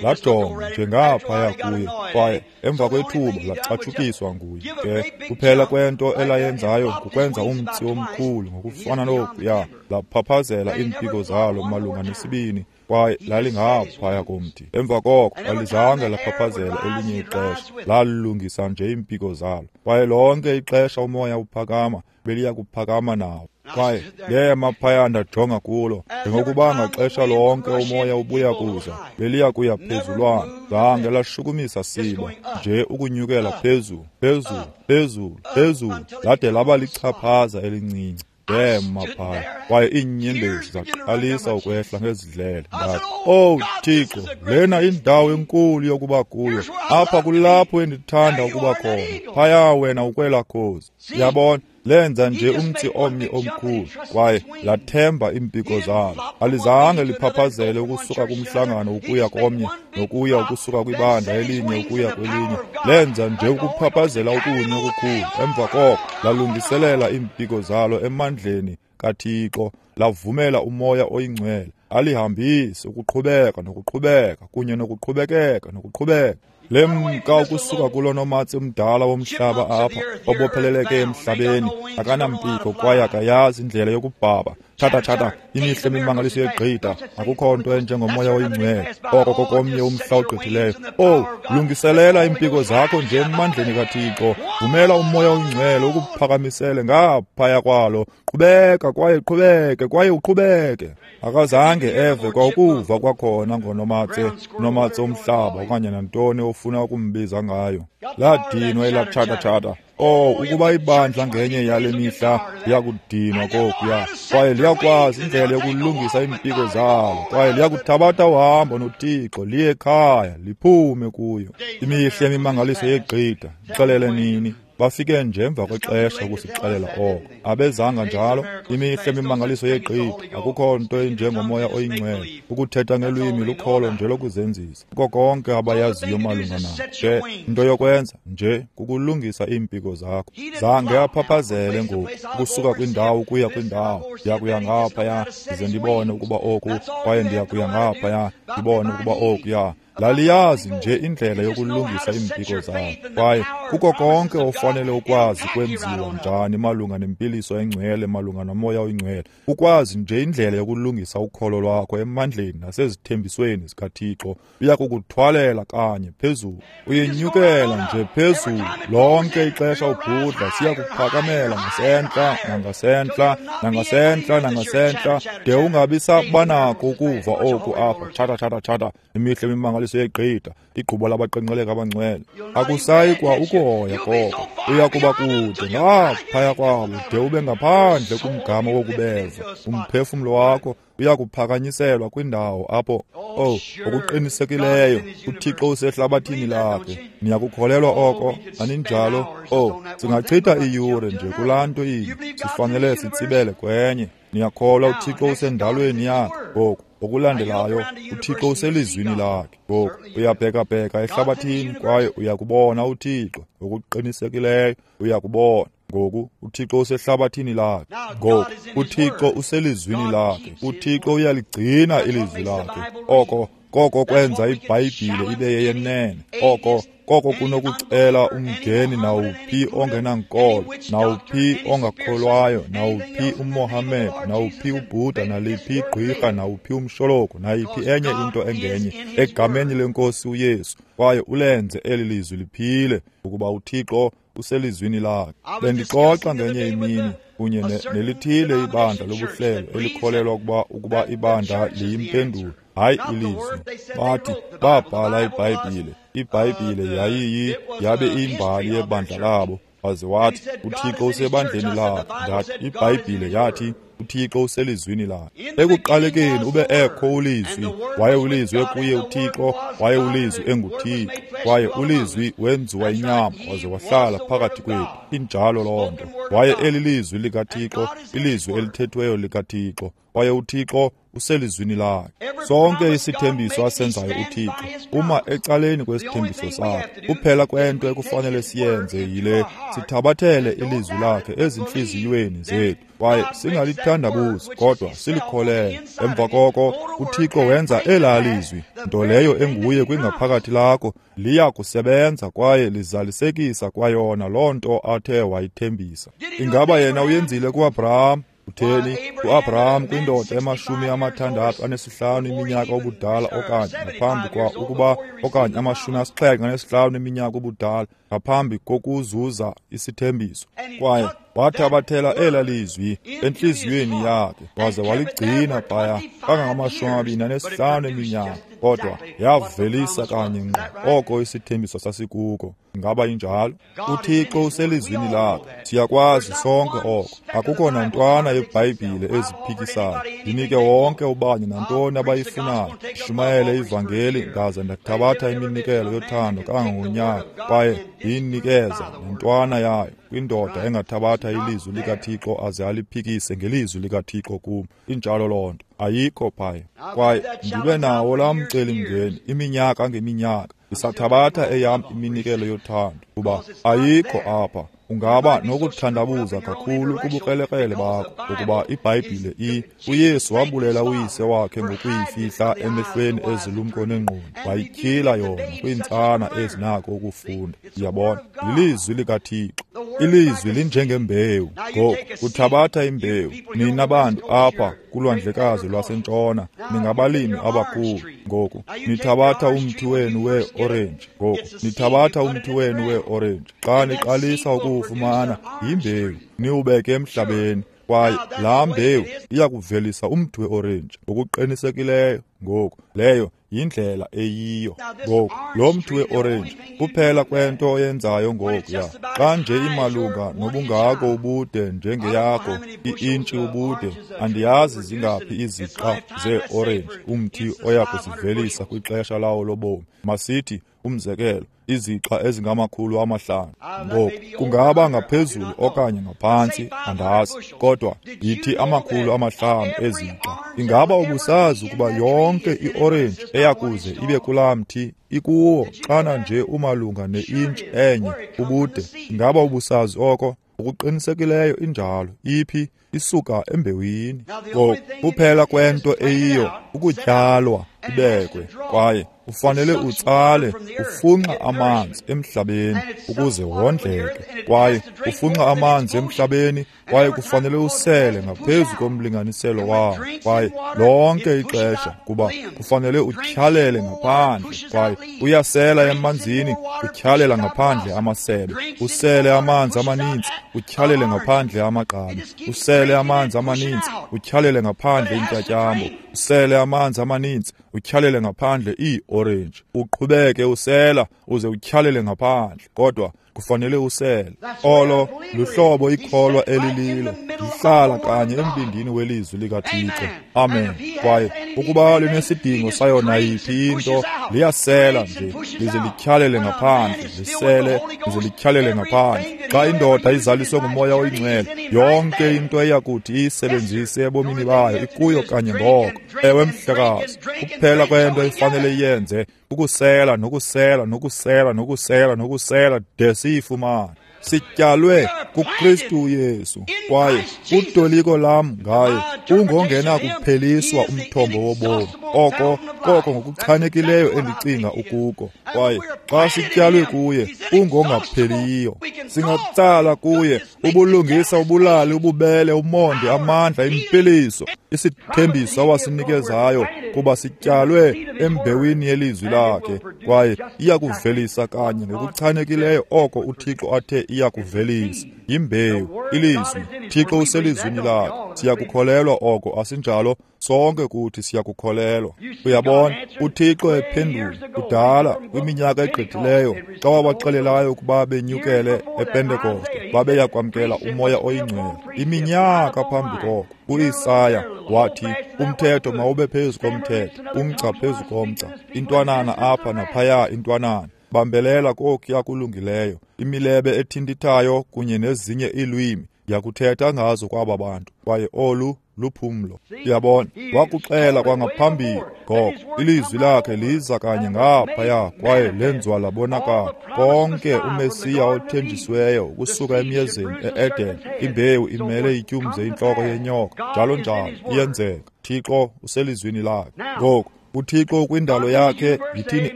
Lajonga njengaphaya kuye, kwaye emva kwethuba lacatshukiswa nguye. Ke kuphela kwento elayenzayo kukwenza umtsi omkhulu ngokufana nokuya, laphaphazela iimpiko zalo malunga nesibini, kwaye lalingaphaya komthi. Emva koko alizange laphaphazela elinye ixesha, lalungisa nje iimpiko zalo. Kwaye lonke ixesha umoya uphakama, beliya kuphakama nawo. Kwaye ndema phaya ndajonga kulo, njengokuba ngaxesha lonke umoya ubuya kuza, beliya kuya phezulwana. Zange lashukumisa siba, nje ukunyukela phezulu, phezulu, phezulu, phezulu, lade laba lichaphaza elincinci. Ndema phaya, kwaye iinyembezi zaqalisa ukwehla ngezidlele. Ndathi, owu Thixo, lena indawo enkulu yokuba kuyo. Apha kulapho endithanda ukuba khona. Phaya wena ukwela khozi. Yabona, lenza nje umtsi omnye omkhulu, kwaye lathemba iimpiko zalo. Alizange liphaphazele ukusuka kumhlangano ukuya komnye, nokuya ukusuka kwibandla elinye ukuya kwelinye. Lenza nje ukuphaphazela okunye okukhulu. Emva koko lalungiselela iimpiko zalo emandleni kaThixo, lavumela umoya oyingcwele alihambise ukuqhubeka nokuqhubeka kunye nokuqhubekeka nokuqhubeka. Lemka ukusuka kulo nomatse umdala womhlaba apha, obopheleleke emhlabeni, akanampiko kwaye akayazi indlela yokubhaba. Tshata, tshata, imihle imimangaliso yegqitha, akukho nto enjengomoya oyingcwele. Oko kokomnye umhla ogqithileyo. Owu, lungiselela iimpiko zakho nje emandleni kaThixo. Vumela umoya oyingcwele ukuphakamisele ngaphaya kwalo. Qhubeka kwaye qhubeke kwaye uqhubeke. Akazange eve kwakuva kwakhona ngonomatse, nomatse omhlaba okanye nantoni ofuna ukumbiza ngayo. Ladinwa elatshata-tshata. Oh, ukuba ibandla ngenye yale mihla liyakudinwa kokuya, kwaye liyakwazi indlela yokulungisa iimpiko zalo, kwaye liyakuthabatha uhambo noThixo, liye ekhaya, liphume kuyo. Imihle imimangaliso yegqitha, ixelele nini. Bafike nje emva kwexesha ukusixelela oko. Abezanga njalo. Imihle imimangaliso yegqitha, akukho nto enjengomoya oyingcwele. Ukuthetha ngelwimi lukholo nje lokuzenzisa. Kuko konke abayaziyo malunga nako. Ke into yokwenza nje kukulungisa iimpiko zakho. Zange aphaphazele ngoku ukusuka kwindawo ukuya kwindawo. Ndiyakuya ngaphaya ndize ndibone ukuba oku, kwaye ndiyakuya ngaphaya ndibone ukuba okuya. Laliyazi nje indlela yokulungisa iimpiko zalo. Kwaye kuko konke ofanele ukwazi kwenziwa njani malunga nempiliso engcwele, malunga nomoya oyingcwele. Ukwazi nje indlela yokulungisa ukholo lwakho emandleni nasezithembisweni zikaThixo. Uyakukuthwalela kanye phezulu. Uyenyukela nje phezulu. Lonke ixesha ubhudla, siyakuphakamela ngasentla, nangasentla, nangasentla, nangasentla, de ungabi sabanako ukuva oku apha. Tshata, tshata, tshata. Imihle imimangaliso yegqitha, igquba labaqenqeleka abangcwele. Akusayi kwa ukuhoya koko. Uyakuba kude ngaphaya kwabo de ube ngaphandle kumgama wokubeva. Umphefumlo wakho uyakuphakanyiselwa kwindawo apho, oh, ngokuqinisekileyo uThixo usehlabathini lakhe. Niyakukholelwa oko, aninjalo? Oh, singachitha iiyure nje kulaa nto inye, sifanele sitsibele kwenye. Niyakholwa uThixo usendalweni yakhe. Ngoku okulandelayo, uThixo uselizwini lakhe. Ngoku uyabhekabheka ehlabathini kwaye uyakubona uThixo. Ngokuqinisekileyo uyakubona. Ngoku uThixo usehlabathini lakhe. Ngoku uThixo uselizwini lakhe. uThixo uyaligcina ilizwi lakhe. Oko koko kwenza iBhayibhile ibe yeyenene. Oko Koko kunokucela umngeni nawuphi ongenankolo, nawuphi ongakholwayo, nawuphi uMohammed, nawuphi uBuddha, naliphi igqirha, nawuphi umsholoko, nayiphi enye into engenye, egameni lenkosi uYesu, kwaye ulenze eli lizwi liphile, ukuba uThixo uselizwini lakhe. Bendixoxa ngenye imini kunye nelithile ibandla lobuhlelo elikholelwa ukuba ibandla liyimpendulo, hayi ilizwi. Bathi babhala iBhayibhile, iBhayibhile yabe imbali yebandla labo. Waze wathi uThixo usebandleni lakhe. Ndathi iBhayibhile yathi uThixo uselizwini lakhe. Ekuqalekeni ube ekho ulizwi, waye ulizwi ekuye uThixo, waye ulizwi enguThixo, kwaye ulizwi wenziwa inyama waze wahlala phakathi kwethu. Injalo loo nto. Waye eli lizwi likaThixo, ilizwi elithethweyo likaThixo, kwaye uThixo uselizwini lakhe. Sonke isithembiso asenzayo uThixo uma ecaleni kwesithembiso sakhe. Kuphela kwento ekufanele siyenze yile, sithabathele ilizwi lakhe ezintliziyweni zethu, kwaye singalithandabuzi kodwa silikholele. Emva koko uThixo wenza elaa lizwi, nto leyo enguye kwingaphakathi lakho, liya kusebenza kwaye lizalisekisa kwayona loo nto athe wayithembisa. Ingaba yena uyenzile kuAbraham? Utheni uAbraham kwindoda e65 iminyaka ubudala, okanye ngaphambi kwa ukuba, okanye 75 iminyaka ubudala ngaphambi kokuzuza isithembiso, kwaye wathabathela ela lizwi entliziyweni yakhe waze waligcina phaya kangangama-25 iminyaka, kodwa yavelisa kanye ngqo oko isithembiso sasikuko. Ingaba injalo? uThixo uselizwini lakhe, siyakwazi sonke oko. Akukho nantwana yeBhayibhile eziphikisayo. Ndinike wonke ubani nantoni abayifunayo, ndishumayele ivangeli, ndaze ndathabatha iminikelo yothando kangangonyaka, kwaye ndiyinikeza nantwana yayo kwindoda engathabatha ilizwi likaThixo aze aliphikise ngelizwi likaThixo kum. Injalo loo nto, ayikho phaya. Kwaye ndibe nawo laa mcelimngeni iminyaka ngeminyaka, ndisathabatha eyam iminikelo yothando, kuba ayikho apha. Ungaba nokuthandabuza kakhulu kubukrelekrele bakho, ukuba iBhayibhile uYesu wabulela uyise wakhe ngokuyifihla emehlweni ezilumko nengqondo, wayityhila yona kwiintsana ezinako ukufunda. Uyabona, lilizwi likaThixo. Ilizwi linjengembewu. Ngoku uthabatha imbewu. Nina bantu apha kulwandlekazi lwasentshona ningabalimi abakhulu. Ngoku nithabatha umthi wenu we-orenji. Ngoku nithabatha umthi wenu we-orenji. Xa niqalisa ukuwufumana, yimbewu, niwubeke emhlabeni, kwaye laa mbewu iya kuvelisa umthi we-orenji ngokuqinisekileyo. Ngoku leyo yindlela eyiyo. Ngoku lo mthi we-orenji kuphela kwento oyenzayo ngokuya, xa nje imalunga nobungako ubude njengeyakho, i-intshi ubude, andiyazi zingaphi iziqa zee-orenji umthi oya kuzivelisa kwixesha lawo lobomi. Masithi umzekelo, iziqa ezingama-500. Ngoku kungaba ngaphezulu okanye ngaphantsi, andazi, kodwa yithi 500 eziqa. Ingaba ubusazi ukuba yonke iorenji eyakuze ibe kulaa mthi ikuwo xana nje umalunga ne-intshi enye ubude? Ingaba ubusazi oko? Ngokuqinisekileyo injalo. Iphi? Isuka embewini. Ngoku kuphela kwento eyiyo ukutyalwa ibekwe, kwaye ufanele utsale, ufunxa amanzi emhlabeni ukuze wondleke, kwaye ufunxa amanzi emhlabeni, kwaye kufanele usele ngaphezu komlinganiselo wawo, kwaye lonke ixesha, kuba kufanele utyhalele ngaphandle, kwaye uyasela emanzini, utyhalela ngaphandle amasebe, usele amanzi amaninzi, utyhalele ngaphandle amagqabi, usele amanzi amaninzi, utyhalele ngaphandle intyatyambo, usele amanzi amaninzi, utyhalele ngaphandle iorenji, uqhubeke usela uze utyhalele ngaphandle, kodwa kufanele usele. Olo luhlobo ikholwa elililo, lihlala kanye embindini welizwi likaThixo. Amen. Kwaye ukuba linesidingo sayo nayiphi into, liyasela nje lize lityhalele ngaphandle, lisele lize lityhalele ngaphandle. Xa indoda izaliswe nguMoya oyiNgcwele, yonke into eyakuthi iyisebenzise ebomini bayo ikuyo kanye ngoko. Ewe mhlekazi, kuphela kwento efanele iyenze ukusela nokusela nokusela nokusela nokusela de siyifumane. Sityalwe kuKristu Yesu, kwaye utoliko lam ngaye ungongena kupheliswa umthombo wobomi. Oko koko ngokuchanekileyo endicinga ukuko. Kwaye xa sityalwe kuye, ungongapheliyo. Singatsala kuye ubulungisa, ubulali, ububele, umonde, amandla, impiliso, isithembiso awasinikezayo, kuba sityalwe embewini yelizwi lakhe, kwaye iyakuvelisa kanye ngokuchanekileyo oko uThixo athe iyakuvelisa. Yimbewu, ilizwi. Thixo uselizwini lakhe. Siyakukholelwa oko, asinjalo? Sonke kuthi siyakukholelwa. Uyabona, uThixo ephendula kudala kwiminyaka egqithileyo, xa wabaxelelayo ukuba benyukele ePentekoste, babeya kwamkela uMoya oyiNgcwele. Iminyaka phambi koko, uIsaya wathi umthetho mawube phezu komthetho, umgca phezu komgca, intwanana apha naphaya intwanana. Bambelela kokuya kulungileyo, imilebe ethintithayo kunye nezinye iilwimi ndiyakuthetha ngazo kwaba bantu, kwaye olu luphumlo. Uyabona, wakuxela kwangaphambili ngoko ilizwi lakhe liza kanye ngaphaya kwaye lenziwa labonakala. Konke uMesiya othenjisiweyo ukusuka emyezeni e-Eden, imbewu imele ityumze intloko yenyoka, njalo njalo, iyenzeka. Thixo uselizwini lakhe. Ngoku uThixo kwindalo yakhe, yithini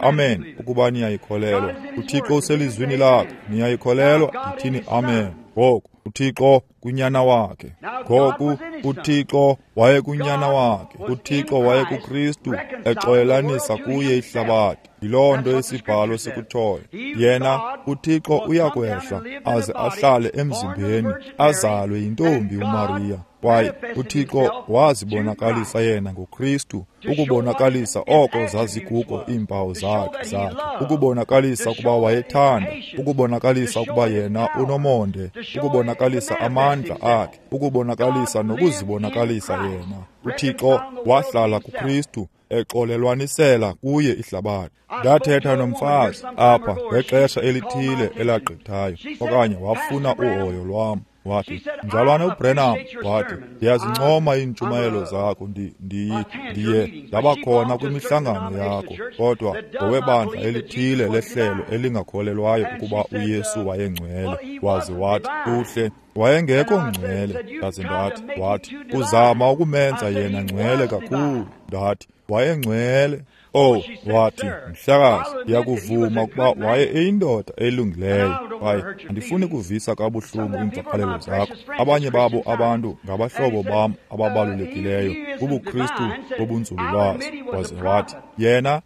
amen ukuba niyayikholelwa. uThixo uselizwini lakhe, niyayikholelwa, yithini amen. Ngoku uThixo kunyana wakhe. Ngoku uThixo wayekunyana wakhe. uThixo wayekuKristu exolelanisa kuye ihlabathi. Yiloo nto isibhalo sikutshoyo. Yena uThixo uyakwehla aze ahlale emzimbeni, azalwe yintombi uMariya. Kwaye uThixo wazibonakalisa yena ngoKristu, ukubonakalisa oko zazikuko iimpawu zakhe, ukubonakalisa ukuba wayethanda, ukubonakalisa ukuba yena unomonde, ukubonakalisa amandla akhe, ukubonakalisa nokuzibonakalisa yena. uThixo wahlala kuKristu exolelwanisela kuye ihlabathi. Ndathetha nomfazi apha ngexesha elithile elagqithayo, okanye wafuna uhoyo lwam. Wathi, mzalwane uBrenham, wathi, ndiyazincoma iintshumayelo zakho, ndiye ndabakhona kwimihlangano yakho, kodwa ngowebandla elithile lehlelo elingakholelwayo ukuba uYesu wayengcwele. Waze wathi, uhle, wayengekho ngcwele. Ndaze ndathi, wathi, uzama ukumenza yena ngcwele kakhulu. Ndathi, wayengcwele. Oh, wathi, mhlekazi, ndiyakuvuma ukuba waye eyindoda elungileyo, kwaye andifuni kuvisa kabuhlungu iimvakalelo zakho. Abanye babo abantu ngabahlobo bam ababalulekileyo kubuKristu bobunzululwazi. Waze wathi, yena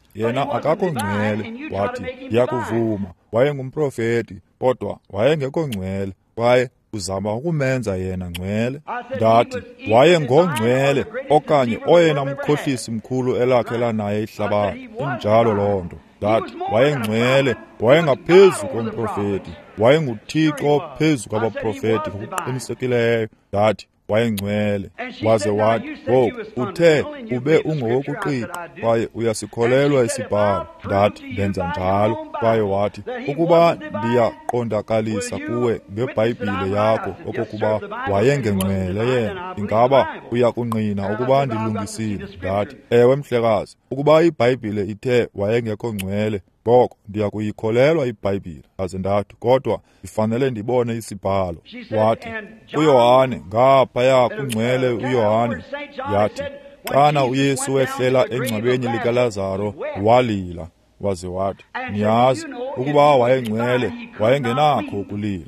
akakho ngcwele. Wathi, ndiyakuvuma, wayengumprofeti, kodwa wayengekho ngcwele, kwaye uzama ukumenza yena ngcwele. Ndathi, wayengongcwele okanye oyena mkhohlisi mkhulu elakhe lanaye ihlabathi. Injalo loo nto. Ndathi, wayengcwele, wayengaphezu komprofeti, wayenguThixo phezu kwabaprofeti ngokuqinisekileyo. Ndathi, wayengcwele. Waze wathi, ngoku uthe ube ungowokuqiqa kwaye uyasikholelwa isibhalo. Ndathi, ndenza njalo. Kwaye wathi, ukuba ndiyaqondakalisa kuwe ngeBhayibhile yakho okokuba wayengengcwele yena, ingaba uyakungqina ukuba ndilungisile? Ndathi, ewe mhlekazi, ukuba iBhayibhile ithe wayengekho ngcwele, ngoko ndiyakuyikholelwa iBhayibhile. Aze ndathi, kodwa ndifanele ndibone isibhalo. Wathi, uYohane ngaphaya kungcwele uYohane, yathi, xana uYesu wehlela engcwabeni likaLazaro walila. Waze wathi, niyazi ukuba wayengcwele, wayengenakho ukulila.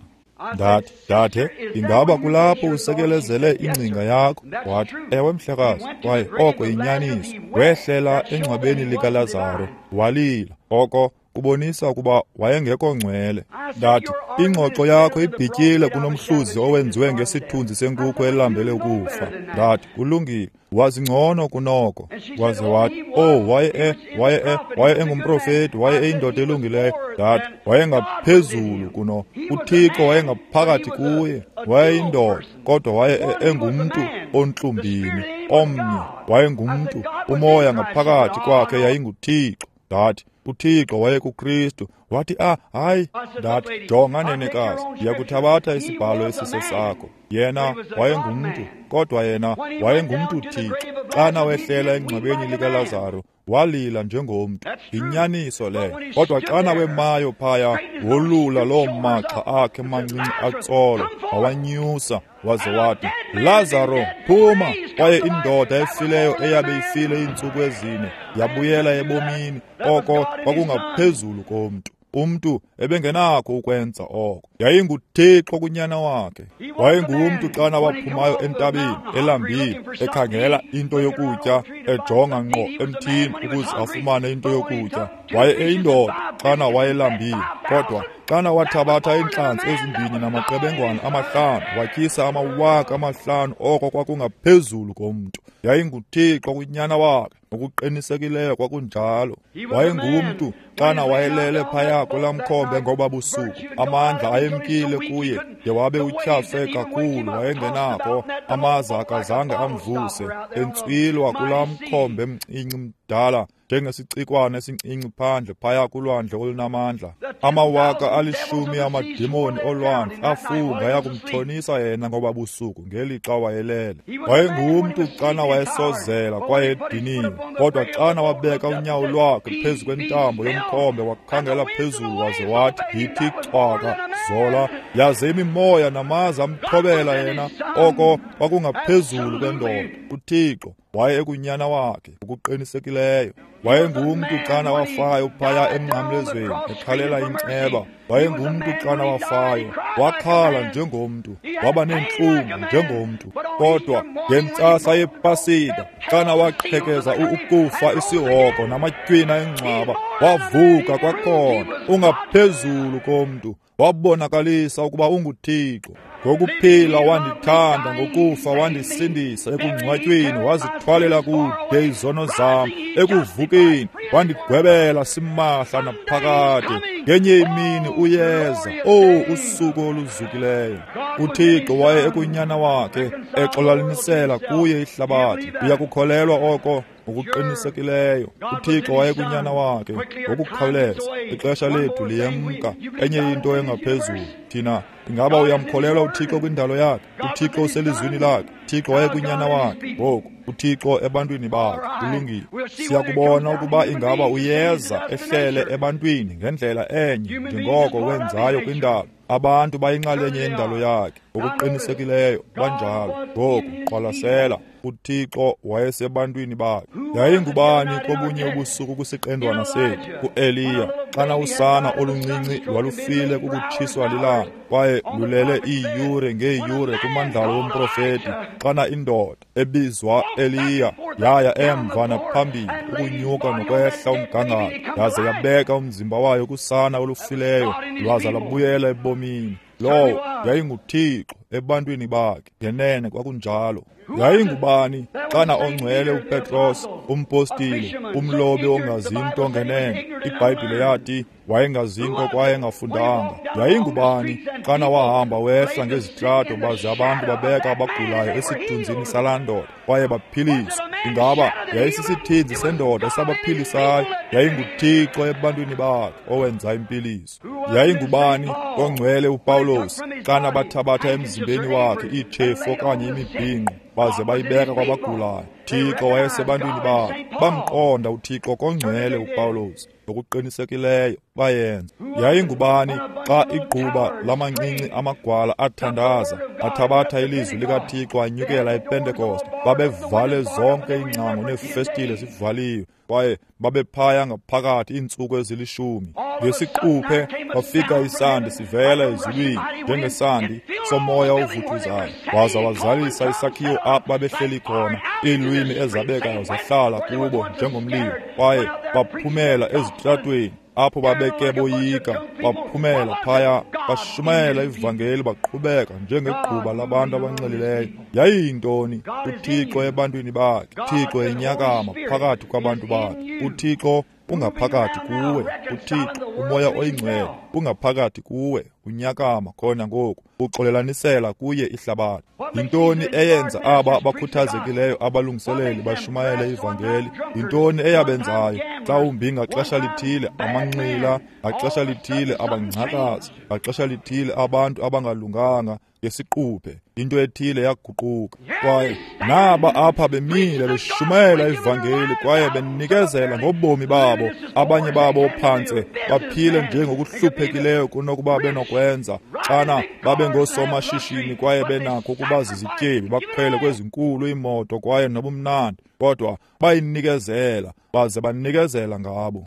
Ndathi, dade, ingaba kulapho usekelezele ingcinga yakho? Wathi, ewe mhlekazi, kwaye oko yinyaniso. Wehlela engcwabeni likaLazaro walila. Oko kubonisa ukuba wayengekho ngcwele. Ndathi, ingxoxo yakho ibhityile kunomhluzi owenziwe ngesithunzi senkukhu elambele ukufa. Ndathi, kulungile, wazingcono kunoko. Waze wathi, oh, waye engumprofeti, waye eyindoda elungileyo. Ndathi, wayengaphezulu kuno, uThixo wayengaphakathi kuye, wayeyindoda, kodwa waye engumntu ontlumbini, omnye, wayengumntu, umoya ngaphakathi kwakhe yayinguThixo. Ndathi, uThixo wayekuKristu. Wathi, hayi. Ndathi, jonga nenekazi, ndiyakuthabatha isibhalo esisesakho. Yena wayengumntu, kodwa yena wayengumntu Thixo. Xana wehlela engcwabeni likaLazaro, Walila njengomntu. Yinyaniso leyo. Kodwa xana wemayo phaya, wolula loo magxa akhe mancinci atsolo, wawanyusa, waze wathi, Lazaro, phuma! Kwaye indoda efileyo eyabe ifile iintsuku ezine yabuyela ebomini. Oko kwakungaphezulu komntu. Umntu ebengenakho ukwenza oko. YayinguThixo kunyana wakhe. Wayengumntu xana waphumayo entabeni elambile, ekhangela into yokutya, ejonga ngqo emthini ukuze afumane into yokutya. Waye eyindoda xana wayelambile, kodwa xana wathabatha iintlanzi ezimbini namaqebengwana 5 watyisa 5,000, oko kwakungaphezulu komntu. YayinguThixo kunyana wakhe. Ngokuqinisekileyo kwakunjalo. Wayengumntu xana wayelele phaya kulaa mkhombe ngoba busuku. Amandla ayemkile kuye de wabe utyhafe kakhulu, wayengenakho. Amaza akazange amvuse, entswilwa kulaa mkhombe mncinci mdala njengesicikwana esincinci phandle phaya kulwandle olunamandla. 10,000 amadimoni olwandle afunga yakumthonisa yena ngoba busuku ngelixa wayelele. Wayengumntu xana wayesozela kwaye ediniwe, kodwa xana wabeka unyawo lwakhe phezu kwentambo yomkhombe wakhangela phezulu waze wathi, yithi cwaka, zola, yaze imimoya namaza amthobela yena. Oko kwakungaphezulu kwendoda. uThixo waye ekunyana wakhe ngokuqinisekileyo. Wayengumntu xana wafayo phaya emnqamlezweni ekhalela inceba. Wayengumntu xana wafayo, wakhala njengomntu, waba neentlungu njengomntu. Kodwa ngentsasa yePasika, xana waqhekeza ukufa, isihogo namatywina engcwaba, wavuka kwakhona, ungaphezulu komntu. Wabonakalisa ukuba unguThixo. Ngokuphila wandithanda, ngokufa wandisindisa, ekungcwatyweni wazithwalela kude izono zam, ekuvukeni wandigwebela simahla naphakade. Ngenye imini uyeza, oh, usuku oluzukileyo. uThixo waye ekunyana wakhe exolalinisela kuye ihlabathi. Uyakukholelwa oko? Ngokuqinisekileyo uThixo waye kunyana wakhe ngokukhawuleza. Ixesha lethu liyemka. Enye into engaphezulu, thina, ingaba uyamkholelwa uThixo kwindalo yakhe? uThixo uselizwini lakhe. uThixo waye kunyana wakhe. Ngoku uThixo ebantwini bakhe. Kulungile. Siyakubona ukuba ingaba uyeza ehlele ebantwini ngendlela enye njengoko wenzayo kwindalo. Abantu bayinxalenye yendalo yakhe. Ngokuqinisekileyo banjalo. Ngoku qwalasela, uThixo wayesebantwini bakhe. Yayingubani kobunye ubusuku kwisiqendwana sethu? UEliya. Xana usana oluncinci lwalufile kukutshiswa lilanga, kwaye lulele iiyure ngeeyure kumandlalo womprofeti, xana indoda ebizwa Eliya yaya emva naphambili ukunyuka nokwehla umgangatho, yaze yabeka umzimba wayo kusana olufileyo, lwaza lwabuyela ebomini. Lowo yayinguThixo ebantwini bakhe. Ngenene kwakunjalo. Yayingubani xana ongcwele uPetros, umpostile, umlobi ongazinto ngenene? iBhayibhile yathi wayengazinto kwaye engafundanga. Yayingubani xana wahamba wehla ngezitrato baze abantu babeka abagulayo esithunzini salaa ndoda kwaye baphiliswa? Ingaba yayisisithinzi sendoda esabaphilisayo? YayinguThixo ebantwini bakhe owenza impiliso. Yayingubani ongcwele uPawulos xana bathabatha emzimbeni wakhe iitshefu okanye imibhinqo baze bayibeka kwabagulayo? Thixo wayesebantwini bakhe. Bamqonda uThixo kongcwele uPawulos. Ngokuqinisekileyo bayenza. Yayingubani xa igquba lamancinci amagwala athandaza, athabatha ilizwi likaThixo anyukela ePentekoste? Babevale zonke iingcango neefestile zivaliwe, kwaye babephaya ngaphakathi iintsuku ezilishumi. Ngesiquphe kwafika isandi sivela ezulwini njengesandi somoya ovuthuzayo, waza wazalisa isakhiwo apho babehleli khona. Iilwimi ezabekayo zahlala kubo njengomlilo, kwaye baphumela ezitratweni apho babeke boyika. Baphumela phaya, bashumayela ivangeli, baqhubeka njengegquba labantu abanxilileyo. Yayiyintoni? uThixo ebantwini bakhe. uThixo enyakama phakathi kwabantu bakhe. uThixo ungaphakathi kuwe. uThixo uMoya oyiNgcwele ungaphakathi kuwe, unyakama khona ngoku, uxolelanisela kuye ihlabathi. Yintoni eyenza aba bakhuthazekileyo abalungiseleli bashumayele ivangeli? Yintoni eyabenzayo? Mhlawumbi ngaxesha lithile amanxila, ngaxesha lithile abangcakazi, ngaxesha lithile abantu abangalunganga, ngesiquphe into ethile yaguquka. Kwaye naba apha bemile beshumayela ivangeli kwaye benikezela ngobomi babo. Abanye babo phantse baphile njengokuhluphekileyo kunokuba benokwenza xana babe ngoosomashishini kwaye benakho ukuba zizityebi, bakhwele kwezinkulu iimoto kwaye nobumnandi, kodwa bayinikezela baze banikezela ngabo.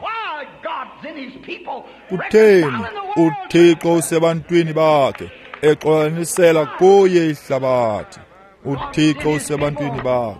Kutheni? UThixo usebantwini bakhe, exolanisela kuye ihlabathi. UThixo usebantwini bakhe.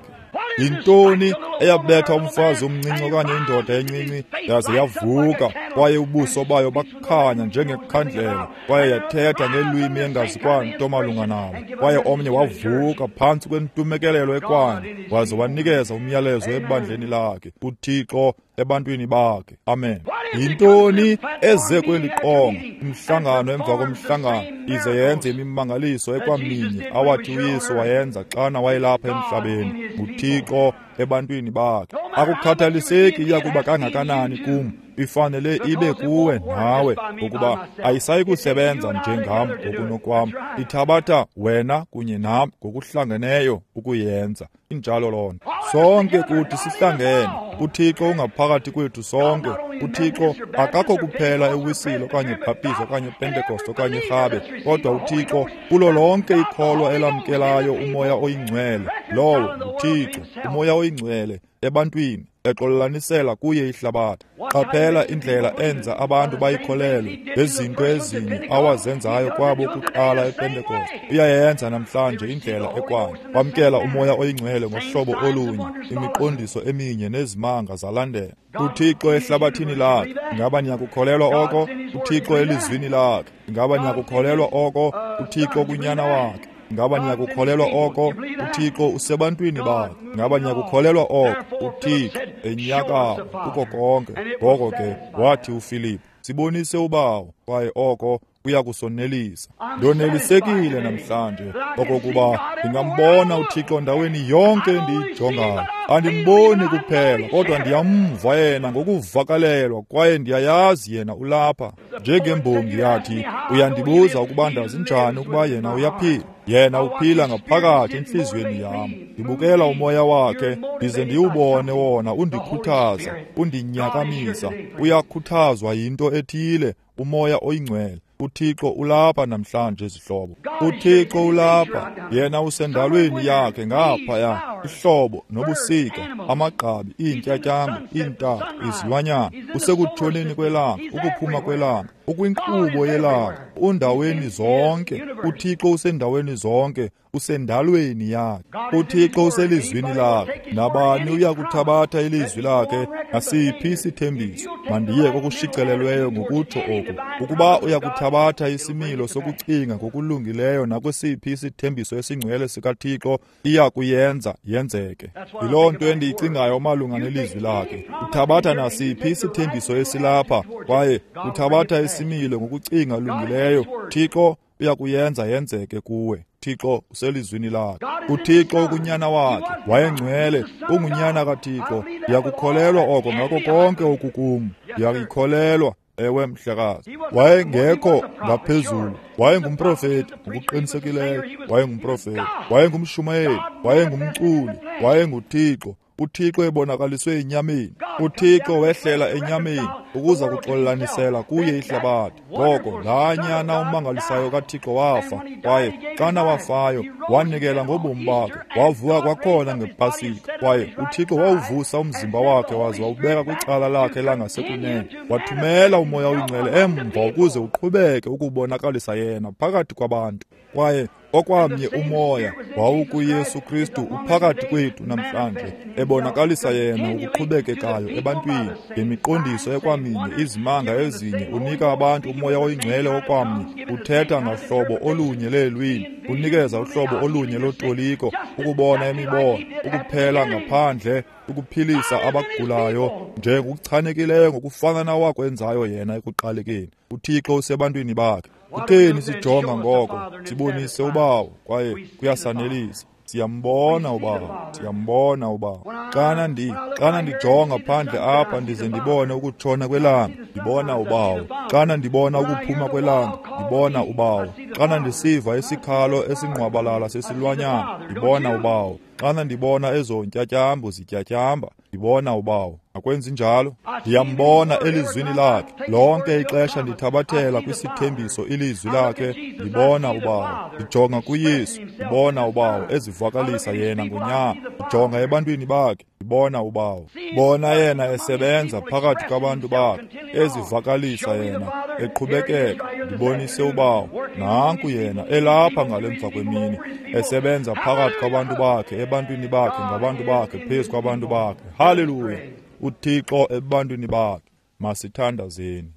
Yintoni eyabetha umfazi omncinci okanye indoda encinci yaze yavuka, kwaye ubuso bayo bakhanya njengekhandlela, kwaye yathetha ngelwimi engazikwanto malunga nalo, kwaye omnye wavuka phantsi kwentumekelelo ekwanye waze wanikeza umyalezo ebandleni lakhe, uThixo ebantwini bakhe. Amen. Yintoni eze kweli qonga, umhlangano emva komhlangano, ize yenze imimangaliso ekwaminye awathi uYesu wayenza xana wayelapha emhlabeni? NguThixo ebantwini bakhe. Akukhathaliseki iyakuba kangakanani kum, ifanele ibe kuwe nawe, ngokuba ayisayi kusebenza njengam ngokunokwam. Ithabatha wena kunye nam ngokuhlangeneyo ukuyenza. Injalo loo nto. Sonke kuthi sihlangene. UThixo ungaphakathi kwethu sonke. UThixo akakho kuphela eWisile okanye eBhaptizi okanye ePentekoste okanye eRhabe, kodwa uThixo kulo lonke ikholwa elamkelayo uMoya oyiNgcwele. Lowo nguThixo, uMoya oyiNgcwele ebantwini, exolelanisela kuye ihlabathi. Qaphela indlela enza abantu bayikholelwe ngezinto ezinye awazenzayo kwabo kuqala ePentekoste. Uyayenza namhlanje indlela ekwanye. Bamkela uMoya oyiNgcwele ngohlobo olunye, imiqondiso eminye nezimanga zalandela. UThixo ehlabathini lakhe, ingaba niyakukholelwa oko? UThixo elizwini lakhe, ingaba niyakukholelwa oko? UThixo kunyana wakhe, ingaba niyakukholelwa oko? UThixo usebantwini bakhe, ingaba niyakukholelwa oko? UThixo enyakama kuko konke. Ngoko ke wathi uFilipu, sibonise uBawo, kwaye oko kuya kusonelisa. Ndonelisekile namhlanje okokuba ndingambona uThixo ndaweni yonke endiyijongayo. Andimboni kuphela, kodwa ndiyamva yena ngokuvakalelwa, kwaye ndiyayazi yena ulapha. Njengembongi yathi, uyandibuza ukuba ndazi njani ukuba yena uyaphila. Yena uphila ngaphakathi entliziyweni yam. Ndibukela umoya wakhe ndize ndiwubone wona undikhuthaza, undinyakamisa. Uyakhuthazwa yinto ethile, uMoya oyiNgcwele. UThixo ulapha namhlanje, zihlobo. UThixo ulapha. Yena usendalweni yakhe ngaphaya, ihlobo nobusika, amagqabi, iintyatyambo, iintaka, izilwanyana. Usekutshoneni kwelanga, ukuphuma kwelanga, ukwinkqubo yelanga, undaweni zonke. UThixo usendaweni zonke, usendalweni yakhe. UThixo uselizwini lakhe. Nabani uyakuthabatha ilizwi lakhe nasiphi isithembiso? Mandiye kokushicelelweyo ngokutsho oku. Ukuba uyakuthabatha isimilo sokucinga ngokulungileyo nakwesiphi isithembiso esingcwele sikaThixo, iya kuyenza yenzeke. Yiloo nto endiyicingayo malunga nelizwi lakhe. Uthabatha nasiphi isithembiso esilapha, kwaye uthabatha isimilo ngokucinga lungileyo, Thixo uyakuyenza yenzeke kuwe. Thixo uselizwini lakhe. uThixo ukunyana wakhe wayengcwele, ungunyana kaThixo. Ndiyakukholelwa oko ngako konke okukum. Ndiyakukholelwa. Ewe, mhlekazi. Wayengekho ngaphezulu, wayengumprofeti ngokuqinisekileyo, wayengumprofeti, wayengumshumayeli, wayengumculi, wayenguThixo. uThixo ebonakaliswe enyameni. uThixo wehlela enyameni ukuza kuxolelanisela kuye ihlabathi. Ngoko laa nyana umangalisayo kaThixo wafa, kwaye xana wafayo wanikela ngobomi bakhe, wavuka kwakhona ngePasika, kwaye uThixo wawuvusa umzimba wakhe waze wawubeka kwicala lakhe langasekunene, wathumela uMoya oyiNgcwele emva ukuze uqhubeke ukubonakalisa yena phakathi kwabantu. Kwaye okwamnye umoya wawukuYesu Kristu uphakathi kwethu namhlanje, ebonakalisa yena ukuqhubekekayo ebantwini ngemiqondiso ekwamnye. minye, izimanga ezinye, unika abantu uMoya oyiNgcwele okwamnye, uthetha ngahlobo olunye leelwimi, unikeza uhlobo olunye lotoliko, ukubona imibono, ukuphela ngaphandle, ukuphilisa abagulayo, nje ngokuchanekileyo ngokufana nawakwenzayo yena ekuqalekeni. UThixo usebantwini bakhe. Kutheni sijonga ngoko? Sibonise uBawo, kwaye kuyasanelisa. Siyambona uBawo, siyambona uBawo. Xana ndijonga phandle apha ndize ndibone ukutshona kwelanga, ndibona uBawo. Xana ndibona ukuphuma kwelanga, ndibona uBawo. Xana ndisiva isikhalo esingqwabalala sesilwanyana, ndibona uBawo. Xana ndibona ezo ntyatyambo zityatyamba, ndibona uBawo. Akwenzi njalo? Ndiyambona elizwini lakhe. Lonke ixesha ndithabathela kwisithembiso ilizwi lakhe, ndibona uBawo. Ndijonga kuYesu, ndibona uBawo ezivakalisa yena ngonyana. Ndijonga ebantwini bakhe, ndibona uBawo. Bona yena esebenza phakathi kwabantu bakhe, ezivakalisa yena, eqhubekeka. Ndibonise uBawo. Nanku yena elapha ngale mva kwemini, esebenza phakathi kwabantu bakhe, ebantwini bakhe, ngabantu bakhe, phezu kwabantu bakhe. Haleluya! uThixo ebantwini bakhe. Masithandazeni.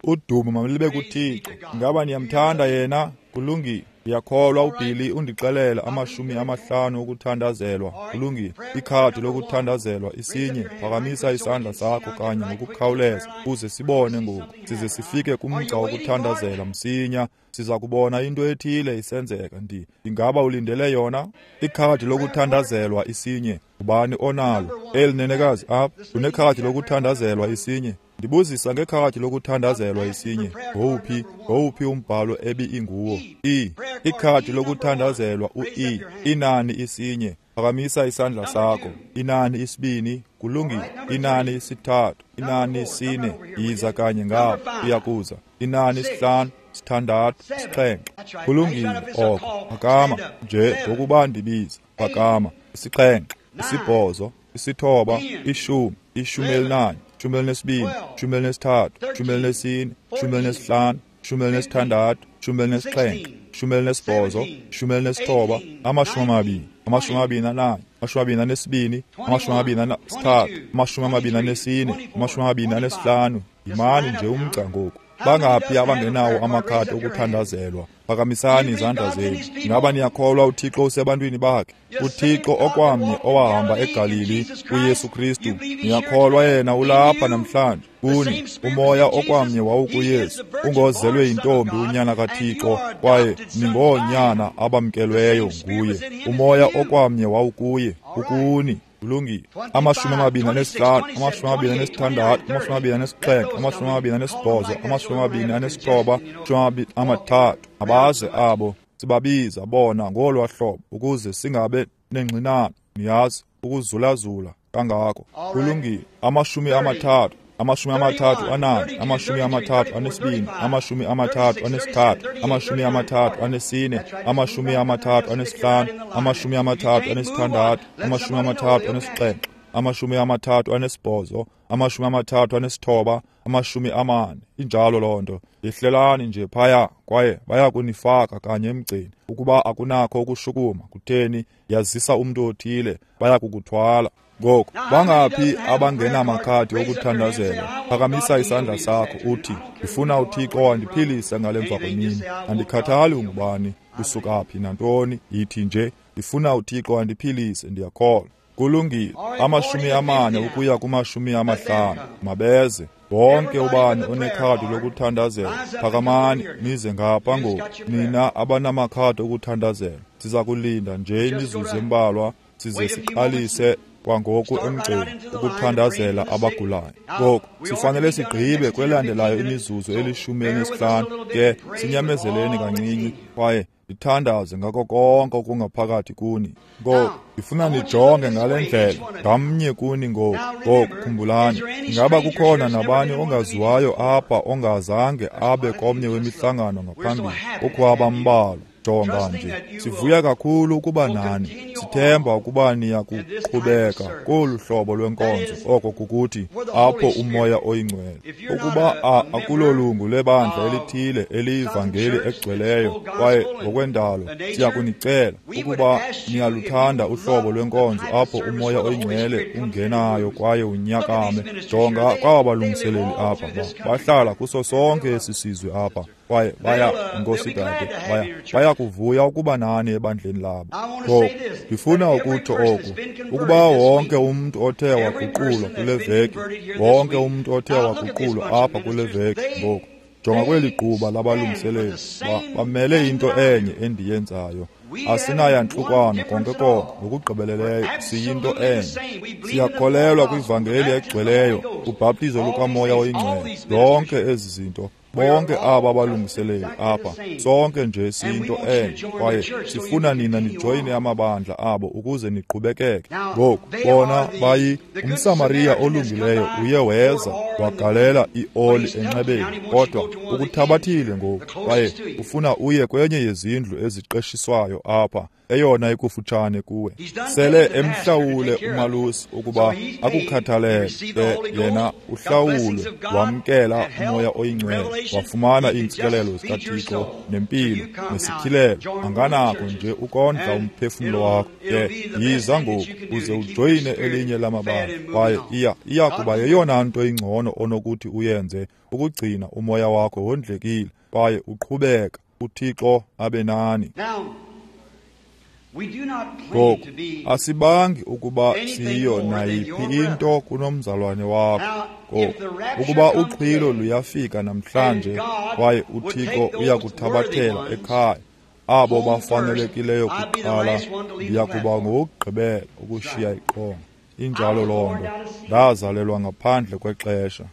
Udumo malube kuThixo. Ingaba niyamthanda yena? Kulungile. Ndiyakholwa uBilly undixelela 50 ukuthandazelwa. Kulungile. Ikhadi lokuthandazelwa isinye. Phakamisa isandla sakho kanye ngokukhawuleza ukuze sibone ngoku. Size sifike kumgca wokuthandazela msinya. Siza kubona into ethile isenzeka. Ingaba ulindele yona? Ikhadi lokuthandazelwa isinye. Ubani onalo? Eli nenekazi apha unekhadi lokuthandazelwa isinye. Ndibuzisa ngekhadi lokuthandazelwa isinye. Ngowuphi umbhalo ebi inguwo? E. Ikhadi lokuthandazelwa u-E. Inani isinye. Phakamisa isandla sakho. Inani isibini. Kulungile. Inani isithathu. Inani isine. Yiza kanye ngapha. Uyakuza. Inani isihlanu. 6, 7. Kulungile oko. Phakama nje ngokuba ndibiza. Phakama. 7, 8, 9, 10, 11, 12, 13, 14, 15, 16, 17, 18, 19, 20, 21, 22, 23, 24, 25. Yimani nje umgca ngoku. Bangaphi abangenawo amakhadi okuthandazelwa? Phakamisani izandla zenu. Ingaba niyakholwa uThixo usebantwini bakhe? uThixo okwamnye owahamba eGalili, uYesu Kristu. Niyakholwa yena ulapha namhlanje kuni. Umoya okwamnye wawukuYesu, ungozelwe yintombi unyana kaThixo, kwaye ningoonyana abamkelweyo nguye. Umoya okwamnye wawukuye, ukuni. Kulungile. 25, 26, 27, 28, 29, 30. Abaze abo sibabiza bona ngolwa hlobo ukuze singabe nengxinano, niyazi, ukuzulazula kangako. Kulungile. 30, 34, 32, 33, 34, 35, 36, 37, 38, 39, 40. Injalo loo nto. Yehlelani nje phaya kwaye baya kunifaka kanye emgceni. Ukuba akunakho ukushukuma, kutheni, yazisa umntu othile, baya kukuthwala. Ngoku bangaphi abangenamakhadi okuthandazela? Phakamisa isandla sakho uthi, ndifuna uThixo andiphilise ngale mva kwemini. Andikhathali ungubani, usuka phi nantoni, yithi nje ndifuna uThixo andiphilise, ndiyakholwa. Kulungile. 40 ukuya ku-50. Mabeze wonke ubani onekhadi lokuthandazela. Phakamani nize ngapha ngoku, nina abanamakhadi okuthandazela. Siza kulinda nje imizuzu embalwa size siqalise kwangoku emgceni ukuthandazela abagulayo. Ngoku sifanele sigqibe kwelandelayo imizuzu 15, ke sinyamezeleni kancinci kwaye ndithandaze ngako konke okungaphakathi kuni. Ngoku ndifuna nijonge ngale ndlela ngamnye kuni ngoku. Ngoku khumbulani, ingaba kukhona nabani ongaziwayo apha ongazange abe komnye wemihlangano ngaphambili? Kukho abambalwa. Jonga nje, sivuya kakhulu ukuba nani. Sithemba ukuba niya kuqhubeka kolu hlobo lwenkonzo, oko kukuthi apho uMoya oyiNgcwele. Ukuba akulolungu lebandla elithile eliyivangeli egcweleyo kwaye ngokwendalo, siya kunicela ukuba niyaluthanda uhlobo lwenkonzo apho uMoya oyiNgcwele ungenayo kwaye unyakame. Jonga kwaba balungiseleli apha, bahlala kuso sonke esi sizwe apha, kwaye baya, Nkosi dade, baya kuvuya ukuba nani ebandleni labo. Ngoku ndifuna ukutsho oku, ukuba wonke umntu othe waguqulwa kule veki, wonke umntu othe waguqulwa apha kule veki, ngoku jonga kweli gquba labalungiseleli, bamele into enye endiyenzayo. Asinayantlukwano konke konke, ngokugqibeleleyo siyinto enye. Siyakholelwa kwivangeli egcweleyo, ubhaptizo lukaMoya oyiNgcwele, zonke ezi zinto. Bonke aba balungiseleli apha, sonke nje siyinto enye, kwaye sifuna nina nijoyine amabandla abo ukuze niqhubekeke. Ngoku bona bayi umSamariya olungileyo uye weza wagalela ioli enxebeni, kodwa ukuthabathile ngoku, kwaye ufuna uye kwenye yezindlu eziqeshiswayo apha, eyona ikufutshane kuwe. Sele emhlawule umalusi ukuba akukhathalele, ke yena uhlawulwe, wamkela uMoya oyiNgcwele, wafumana iintsikelelo zikaThixo nempilo nesityhilelo. Anganako nje ukondla umphefumlo wakho. Ke yiza ngoku uze ujoyine elinye lamabandla, kwaye iya kuba yeyona nto ingcono onokuthi uyenze ukugcina umoya wakho wondlekile kwaye uqhubeka. uThixo abe nani. Ngoku asibangi ukuba siyo nayiphi into kunomzalwane wakho. Ngoku ukuba uxhilo luyafika namhlanje kwaye uThixo uyakuthabathela ekhaya abo bafanelekileyo kuqala, ndiya kuba ngowokugqibela ukushiya iqonga. Injalo loo nto. Ndazalelwa ngaphandle kwexesha.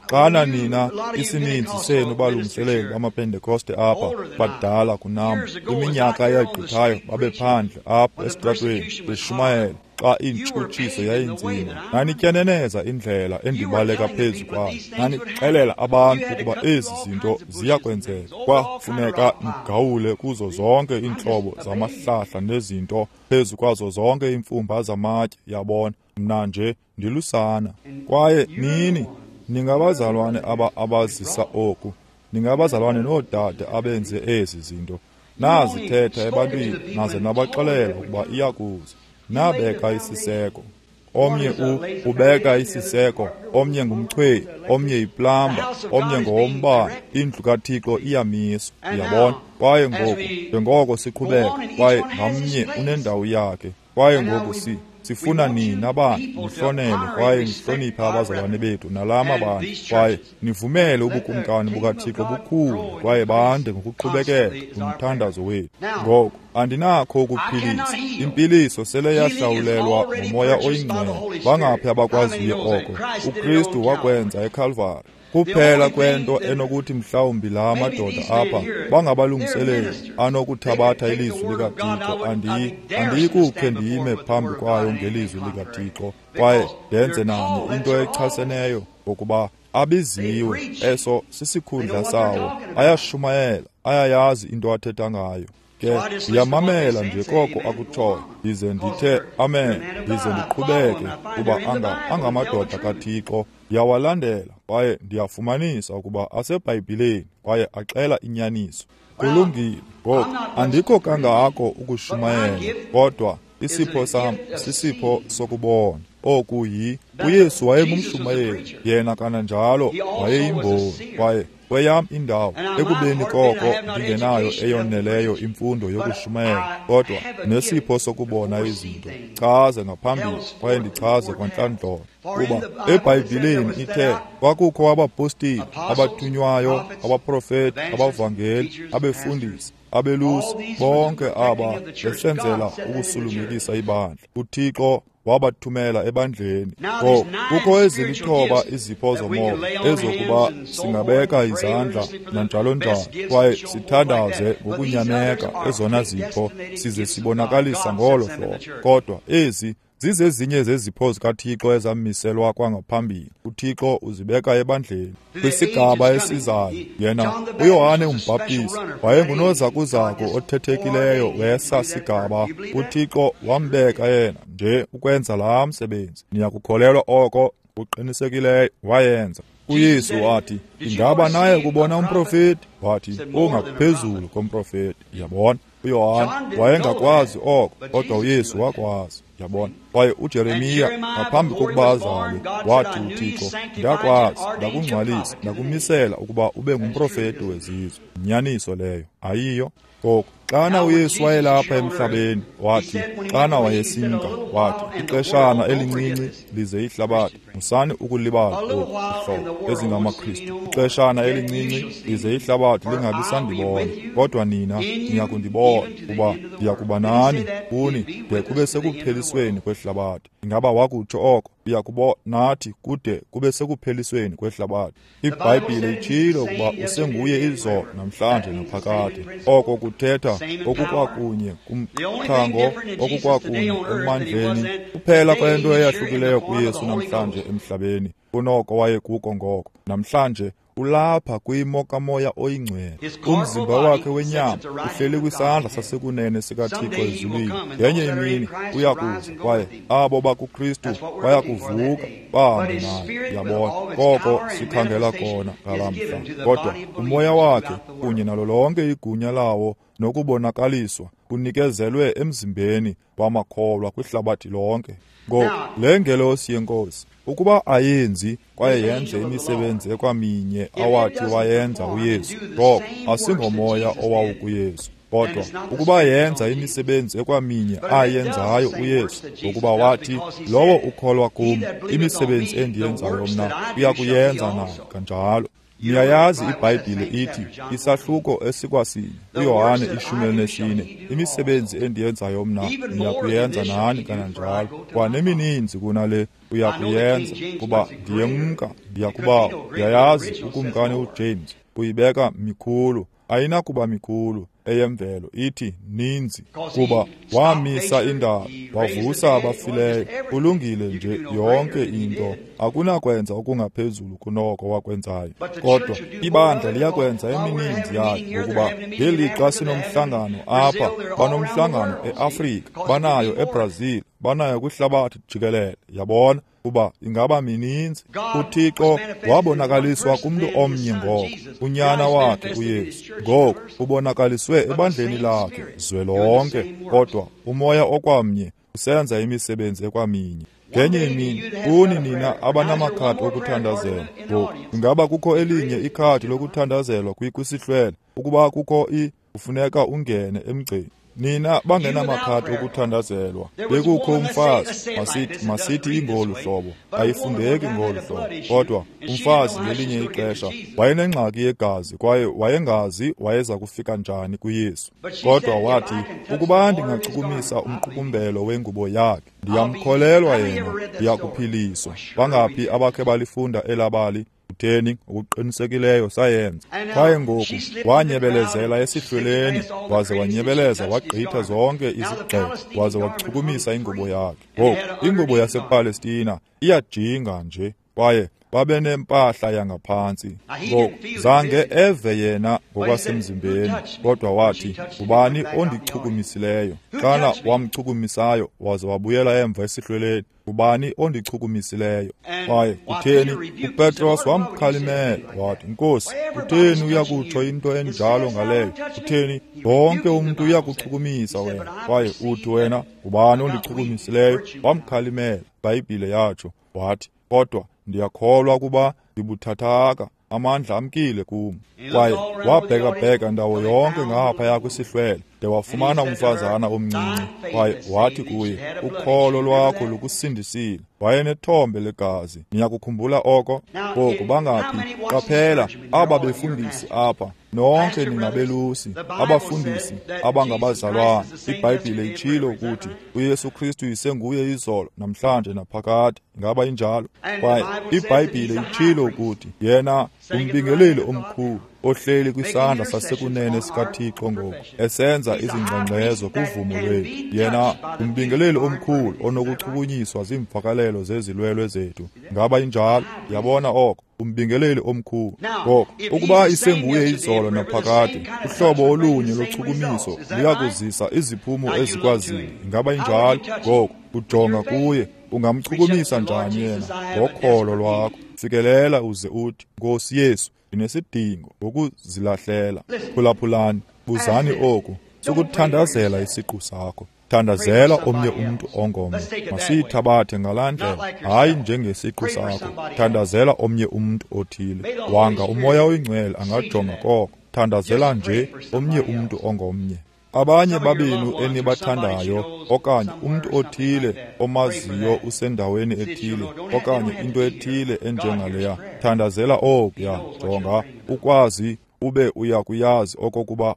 Xana nina isininzi senu balungiseleli bamaPentekoste apha badala kunam, kwiminyaka eyagqithayo babephandle apha esitratweni beshumayela xa intshutshiso yayinzima. Nanityeneneza indlela endibaleka phezu kwayo, nanixelela abantu ukuba ezi zinto ziya kwenzeka. Kwafuneka nigawule kuzo zonke iintlobo zamahlahla nezinto, phezu kwazo zonke iimfumba zamatye. Yabona, mna nje ndilusana. Kwaye nini ningabazalwane abazisa oku, ningabazalwane noodade abenze ezi zinto. Nazithetha ebantwini naze nabaxelela ukuba iyakuza. Nabeka isiseko. Omnye ubeka isiseko, omnye ngumchweyi, omnye yiplamba, omnye ngowombane. Indlu kaThixo iyamiswa, uyabona. Kwaye ngoku njengoko siqhubeka, kwaye ngamnye unendawo yakhe. Kwaye ngoku sifuna nina bantu nihlonele kwaye nihloniphe abazalwane bethu nalaa mabandla, kwaye nivumele ubukumkani bukaThixo bukhule kwaye bande ngokuqhubekeka ngumthandazo wethu. Ngoku andinakho ukuphilisa. Impiliso sele yahlawulelwa nguMoya oyiNgcwele. Bangaphi abakwaziyo oko? uKristu wakwenza eKalvari. Kuphela kwento enokuthi mhlawumbi la madoda apha bangabalungiseleli anokuthabatha ilizwi likaThixo, andiyikukhe ndime phambi kwayo ngelizwi likaThixo kwaye ndenze nami into echaseneyo, ngokuba abiziwe, eso sisikhundla sawo. Ayashumayela, ayayazi into athetha ngayo. Ke ndiyamamela nje koko akutshoyo, ndize ndithe amen, ndize ndiqhubeke, kuba angamadoda kaThixo. Ndiyawalandela kwaye ndiyafumanisa ukuba aseBhayibhileni kwaye axela inyaniso. Kulungile. Ngoku andikho kangako ukushumayela, kodwa isipho sam sisipho sokubona. Oku uYesu wayengumshumayeli, yena kananjalo wayeyimboni, kwaye kweyam indawo ekubeni koko ndingenayo eyoneleyo imfundo yokushumayela, kodwa nesipho sokubona izinto. Chaze ngaphambili kwaye ndichaze kwantlandlolo, kuba eBhayibhileni ithe kwakukho abapostile, abathunywayo, abaprofeti, abavangeli, abefundisi, abelusi, bonke aba besenzela ukusulungekisa ibandla. uThixo wabathumela ebandleni. Kukho ezilithoba izipho zomoya ezokuba singabeka izandla nanjalo njalo, kwaye sithandaze ngokunyameka ezona zipho size sibonakalisa ngolo hlobo. Kodwa ezi Zizezinye zezipho zikaThixo ezamiselwa kwangaphambili. UThixo uzibeka ebandleni kwisigaba esizayo. Yena uYohane uMbhaptizi wayengunozakuzaku othethekileyo wesa sigaba. UThixo wambeka yena nje ukwenza laa msebenzi. Niyakukholelwa oko? Uqinisekileyo wayenza. UYesu wathi, ingaba naye kubona umprofeti? Wathi, ungaphezulu komprofeti. Yabona, uYohane wayengakwazi oko, kodwa uYesu wakwazi. Yabona, kwaye uJeremiya ngaphambi kokuba azalwe wathi uThixo, ndakwazi, ndakungcwalisa, ndakumisela ukuba ube ngumprofeti wezizwe. Inyaniso leyo ayiyo? Ngoku xana uYesu wayelapha emhlabeni, wathi xana wayesimka, wathi ixeshana elincinci lize ihlabathi. Musani ukulibala oku, zihlobo ezingamaKristu. Ixeshana elincinci lize ihlabathi lingabi sandibona, kodwa nina niyakundibona, kuba ndiyakuba nani kuni de kube sekuphelisweni kwehlabathi. Ingaba wakutsho oko? Uyakuba nathi kude kube sekuphelisweni kwehlabathi. IBhayibhile itshilo ukuba usenguye izolo, namhlanje naphakade. Oko kuthetha okukwakunye kumthango, okukwakunye emandleni. Kuphela kwento eyahlukileyo kuYesu namhlanje emhlabeni kunoko wayekuko ngoko. Namhlanje ulapha kwimo kaMoya oyiNgcwele. Umzimba wakhe wenyama uhleli kwisandla sasekunene sikaThixo ezulwini. Ngenye imini uyakuza, kwaye abo bakuKristu bayakuvuka bahambe naye. Yabona, koko sikhangela kona ngalaa mhla. Kodwa umoya wakhe kunye nalo lonke igunya lawo nokubonakaliswa kunikezelwe emzimbeni wamakholwa kwihlabathi lonke. Ngoku le ngelosi yeNkosi, ukuba ayenzi kwaye yenze imisebenzi ekwaminye awathi wayenza uYesu, ngoko asingomoya owawukuYesu. Kodwa ukuba yenza imisebenzi ekwaminye ayenzayo uYesu, ngokuba wathi, lowo ukholwa kum, imisebenzi endiyenzayo mna uyakuyenza naye kanjalo. Niyayazi iBhayibhile ithi isahluko esikwasinye uYohane 14, imisebenzi endiyenzayo mna niyakuyenza nani kananjalo, kwanemininzi kunale uyakuyenza, kuba ndiyemka ndiyakubawo. Ndiyayazi uKumkani uJames uyibeka mikhulu, ayinakuba mikhulu eyemvelo, ithi ninzi, kuba wamisa indalo, wavusa abafileyo. Kulungile nje yonke into, akunakwenza okungaphezulu kunoko wakwenzayo. Kodwa ibandla liyakwenza emininzi yayo, ngokuba ngelixa sinomhlangano apha, banomhlangano eAfrika, banayo eBrazil, banayo kwihlabathi jikelele. Yabona, kuba ingaba mininzi. UThixo wabonakaliswa kumntu omnye ngoko, unyana wakhe uYesu. Ngoku ubonakaliswe ebandleni lakhe zwelonke, kodwa umoya okwamnye usenza imisebenzi ekwaminye. Ngenye imini kuni nina abanamakhadi okuthandazela, ngoku ingaba kukho elinye ikhadi lokuthandazelwa kwisihlwele? Ukuba kukho kufuneka ungene emgceni. Nina bangenamakhadi okuthandazelwa, bekukho umfazi, masithi ingolu hlobo, ayifundeki ngolu hlobo, kodwa umfazi ngelinye ixesha wayenengxaki yegazi, kwaye wayengazi wayeza kufika njani kuYesu. Kodwa wathi, ukuba ndingachukumisa umqukumbelo wengubo yakhe, ndiyamkholelwa yena, ndiyakuphiliswa. Bangaphi abakhe balifunda elabali? Kutheni, ngokuqinisekileyo sayenza. Kwaye ngoku wanyebelezela esihlweleni, waze wanyebeleza wagqitha zonke izigxeko, waze wachukumisa ingubo yakhe. Ngoku ingubo yasePalestina iyajinga nje, kwaye babenempahla yangaphantsi. Ngoku zange eve yena ngokwasemzimbeni, kodwa wathi, ngubani ondichukumisileyo? Xana wamchukumisayo waze wabuyela emva esihlweleni, ngubani ondichukumisileyo? Kwaye kutheni, uPetros wamkhalimela wathi, Nkosi, kutheni uyakutsho into enjalo ngaleyo? Kutheni, wonke umntu uyakuchukumisa wena, kwaye uthi wena, ngubani ondichukumisileyo? Wamkhalimela, iBhayibhile yatsho, wathi, kodwa ndiyakholwa kuba ndibuthathaka, amandla amkile kum. Kwaye wabhekabheka ndawo yonke ngaphaya kwisihlwele, de wafumana umfazana omncinci, kwaye wathi kuye, ukholo lwakho lukusindisile. Wayenethombe legazi. Niyakukhumbula oko? Ngoku bangaphi? Qaphela, aba befundisi apha, nonke ningabelusi, abafundisi abangabazalwana. iBhayibhile itshilo ukuthi uYesu Kristu isenguye izolo, namhlanje naphakade. Ingaba injalo? Kwaye iBhayibhile itshilo ukuthi yena ngumbingeleli omkhulu, ohleli kwisandla sasekunene sikaThixo ngoku, esenza izingxengxezo kuvumo lwethu. Yena ngumbingeleli omkhulu onokuchukunyiswa ziimvakalelo zezilwelwe zethu. Ngaba injalo? Yabona oko, umbingeleli omkhulu. Ngoko ukuba isenguye izolo naphakade, uhlobo olunye lochukumiso luyakuzisa iziphumo ezikwaziyo. Ingaba injalo? Ngoko ujonga kuye, ungamchukumisa njani yena? Ngokholo lwakho. Fikelela uze uthi, Nkosi Yesu, ndinesidingo ngokuzilahlela. Phulaphulani, buzani oku. Sukuthandazela isiqu sakho, thandazela omnye umntu ongomnye. Masiyithabathe ngalaa ndlela, hayi njengesiqu sakho. Thandazela omnye umntu othile. Wanga uMoya oyiNgcwele angajonga koko. Thandazela nje omnye umntu ongomnye. Abanye babenu enibathandayo, okanye umntu othile omaziyo usendaweni ethile, okanye into ethile enjengaleya, thandazela okuya. Jonga, ukwazi ube uyakuyazi okokuba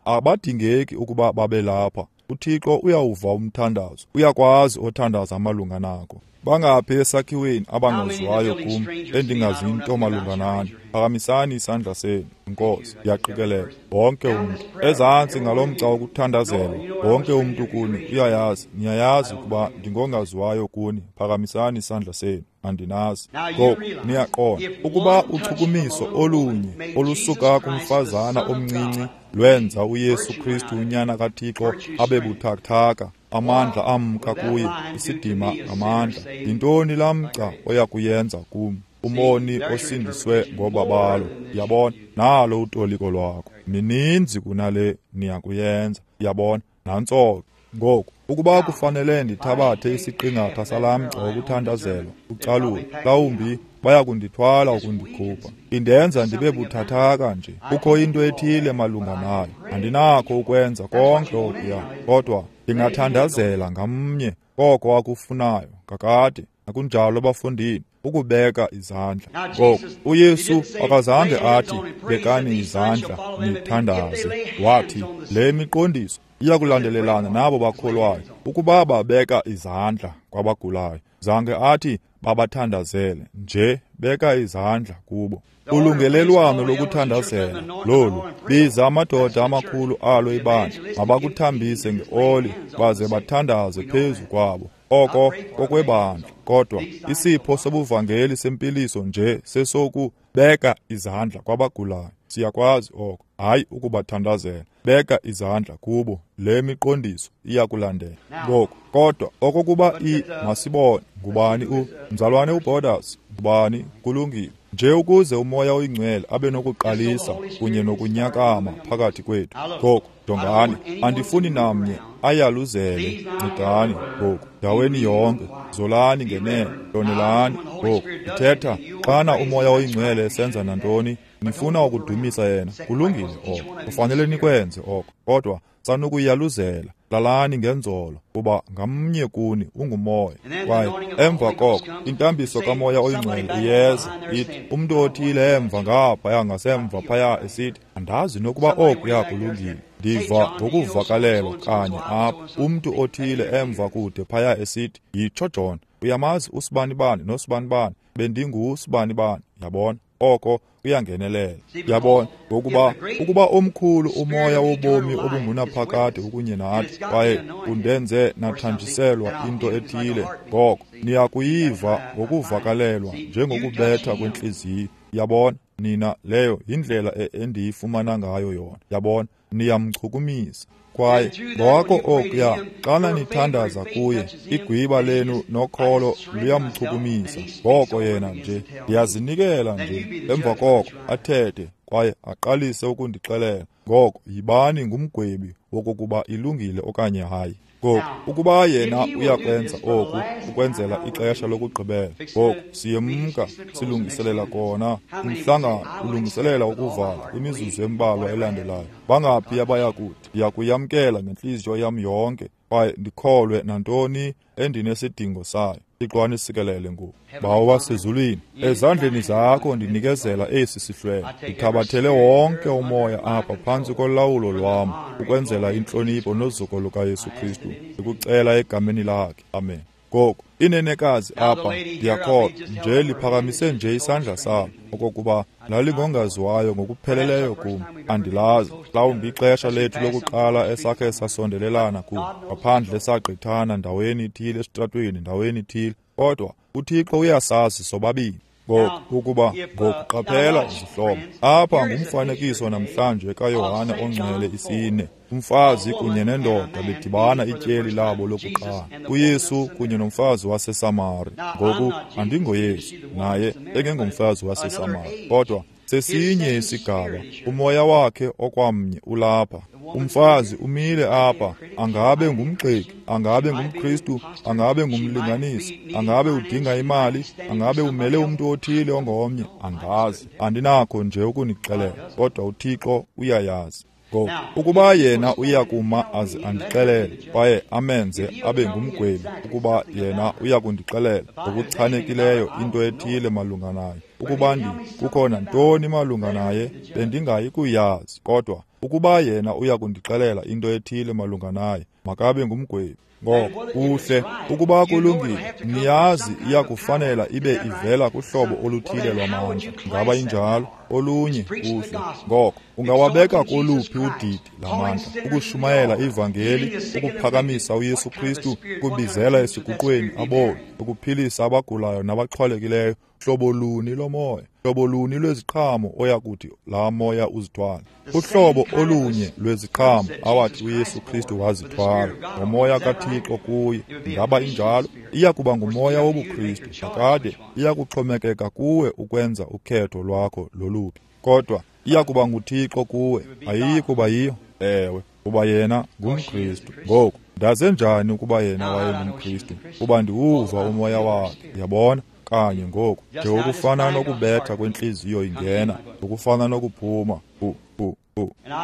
abadingeki ukuba babe lapha. UThixo uyawuva umthandazo, uyakwazi othandaza malunga nako. Bangaphi esakhiweni abangaziwayo kum, endingazi nto malunga nani? Phakamisani isandla senu. Nkosi, ndiyaqikelela wonke umntu ezantsi ngalo mgca wokuthandazelwa, wonke umntu kuni uyayazi, niyayazi ukuba ndingongaziwayo kuni. Phakamisani isandla senu. Andinazi. Ngoku niyaqonda ukuba uchukumiso olunye olusuka kumfazana omncinci lwenza uYesu Kristu unyana kaThixo abe buthathaka, amandla amka kuye, isidima ngamandla. Yintoni laa mgca oya kuyenza kum, umoni osindiswe ngobabalo? Yabona, nalo utoliko lwakho. Mininzi kunale niyakuyenza. Yabona, nantso ke. Ngoku ukuba kufanele ndithabathe isiqingatha salaa mgca wokuthandazelwa ucalule, mhlawumbi baya kundithwala ukundikhupha. Indenza ndibe buthathaka nje. Kukho into ethile malunga nayo. Andinakho ukwenza konke okuya, kodwa ndingathandazela ngamnye koko akufunayo kakade. Akunjalo bafundini, ukubeka izandla. Ngoku uYesu akazange athi bekani izandla nithandaze. Wathi le miqondiso iyakulandelelana nabo bakholwayo ukuba babeka izandla kwabagulayo. Zange athi babathandazele nje, beka izandla kubo. Ulungelelwano lokuthandazela lolu, biza amadoda amakhulu alo ibandla, mabakuthambise ngeoli baze bathandaze phezu kwabo. Oko kokwebandla, kodwa isipho sobuvangeli sempiliso nje sesokubeka izandla kwabagulayo. Siyakwazi oko, hayi ukubathandazela. Beka izandla kubo, le miqondiso iyakulandela. Ngoku kodwa okokuba masibone ngubani mzalwane uBorders, ngubani? Kulungile nje ukuze uMoya oyiNgcwele abe nokuqalisa kunye nokunyakama phakathi kwethu. Ngoku jongani, andifuni namnye ayaluzele. Ncedani ngoku, ndaweni yonke, zolani ngenene, hlonelani. Ngoku ndithetha xana uMoya oyiNgcwele esenza nantoni, nifuna ukudumisa yena, kulungile oko, kufanele nikwenze oko, kodwa sanukuyaluzela. Lalani ngenzolo, kuba ngamnye kuni ungumoya. Kwaye emva koko intambiso kaMoya oyiNgcwele iyeza, ithi umntu othile emva ngaphaya ngasemva phaya esithi, andazi nokuba okuya kulungile. Ndiva ngokuvakalelwa kanye apha, umntu othile emva kude phaya esithi, yitsho John, uyamazi usibanibani nosibanibani, bendingusibanibani. Yabona, oko kuyangenelela. Yabona, ngokuba ukuba omkhulu umoya wobomi obungunaphakade ukunye nathi, kwaye undenze nathanjiselwa into ethile, ngoko niyakuyiva ngokuvakalelwa njengokubetha kwentliziyo. Yabona, nina, leyo yindlela endiyifumana ngayo yona. Yabona, niyamchukumisa. Kwaye ngoko okuya, xana nithandaza kuye, igwiba lenu nokholo luyamchukumisa. Ngoko yena nje, ndiyazinikela nje. Emva koko athethe kwaye aqalise ukundixelela. Ngoko yibani ngumgwebi wokokuba ilungile okanye hayi. Ngoku ukuba yena uyakwenza oku ukwenzela ixesha lokugqibela, ngoku siyemka silungiselela kona umhlangano, ulungiselela ukuvala kwimizuzu embalwa elandelayo. Bangaphi abayakuthi ndiyakuyamkela ngentliziyo yam yonke kwaye ndikholwe nantoni endinesidingo sayo? Thixo anisikelele ngoku. Bawo wasezulwini, ezandleni zakho ndinikezela esi sihlwele. Ndithabathele wonke umoya apha phantsi kolawulo lwam ukwenzela intlonipho nozuko lukaYesu Kristu. Ndikucela egameni lakhe. Amen. Ngoku inenekazi apha, ndiyakholwa nje liphakamise nje isandla salo, okokuba lalingongaziwayo ngokupheleleyo kum. Andilazi. Mhlawumbi ixesha lethu lokuqala esakhe sasondelelana kum, ngaphandle sagqithana ndaweni ithile esitratweni, ndaweni ithile. Kodwa uThixo uyasazi sobabini. Ngoku ukuba ngokuqaphela izihlobo, apha ngumfanekiso namhlanje kaYohane oNgcwele isine, umfazi kunye nendoda bedibana ityeli labo lokuqala, uYesu kunye nomfazi waseSamari. Ngoku andingoYesu, naye engengomfazi waseSamari, kodwa sesinye isigaba, umoya wakhe okwamnye ulapha. Umfazi umile apha, angabe ngumgxeki, angabe ngumKristu, angabe ngumlinganisi, angabe udinga imali, angabe umele umntu othile ongomnye, angazi. Andinakho nje ukunixelela, kodwa uThixo uyayazi. Ngoku ukuba yena uyakuma aze andixelele kwaye amenze abe ngumgwebi, ukuba yena uyakundixelela ngokuchanekileyo into ethile malunga naye, ukuba kukho nantoni malunga naye, bendingayi kuyazi. Kodwa ukuba yena uyakundixelela into ethile malunga naye, makabe ngumgwebi. Ngoko kuhle, ukuba kulungile, niyazi iyakufanela ibe ivela kuhlobo oluthile lwamandla. Ngaba injalo? Olunye kuhle. Ngoko ungawabeka koluphi udidi lamandla? Ukushumayela ivangeli, ukuphakamisa uYesu Kristu, ukubizela esiguqweni aboni, ukuphilisa abagulayo nabaxhwalekileyo. Hlobo luni lomoya, hlobo luni lweziqhamo oyakuthi laa moya uzithwala? Uhlobo olunye lweziqhamo awathi uYesu Kristu wazithwala ngomoya kaThixo kuye. Ngaba injalo? Iyakuba ngumoya wobuKristu. Kakade iyakuxhomekeka kuwe ukwenza ukhetho lwakho loluphi, kodwa iyakuba nguThixo kuwe, ayiyi kuba yiyo. Ewe, kuba yena ngumKristu. Ngoku ndaze njani ukuba yena wayengumKristu? Kuba ndiwuva umoya wakhe, yabona? Kanye ngoku nje ukufana nokubetha kwentliziyo ingena, ukufana nokuphuma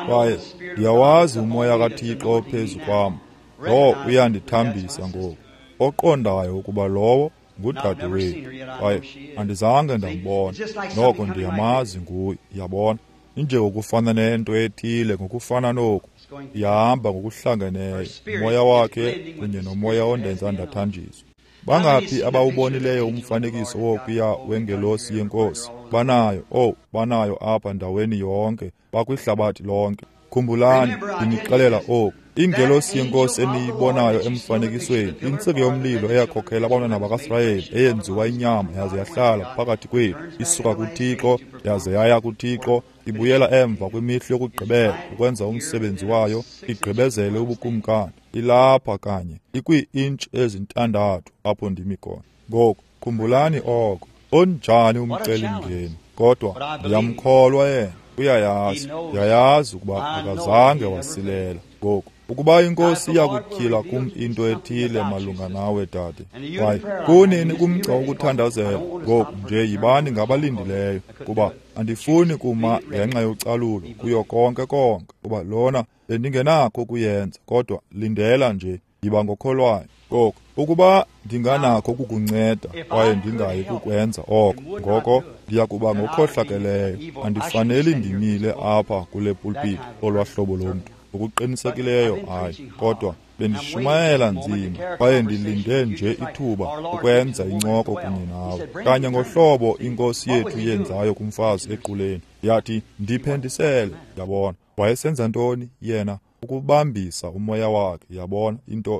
Kwaye ndiyawazi umoya kaThixo ophezu kwam, lo uyandithambisa ngoku, oqondayo ukuba lowo ngudadewethu. Kwaye andizange ndambona, noko ndiyamazi nguye, yabona. Injengokufana nento ethile, ngokufana noku, ihamba ngokuhlangeneyo, umoya wakhe kunye nomoya ondenza ndathanjiswa. Bangaphi abawubonileyo umfanekiso wokuya wengelosi yenkosi? Banayo, banayo apha ndaweni yonke, bakwihlabathi lonke. Khumbulani, ndinixelela oku. Ingelosi yenkosi eniyibonayo emfanekisweni, intsika yomlilo eyakhokhela abantwana bakaSirayeli, eyenziwa inyama yaze yahlala phakathi kwethu, isuka kuThixo yaze yaya kuThixo, ibuyela emva kwimihla yokugqibela ukwenza umsebenzi wayo, igqibezele ubukumkani. Ilapha kanye, ikwii-intshi ezintandathu apho ndimi khona. Ngoku khumbulani oko. Onjani umcelimngeni, kodwa ndiyamkholwa yena. Uyayazi, ndiyayazi ukuba akazange wasilela. Ngoku ukuba inkosi iyakutyhila kum into ethile malunga nawe, dade, kwaye kunini kumgca wokuthandazela, ngoku nje yibani ngabalindileyo, kuba andifuni kuma ngenxa yocalulo kuyo konke konke, kuba lona bendingenakho ukuyenza. Kodwa lindela nje, yiba ngokholwayo. Ngoku ukuba ndinganakho ukukunceda kwaye ndingayi kukwenza oko, ngoko ndiyakuba ngokhohlakeleyo. Andifaneli ndimile apha kule pulpiti olwahlobo lomntu, ngokuqinisekileyo hayi. Kodwa bendishumayela nzima kwaye ndilinde nje ithuba ukwenza incoko kunye nawe, kanye ngohlobo inkosi yethu yenzayo kumfazi equleni. Yathi, ndiphendisele. Yabona, wayesenza ntoni yena? Ukubambisa umoya wakhe, yabona,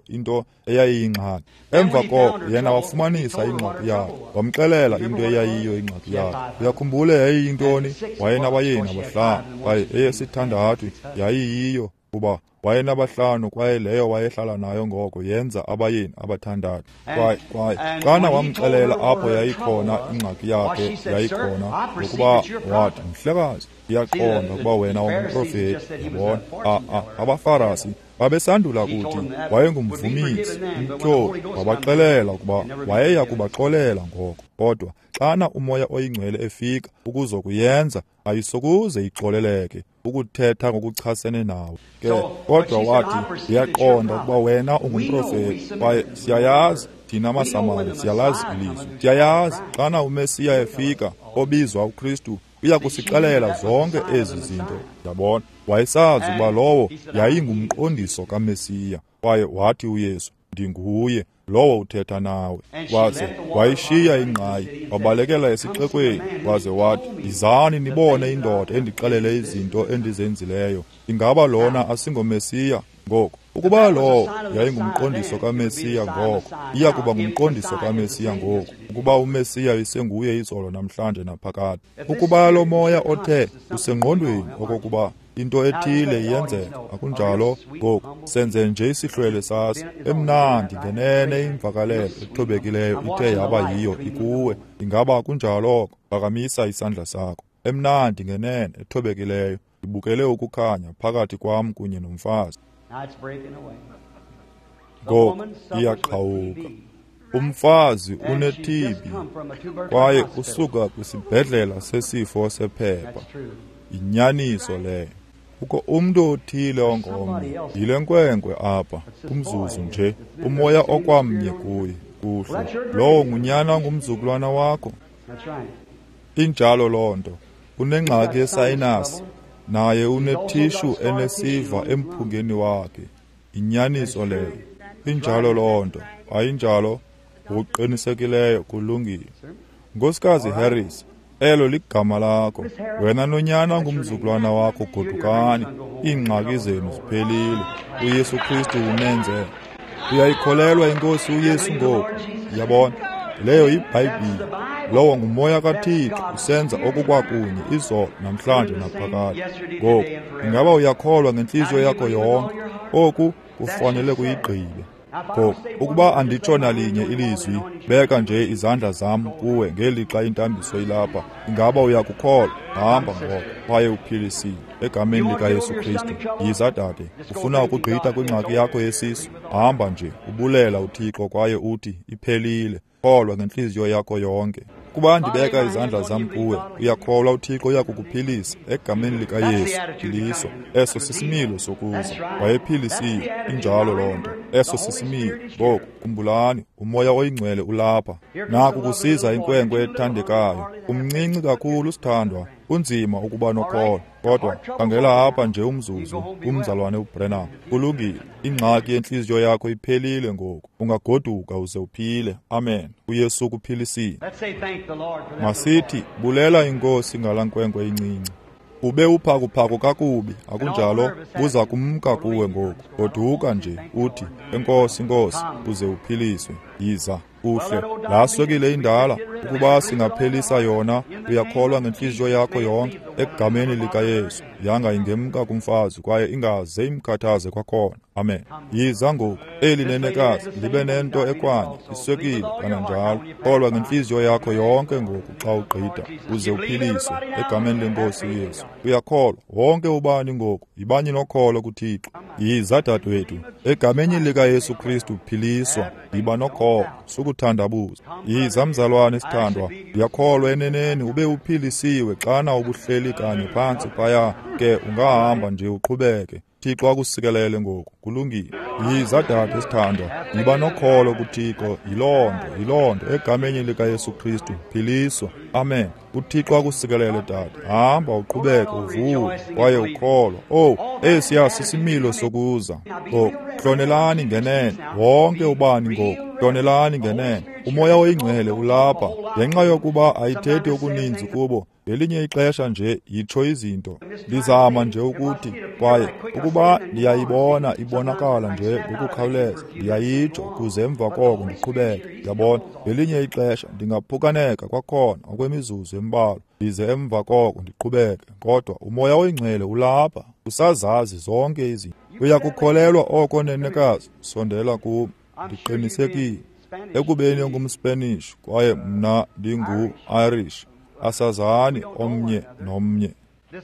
into eyayiyingxaki. Emva koko yena wafumanisa ingxaki yakhe, wamxelela into eyayiyo ingxaki yakhe. Uyakhumbula yayiyintoni? Wayenabayeni abahlanu, kwaye eyesithandathu yayiyiyo, kuba wayenabahlanu, kwaye leyo wayehlala nayo ngoko yenza abayeni abathandathu. Kwaye xana wamxelela apho yayikhona ingxaki yakhe, yayikhona ngokuba wathi, mhlekazi, ndiyaqonda ukuba wena ungumprofeti. Yabona, abaFarasi babesandula kuthi wayengumvumisi, umtyholi. Wabaxelela ukuba wayeya kubaxolela ngoko, kodwa xana umoya oyingcwele efika ukuzokuyenza, ayisokuze ixoleleke ukuthetha ngokuchasene nawe. Ke kodwa wathi, ndiyaqonda ukuba wena ungumprofeti, kwaye siyayazi thina maSamari siyalazi ilizwi. Siyayazi xana uMesiya efika, obizwa uKristu, uya kusixelela zonke ezi zinto. Yabona, wayesazi ukuba lowo yayingumqondiso kaMesiya. Kwaye wathi uYesu, Ndinguye lowo uthetha nawe. Waze wayishiya ingqayi, wabalekela esixekweni, waze wathi, yizani nibone indoda endixelele izinto endizenzileyo. Ingaba lona asingoMesiya? Ngoku, ukuba lowo yayingumqondiso kaMesiya ngoko, iya kuba ngumqondiso kaMesiya ngoku, ukuba uMesiya isenguye izolo namhlanje naphakade. Ukuba lo moya othe usengqondweni okokuba into ethile iyenzeka, akunjalo? Ngoku senze nje isihlwele saso emnandi ngenene imvakalelo ethobekileyo ithe yaba yiyo ikuwe. Ingaba kunjalo oko? Phakamisa isandla sakho. Emnandi ngenene ethobekileyo, ndibukele ukukhanya phakathi kwam kunye nomfazi. Ngoku iyaqhawuka. Umfazi une-TB kwaye usuka kwisibhedlela sesifo sephepha. Yinyaniso leyo. Kukho umntu othile ongomnye. Yile nkwenkwe apha, kumzuzu nje, umoya okwamnye kuye. Kuhle. Lowo ngunyana ngumzukulwana wakho. Injalo loo nto. Unengxaki yesayinasi, naye unethishu enesiva emphungeni wakhe. Yinyaniso leyo. Injalo loo nto. Ayinjalo? Ngokuqinisekileyo kulungile. Nkosikazi Harris, elo ligama lakho. Wena nonyana ngumzukulwana wakho, godukani. Iingxaki zenu ziphelile. uYesu Kristu unenze. Uyayikholelwa iNkosi uYesu ngoku? Yabona, leyo yiBhayibhile. Lowo ngumoya kaThixo usenza okukwakunye izolo namhlanje naphakade. Ngoku, ingaba uyakholwa ngentliziyo yakho yonke? Oku kufanele kuyigqibe. Ngoku, ukuba anditsho nalinye ilizwi, beka nje izandla zam kuwe ngelixa intambiso ilapha. Ingaba uyakukholwa? Hamba ngoko, kwaye uphilisile egameni likaYesu Kristu. Yiza dade, ufuna ukugqitha kwingxaki yakho yesisu? Hamba nje, ubulela uThixo kwaye uthi iphelile. Kholwa ngentliziyo yakho yonke. Kuba ndibeka izandla zam kuwe, uyakholwa uThixo uyakukuphilisa egameni likaYesu. Philiso. Eso sisimilo sokuza. Wayephilisiwe. Injalo loo nto. Eso sisimilo. Ngoku, khumbulani, uMoya oyiNgcwele ulapha. Naku kusiza inkwenkwe ethandekayo. Umncinci kakhulu, sithandwa. Kunzima ukuba nokholo. Kodwa khangela apha nje umzuzu, umzalwane uBrenham. Kulungile. Ingxaki yentliziyo yakho iphelile ngoku. Ungagoduka uze uphile. Amen. uYesu ukuphilisile. Masithi bulela iNkosi ngala nkwenkwe incinci. Ube uphakuphaku kakubi, akunjalo? Buza kumka kuwe ngoku. Goduka nje uthi, enkosi Nkosi, uze uphiliswe. Yiza. Kuhle. Laa swekile indala, ukuba singaphelisa yona, uyakholwa ngentliziyo yakho yonke egameni likaYesu. Yanga ingemka kumfazi kwaye ingaze imkhathaze kwakhona. Amen. Yiza ngoku. Eli nenekazi libe nento ekwanye, iswekile kananjalo. Kholwa ngentliziyo yakho yonke ngoku xa ugqitha, uze uphiliswe egameni leNkosi uYesu. Uyakholwa wonke ubani ngoku, yibani nokholo kuThixo. Yiza dadewethu, egameni likaYesu Kristu philiswa, yiba nokholo, sukuthandabuza. Yiza mzalwane sithandwa, ndiyakholwa eneneni ube uphilisiwe xana ubuhleli kanye phantsi phaya, ke ungahamba nje uqhubeke. Thixo akusikelele ngoku, kulungile. Yiza dade sithandwa, yiba nokholo kuThixo. Yiloo nto egameni likaYesu Kristu philiswa. Amen. uThixo akusikelele dade. Hamba uqhubeke uvuke kwaye ukholwa. Oh, esiya sisimilo sokuza. Ngoku hlonelani ngenene wonke ubani ngoku. Hlonelani ngenene. Umoya oyingcwele ulapha. Ngenxa yokuba ayithethi okuninzi kubo, ngelinye ixesha nje yitsho izinto. Ndizama nje ukuthi, kwaye ukuba ndiyayibona ibonakala nje ngokukhawuleza, ndiyayitsho ukuze emva koko ndiqhubeke. Ndiyabona, ngelinye ixesha ndingaphukaneka kwakhona okwemizuzu embalwa, ndize emva koko ndiqhubeke. Kodwa umoya oyingcwele ulapha, usazazi zonke izinto. Uyakukholelwa oko, nenekazi? Sondela kum. Ndiqinisekile ekubeni ungumSpanish kwaye mna ndingu-Irish, asazani omnye nomnye.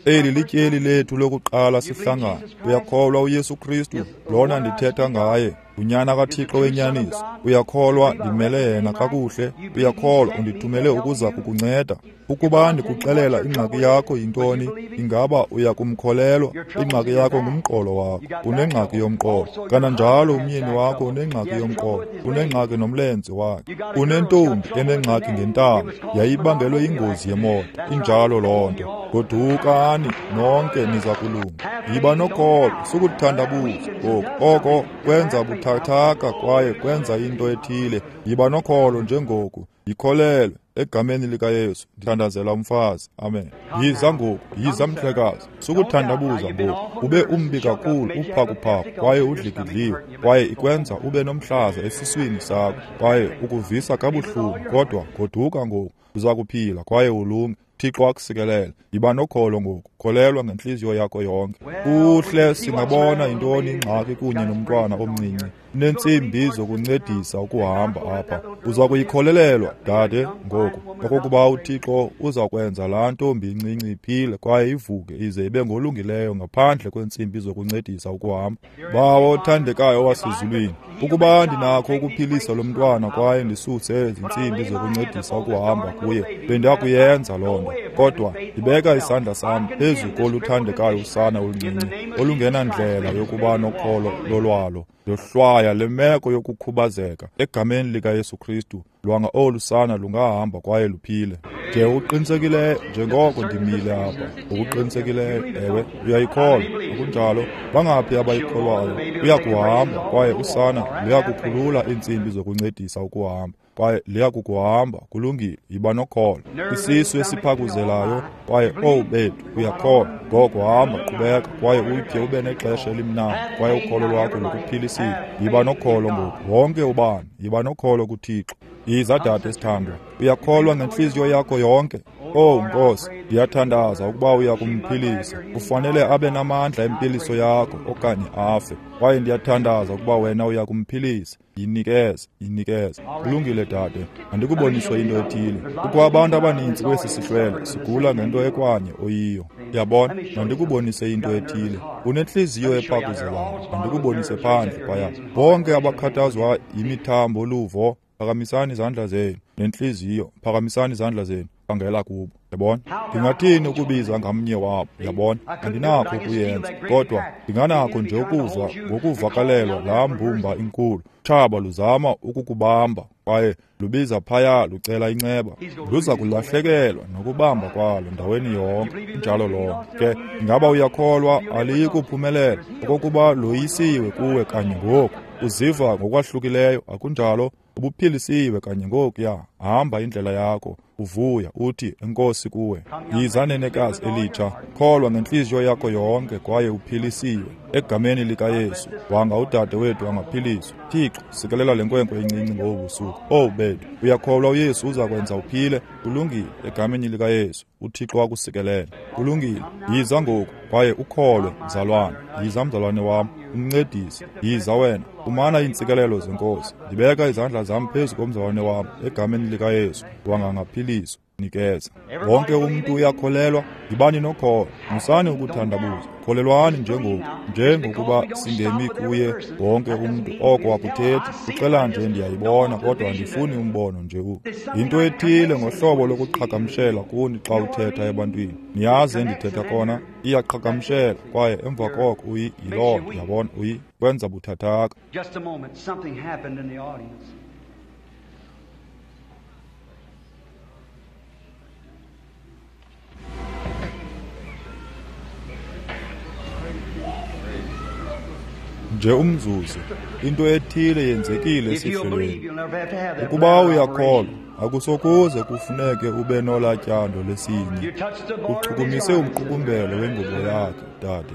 Eli lityeli lethu lokuqala sihlangana. Uyakholwa uYesu Kristu, lona ndithetha ngaye, unyana kaThixo wenyaniso? Uyakholwa ndimele yena kakuhle? Uyakholwa undithumele ukuza kukunceda? Ukuba ndikuxelela ingxaki yakho yintoni, ingaba uyakumkholelwa? Ingxaki yakho ngumqolo wakho. Unengxaki yomqolo. Kananjalo umyeni wakho unengxaki yomqolo. Unengxaki nomlenze wakhe. Unentombi enengxaki ngentamo. Yayibangelwe yingozi yemoto. Injalo loo nto. Godukani nonke niza kulunga. Yiba nokholo, sukuthandabuza ngoku. Oko kwenza buthathaka kwaye kwenza into ethile. Yiba nokholo njengoku, yikholelwe egameni likaYesu. Ndithandazela umfazi. Amen. Yiza ngoku, yiza mhlekazi. Sukuthandabuza ngoku. Ube umbi kakhulu, uphakuphaku kwaye udlikidliwe, kwaye ikwenza ube nomhlaza esiswini sakho, kwaye ukuvisa kabuhlungu, kodwa goduka ngoku, uza kuphila kwaye ulunge. Thixo akusikelele. Yiba nokholo ngoku, kholelwa ngentliziyo yakho yonke. Kuhle, singabona yintoni ingxaki kunye nomntwana omncinci. Unentsimbi zokuncedisa ukuhamba apha. Uza kuyikholelelwa, dade, ngoku okokuba uThixo uza kwenza laa ntombi incinci iphile kwaye ivuke ize ibe ngolungileyo ngaphandle kweentsimbi zokuncedisa ukuhamba. Bawo othandekayo wasezulwini, ukuba ndinakho ukuphilisa lo mntwana kwaye ndisuse ezi ntsimbi zokuncedisa ukuhamba kuye, bendiyakuyenza loo nto. Kodwa ndibeka isandla sam phezu koluthandekayo usana oluncinci olungenandlela yokuba nokholo lolwalo. Ndohlwaya le meko yokukhubazeka egameni likaYesu Kristu. Lwanga olu sana lungahamba kwaye luphile. Nje uqinisekileyo njengoko ndimile apha, ngokuqinisekileyo, ewe, uyayikholwa, akunjalo? Bangaphi abayikholwayo? Uyakuhamba kwaye usana luyakukhulula iintsimbi zokuncedisa ukuhamba, kwaye liyakukuhamba. Kulungile, yiba nokholo. Isisu esiphakuzelayo kwaye owu bethu, uyakholwa. Ngoko hamba, qhubeka kwaye utye ube nexesha elimnandi, kwaye ukholo lwakho lukuphilisile. Yiba nokholo ngoku, wonke ubani, yiba nokholo kuThixo. Yiza dade sithandwa, uyakholwa ngentliziyo yakho yonke? Owu Nkosi, ndiyathandaza ukuba uya kumphilisa. Ufanele abe namandla empiliso yakho okanye afe. Kwaye ndiyathandaza ukuba wena uya kumphilisa. Yinikeze, yinikeze. Kulungile dade, andikuboniswe into ethile. Kukho abantu abaninzi kwesi sihlwele sigula ngento ekwanye oyiyo. Yabona, mandikubonise into ethile. Unentliziyo ephakuzelayo, mandikubonise phandle phaya. Bonke abakhathazwa yimithambo luvo, phakamisani izandla zenu. Nentliziyo, phakamisani izandla zenu. Khangela kubo. Yabona, ndingathini ukubiza ngamnye wabo? Yabona, andinakho ukuyenza, kodwa ndinganakho nje ukuva ngokuvakalelwa laa mbumba inkulu. Tshaba luzama ukukubamba kwaye lubiza phaya lucela inceba. Luza kulahlekelwa nokubamba kwalo ndaweni yonke. Injalo loo nto. Ke ingaba uyakholwa aliyi kuphumelela okokuba loyisiwe kuwe kanye ngoku? Uziva ngokwahlukileyo, akunjalo? Ubuphilisiwe kanye ngokuya. Hamba indlela yakho uvuya, uthi enkosi kuwe. Yiza nenekazi elitsha, kholwa ngentliziyo yakho yonke kwaye uphilisiwe egameni likaYesu. Wanga udade wethu angaphiliswa. Thixo, sikelela le nkwenkwe incinci ngobu busuku. Owu bethu, uyakholwa uYesu uza kwenza uphile? Kulungile, egameni likaYesu. uThixo akusikelele. Kulungile, yiza ngoku kwaye ukholwe, mzalwane. Yiza mzalwane wam, umncedisi. Yiza wena, fumana iintsikelelo zeNkosi. Ndibeka izandla zam phezu komzalwane wam egameni likaYesu. Wangangaphiliswa. Nikeza. Wonke umntu uyakholelwa. Yibani nokholo, musani ukuthandabuza. Kholelwani njengoku, njengokuba singemi kuye wonke umntu. Oko akuthethi, uxela nje ndiyayibona, kodwa andifuni umbono nje u. Yinto ethile ngohlobo lokuqhagamshela kuni xa uthetha ebantwini. Niyazi endithetha kona, iyaqhagamshela kwaye emva koko uyi yiloo nto, yabona, uyi kwenza buthathaka. Just a moment, something happened in the audience. Nje umzuzu, into ethile yenzekile esihlelweni. Ukuba uyakholwa, akusokuze kufuneke ube nolatyando lesinye. Uchukumise umqukumbelo wengubo yakhe, dade.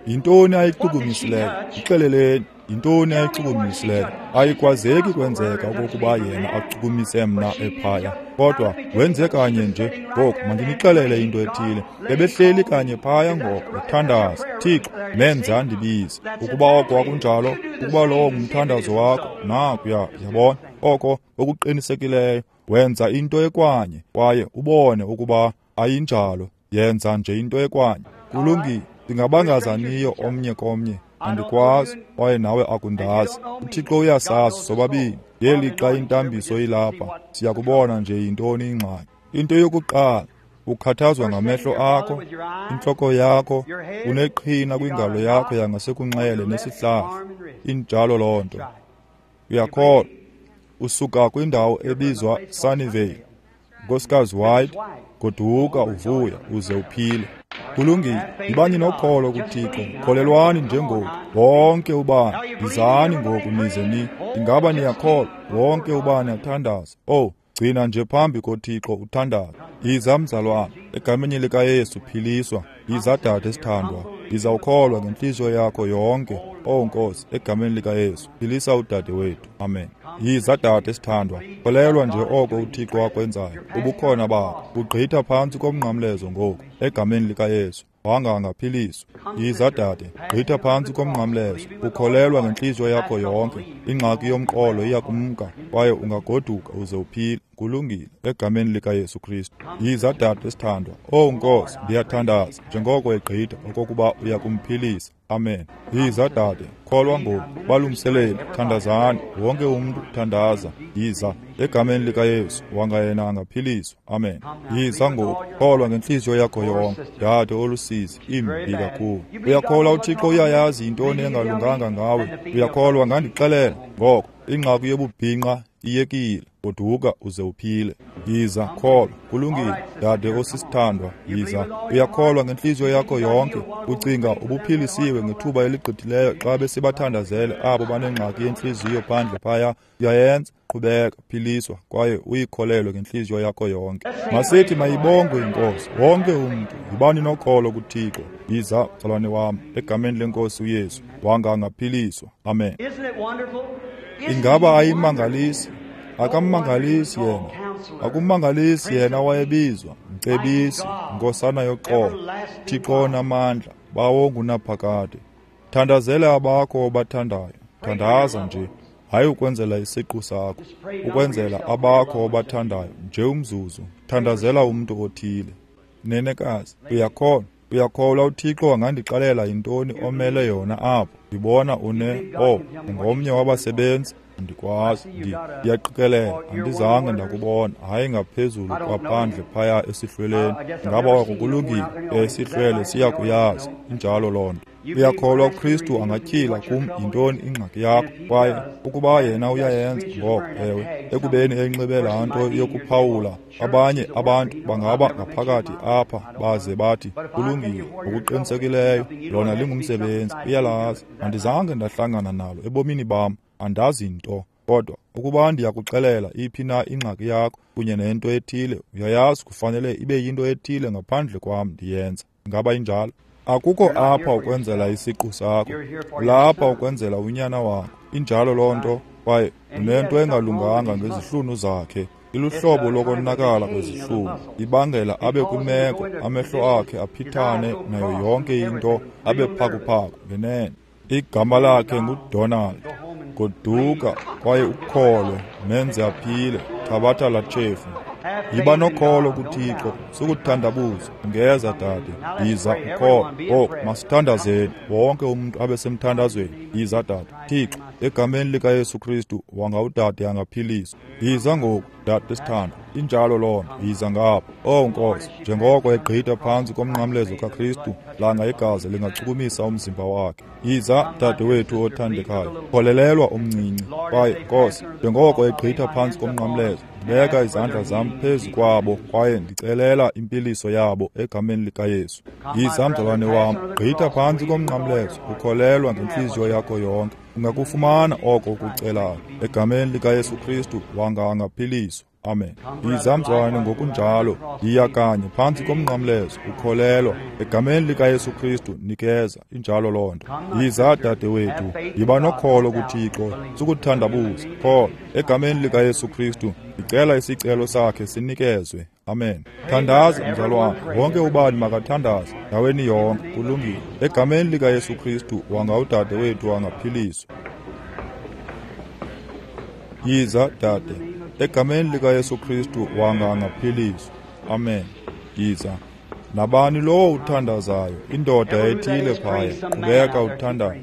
Yintoni ayichukumisileyo? Ixeleleni, yintoni ayichukumisileyo? Ayikwazeki kwenzeka okokuba yena achukumise mna ephaya, kodwa wenze kanye nje. Ngoku mandinixelele into ethile. Ebehleli kanye phaya ngoko ethandaza, Thixo, menze andibize. Ukuba oko akunjalo, ukuba lowo ngumthandazo wakho, nakuya, yabona, oko okuqinisekileyo. Wenza into ekwanye kwaye ubone ukuba ayinjalo. Yenza nje into ekwanye. Kulungile, singabangazaniyo omnye komnye. Andikwazi kwaye nawe akundazi. uThixo uyasazi sobabini. Ngelixa intambiso ilapha, siyakubona nje yintoni ingxaki. Into yokuqala, ukhathazwa ngamehlo akho, intloko yakho, uneqhina kwingalo yakho yangasekunxele nesihlahla. Injalo loo nto. Uyakholwa. Usuka kwindawo ebizwa Sunnyvale. Nkosikazi White, goduka uvuya uze uphile. Kulungile, yibani nokholo kuThixo, kholelwani njengoku. Wonke ubani, yizani ngoku nize ni. Ingaba niyakholwa? Wonke ubani athandaza. Oh, gcina nje phambi koThixo uthandaza. Yiza mzalwana, egameni likaYesu philiswa. Yiza dade esithandwa, yiza ukholwa ngentliziyo yakho yonke. Oh Nkosi, egameni likaYesu philisa udade wethu. Amen. Yiza dade esithandwa, kholelwa nje oko uThixo akwenzayo. Ubukhona bakho bugqitha phantsi komnqamlezo ngoku, egameni likaYesu. Wanga angaphiliswa. Yiza dade, gqitha phantsi komnqamlezo, ukholelwa ngentliziyo yakho yonke. Ingxaki yomqolo iyakumka kwaye ungagoduka uze uphile. Kulungile, egameni likaYesu Kristu. Yiza dade esithandwa. Oh Nkosi, ndiyathandaza njengoko egqitha okokuba uyakumphilisa. Amen. Yiza dade, kholwa ngoku. Balungiseleli, thandazani. Wonke umntu thandaza. Yiza egameni likaYesu, wanga yena angaphiliswa. Amen. Yiza ngoku, kholwa ngentliziyo yakho yonke. Dade olusizi, imbi kakhulu. Uyakholwa uThixo uyayazi yintoni engalunganga ngawe? Uyakholwa ngandixelela? Ngoko ingxaki yobubhinqa iyekile. Goduka uze uphile. Yiza, kholwa. Kulungile, dade osisithandwa, yiza. Uyakholwa ngentliziyo yakho yonke? Ucinga ubuphilisiwe ngethuba eligqithileyo xa besibathandazele abo banengxaki yentliziyo phandle phaya? Uyayenza? Qhubeka, philiswa kwaye uyikholelwe ngentliziyo yakho yonke. Masithi mayibongwe iNkosi. Wonke umntu, yibani nokholo kuThixo. Yiza, mzalwane wam, egameni lenkosi uYesu, wanga angaphiliswa. Amen. Ingaba ayimangalisi? Akammangalisi yena. Akumangalisi yena wayebizwa Mcebisi, Nkosana yoxolo, Thixo onamandla, Bawo ngunaphakade. Thandazela abakho obathandayo. Thandaza nje, hayi ukwenzela isiqu sakho, ukwenzela abakho obathandayo nje umzuzu. Thandazela umntu othile. Nenekazi, uyakholwa? Uyakholwa uThixo angandixelela yintoni omele yona apho? Ndibona ungomnye wabasebenzi. Andikwazi, ndiyaqikelela, andizange ndakubona, hayi ngaphezulu kwaphandle phaya esihlweleni. Ngaba oko kulungile? Isihlwele siyakuyazi, injalo loo nto. Uyakholwa uKristu angatyhila kum yintoni ingxaki yakho? Kwaye ukuba yena uyayenza, ngoko ewe, ekubeni enxibe laa nto yokuphawula, abanye abantu bangaba ngaphakathi apha baze bathi kulungile, ngokuqinisekileyo lona lingumsebenzi, uyalazi. Andizange ndahlangana nalo ebomini bam, andazi nto. Kodwa ukuba ndiyakuxelela iphi na ingxaki yakho kunye nento ethile, uyayazi kufanele ibe yinto ethile ngaphandle kwam ndiyenza. Ingaba injalo? Akukho apha ukwenzela isiqu sakho, ulapha ukwenzela unyana wakho. Injalo loo nto. Kwaye unento engalunganga ngezihlunu zakhe. Iluhlobo lokonakala kwezihlunu, ibangela abe kwimeko amehlo akhe aphithane nayo yonke into, abe phakuphaku ngenene. Igama lakhe nguDonald. Goduka kwaye ukholwe, menze aphile. Thabatha laa tshefu. Yiba nokholo kuThixo, sukuthandabuza. Ungeza dade, yiza ukholwe. Ngoku masithandazeni, wonke umntu abe semthandazweni. Yiza dade. Thixo, egameni likaYesu Kristu, wanga udade angaphiliswa. Yiza ngoku, dade sithandwa. Injalo loo nto, yiza ngapha. Oh Nkosi, njengoko egqitha phantsi komnqamlezo kaKristu, langa igazi lingachukumisa umzimba wakhe. Yiza, dade wethu othandekayo, kholelelwa omncinci. Kwaye Nkosi, njengoko egqitha phantsi komnqamlezo, ndibeka izandla zam phezu kwabo kwaye ndicelela impiliso yabo egameni likaYesu. Yiza, mzalwane wam, gqitha phantsi komnqamlezo, ukholelwa ngentliziyo yakho yonke. Ungakufumana oko ukucelayo. Egameni likaYesu Kristu, wanga angaphiliswa. Amen. Yiza mzalwane ngokunjalo, yiya kanye phantsi komnqamlezo, ukholelwa. Egameni likaYesu Kristu, nikeza. Injalo loo nto. Yiza dade wethu, yiba nokholo kuThixo, sukuthandabuza. Kholwa. Egameni likaYesu Kristu, ndicela isicelo sakhe sinikezwe. Amen. Thandaza mzalwane, wonke ubani makathandaze ndaweni yonke. Kulungile. Egameni likaYesu Kristu, wanga udade wethu angaphiliswa. Yiza dade. Egameni likaYesu Kristu, wanga angaphiliswa. Amen. Yiza. Nabani lowo uthandazayo, indoda ethile phaya, qhubeka uthandaza.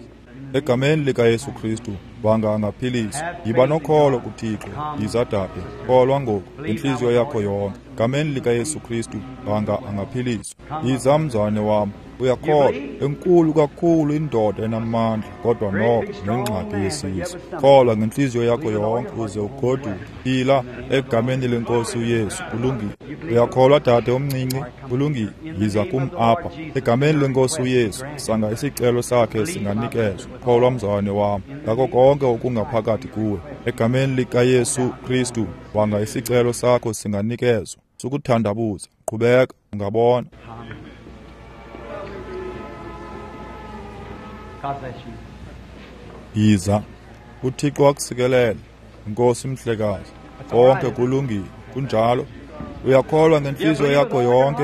Egameni likaYesu Kristu, wanga angaphiliswa. Yiba nokholo kuThixo. Yiza dade, kholwa ngoku ngentliziyo yakho yonke. Egameni likaYesu Kristu, wanga angaphiliswa. Yiza mzalwane wam, Uyakholwa, enkulu kakhulu indoda enamandla, kodwa noko nengxaki yesisu. Kholwa ngentliziyo yakho yonke uze ugoduke. Phila egameni lenkosi uYesu. Kulungile. Uyakholwa, dade omncinci? Kulungile. Yiza kum apha. Egameni lenkosi uYesu, sanga isicelo sakhe singanikezwa. Kholwa, mzalwane wam, ngako konke okungaphakathi kuwe. Egameni likaYesu Kristu, wanga isicelo sakho singanikezwa. Sukuthandabuza, qhubeka, ungabona. Yiza. UThixo akusikelele. Nkosi mhlekazi. Konke kulungile. Kunjalo. Uyakholwa ngentliziyo yakho yonke.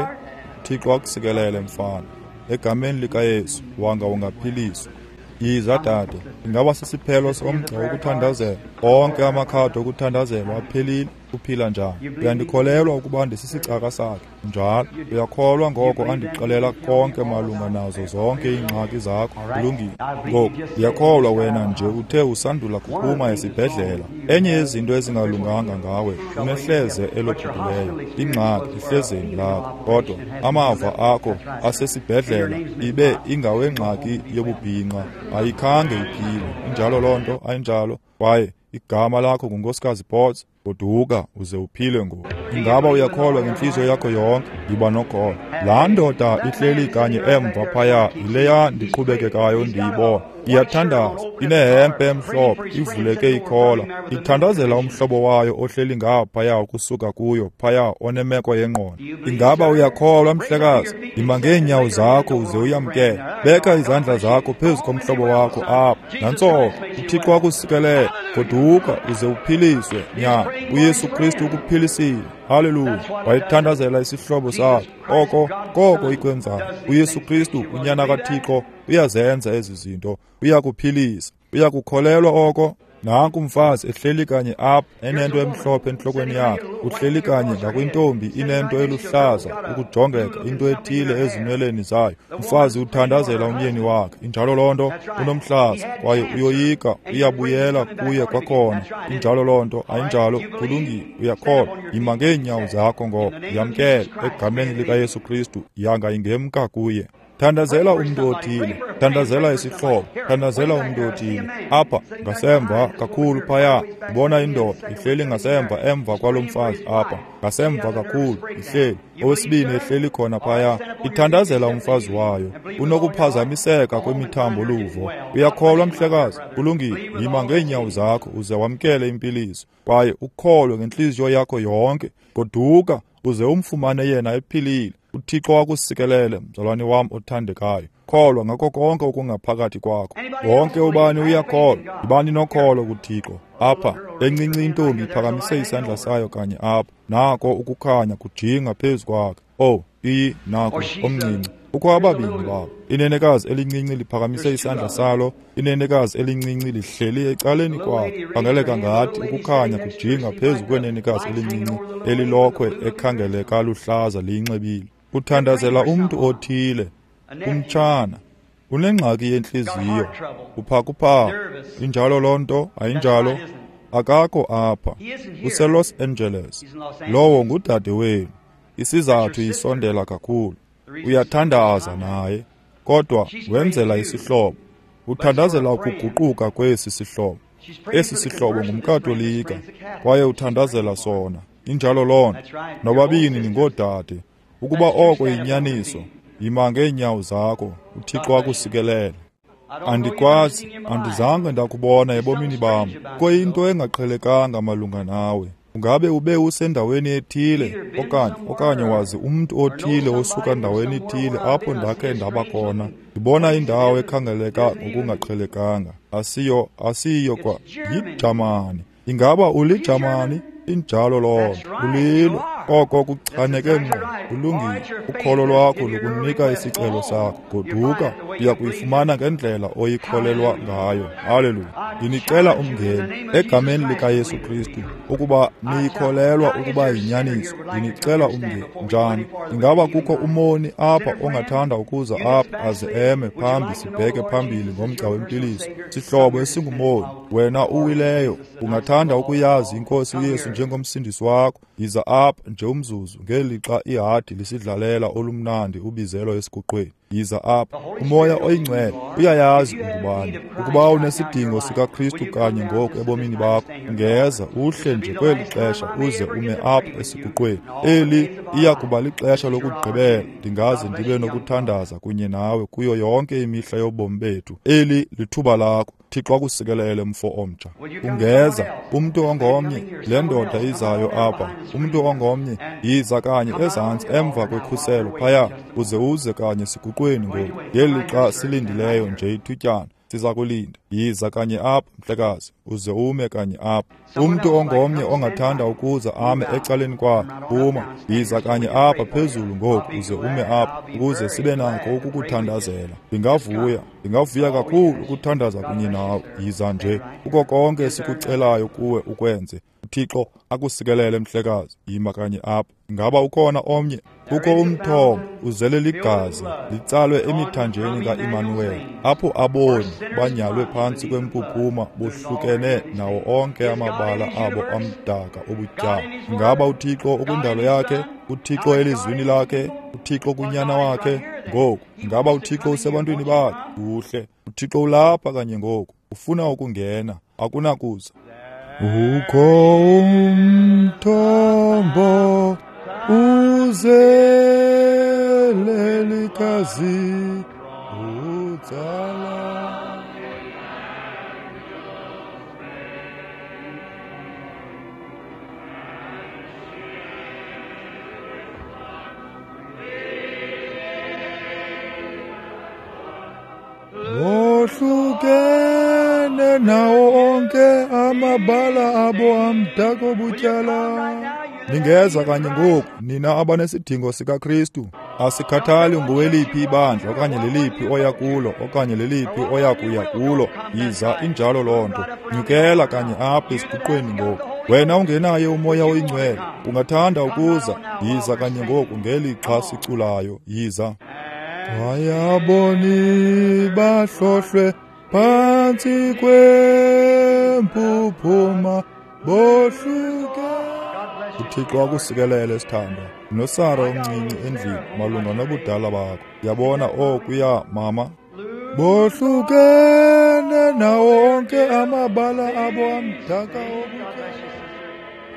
UThixo akusikelele, mfana. Egameni likaYesu, wanga ungaphiliswa. Yiza, dade. Ingaba sisiphelo somgca wokuthandazela? Onke amakhadi okuthandazelwa aphelile. Uphila njani? Uyandikholelwa ukuba ndisisicaka sakhe? Njalo. Uyakholwa ngoko andixelela konke malunga nazo zonke iingxaki zakho? Kulungile. Ngoku ndiyakholwa wena nje uthe usandula kuphuma esibhedlela. Enye yezinto ezingalunganga ngawe, unehleze elophukileyo, ingxaki ehlezeni lakho, kodwa amava akho asesibhedlela ibe ingawengxaki yobubhinqa, ayikhange iphile. Injalo loo nto, ayinjalo? Kwaye igama lakho nguNkosikazi Potts. Goduka uze uphile ngoku. Ingaba uyakholwa ngentliziyo yakho yonke? Yiba nokholo. Laa ndoda ihleli kanye emva phaya yileya ndiqhubekekayo ndiyibona. Iyathandaza, inehempe emhlophe, ivuleke ikhola. Ithandazela umhlobo wayo ohleli ngaphaya ukusuka kuyo phaya onemeko yengqondo. Ingaba uyakholwa, mhlekazi? Yima ngeenyawo zakho uze uyamkele. Beka izandla zakho phezu komhlobo wakho apha. Nantso, uThixo akusikelele. Goduka uze uphiliswe, nyana. uYesu Kristu ukuphilisile. Haleluya. Wayethandazela isihlobo sakhe. Oko koko ikwenzayo. uYesu Kristu, unyana kaThixo, uyazenza ezi zinto. Uyakuphilisa. Uyakukholelwa oko? Nanku umfazi ehleli kanye apha enento emhlophe entlokweni yakhe. Uhleli kanye ngakwintombi inento eluhlaza ukujongeka, into ethile ezinweleni zayo. Umfazi uthandazela umyeni wakhe. Injalo loo nto. Unomhlaza kwaye uyoyika, uyabuyela kuye kwakhona. Injalo loo nto, ayinjalo? Kulungile, uyakholwa. Yima ngeenyawo zakho ngoko, yamkele egameni likaYesu Kristu, yanga ingemka kuye. Thandazela umntu othile, thandazela isihlobo, thandazela umntu othile. Apha ngasemva kakhulu phaya, ndibona indoda ihleli ngasemva emva kwalo mfazi apha, ngasemva kakhulu ihleli. Owesibini ehleli khona phaya, ithandazela umfazi wayo. Unokuphazamiseka kwemithambo luvo. Uyakholwa, mhlekazi? Kulungile, yima ngeenyawo zakho uze wamkele impiliso, kwaye ukholwe ngentliziyo yakho yonke. Goduka uze umfumane yena ephilile. uThixo akusikelele, mzalwane wam othandekayo. Kholwa ngako konke okungaphakathi kwakho. Wonke ubani uyakholwa. Yibani nokholo kuThixo. Apha encinci intombi iphakamise isandla sayo kanye apha. Nako ukukhanya kujinga phezu kwakhe. Oh, iyi nako omncinci. Kukho ababini babo. Inenekazi elincinci liphakamise isandla salo. Inenekazi elincinci lihleli ecaleni kwakhe. Khangeleka ngathi ukukhanya kujinga phezu kwenenekazi elincinci elilokhwe ekhangeleka luhlaza liyinxibile. Uthandazela umntu othile, umtshana. Unengxaki yentliziyo, uphakuphaku. Injalo loo nto, ayinjalo? Akakho apha. UseLos Angeles. Lowo ngudade wenu. Isizathu isondela kakhulu. Uyathandaza naye, kodwa wenzela isihlobo. Uthandazela ukuguquka kwesi sihlobo. Esi sihlobo ngumKatolika, kwaye uthandazela sona. Injalo loo nto. Nobabini ningoodade. Ukuba oko yinyaniso, yima ngeenyawo zakho. uThixo akusikelele. Andikwazi, andizange ndakubona ebomini bam. Kuyinto engaqhelekanga malunga nawe. Ungabe ube usendaweni ethile okanye wazi umntu othile osuka ndaweni ethile apho ndakhe ndaba khona. Ndibona indawo ekhangeleka ngokungaqhelekanga. Asiyo kwa yiJamani. Ingaba uliJamani? Injalo loo nto. Ulilo. Oko kuchaneke ngqo. Kulungile. Ukholo lwakho lukunika isicelo sakho. Goduka, uya kuyifumana ngendlela oyikholelwa ngayo. Haleluya. Ndinicela umngeni egameni likaYesu Kristu ukuba niyikholelwa ukuba yinyaniso. Ndinicela umngeni. Njani? Ingaba kukho umoni apha ongathanda ukuza apha aze eme phambi sibheke phambili ngomgca wempiliso? Sihlobo esingumoni, wena uwileyo, ungathanda ukuyazi iNkosi uYesu njengomsindisi wakho? Yiza apha nje umzuzu ngelixa ihadi lisidlalela olumnandi ubizelo esiguqweni. Yiza apha. UMoya oyiNgcwele uyayazi ungubani. Ukuba unesidingo sikaKristu kanye ngoku ebomini bakho, ungeza uhle nje kweli xesha uze ume apha esiguqweni. Eli iya kuba lixesha lokugqibela ndingaze ndibe nokuthandaza kunye nawe kuyo yonke imihla yobomi bethu. Eli lithuba lakho. Thixo akusikelele, mfo omtsha. Ungeza umntu ongomnye, le ndoda izayo apha, umntu ongomnye, yiza kanye ezantsi emva kwekhuselo phaya, uze uze kanye siguqweni ngoku. Ngeli xa silindileyo nje ithutyana, siza kulinda. Yiza kanye apha, mhlekazi, uze ume kanye apha. Umntu ongomnye ongathanda ukuza ame ecaleni kwakhe, phuma. Yiza kanye apha phezulu ngoku, uze ume apha, ukuze sibe nako ukukuthandazela. Ndingavuya kakhulu ukuthandaza kunye nawe. Yiza nje. Kuko konke esikucelayo kuwe ukwenze. uThixo akusikelele, mhlekazi. Yima kanye apha. Ingaba ukhona omnye? Kukho umthombo uzele ligazi, litsalwe emithanjeni ka-Imanuweli, apho aboni banyalwe phantsi kwempuphuma bohlukene nawo onke amabala abo amdaka obutyala. Ingaba uThixo ukwindalo yakhe? uThixo elizwini lakhe? uThixo kunyana wakhe? Ngoku, ingaba uThixo usebantwini bakhe? Kuhle, uThixo ulapha kanye ngoku, ufuna ukungena, akunakuza. Ukho umthombo uzele ligazi utsala. Wohlukene nawo onke amabala abo amdaka obutyala. Ningeza kanye ngoku, nina abanesidingo sikaKristu. Asikhathali ngoweliphi ibandla okanye leliphi oya kulo okanye leliphi oya kuya kulo. Yiza, injalo loo nto. Nyukela kanye apha esiguqweni ngoku. Wena ungenaye uMoya oyiNgcwele, ungathanda ukuza, yiza kanye ngoku ngelixa siculayo. Yiza. Wayaboni bahlohlwe phantsi kwempuphuma bohluke. uThixo akusikelele, sithandwa. NoSara omncinci endlini malunga nobudala bakho. Yabona okuya, mama. Bohlukene nawo onke amabala abo amdaka obutyala.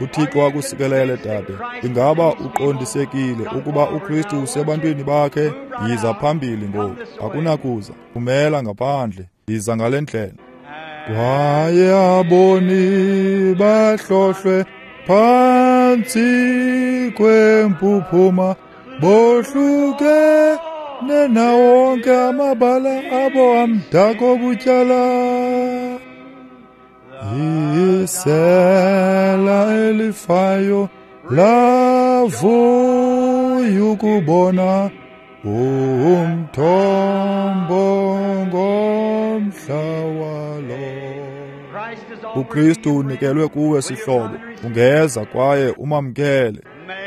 uThixo akusikelele, dade. Ingaba uqondisekile ukuba uKristu usebantwini bakhe? Yiza phambili ngoku. Akunakuza. Phumela ngaphandle. Yiza ngale ndlela. Kwaye aboni bahlohlwe phantsi kwempuphuma bohlukene nawo onke amabala abo amdaka obutyala. Isela elifayo lavuya ukubona umthombo ngomhla walo. uKristu unikelwe kuwe, sihlobo. Ungeza kwaye umamkele.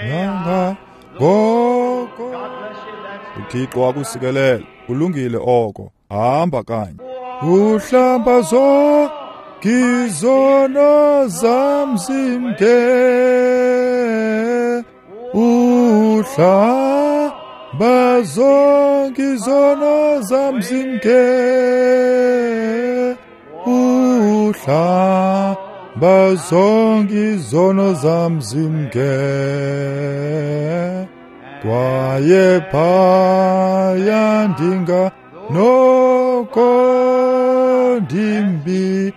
Nanga ngoko. uThixo akusikelele. Kulungile oko. Hamba kanye. Uhlamba zonke izono zam zimke. Uhlamba zonke izono zam zimke. Uhlamba zonke izono zam zimke. Kwaye phaya ndinga noko ndimbi.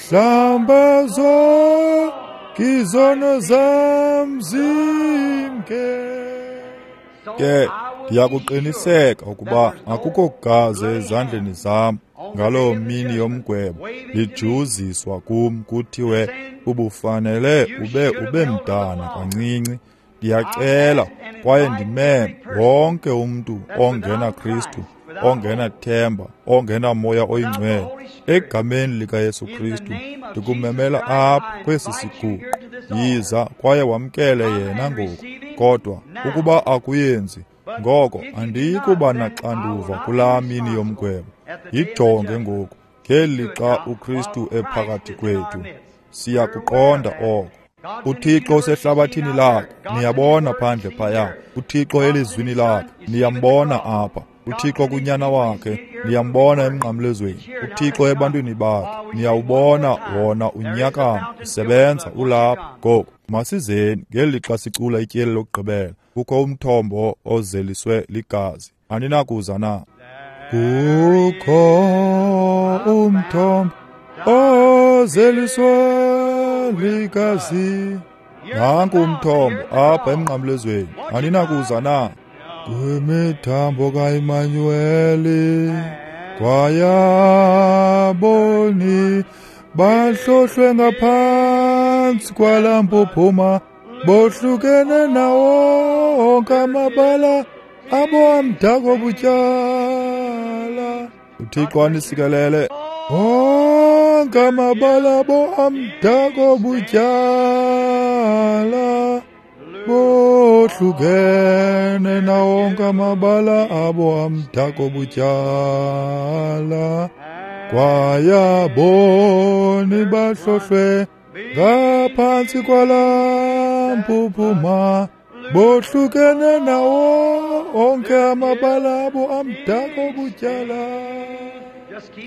Hlamba zonke izono zam zimke. Ke ndiyakuqiniseka ukuba akukho gazi ezandleni zam ngaloo mini yomgwebo lijuziswa kum kuthiwe ubufanele ube mdana kancinci. Ndiyacela kwaye ndimeme wonke umntu ongena Kristu, ongenathemba, ongenamoya oyingcwele, egameni likaYesu Kristu ndikumemela apha kwesi siguqo. Yiza kwaye wamkele yena ngoku. Kodwa ukuba akuyenzi, ngoko andiyi kuba naxanduva kulaa mini yomgwebo. Yijonge ngoku, ngeli xa uKristu ephakathi kwethu. Siyakuqonda oko. UThixo usehlabathini lakhe, niyabona phandle phaya. UThixo elizwini lakhe, niyambona apha. UThixo kunyana wakhe, niyambona emnqamlezweni. UThixo ebantwini bakhe, niyawubona wona unyakama usebenza ulapha. Ngoku masizeni ngelixa sicula ityeli lokugqibela. Kukho umthombo ozeliswe ligazi. Aninakuza na? Kukho umthombo ozeliswe ligazi. Nanku umthombo apha emnqamlezweni. Aninakuza na? Kwimithambo kaImanueli kwayaboni bahlohlwe ngaphantsi kwalaa mpuphuma, bohlukene nawo onke amabala abo amdaka obutyala. UThixo anisikelele. Onke amabala abo amdaka obutyala, bohlukene nawo onke amabala abo amdaka obutyala. Kwayaboni bahlohlwe ngaphantsi kwalaa mpuphuma, bohlukene nawo onke amabala abo amdaka obutyala.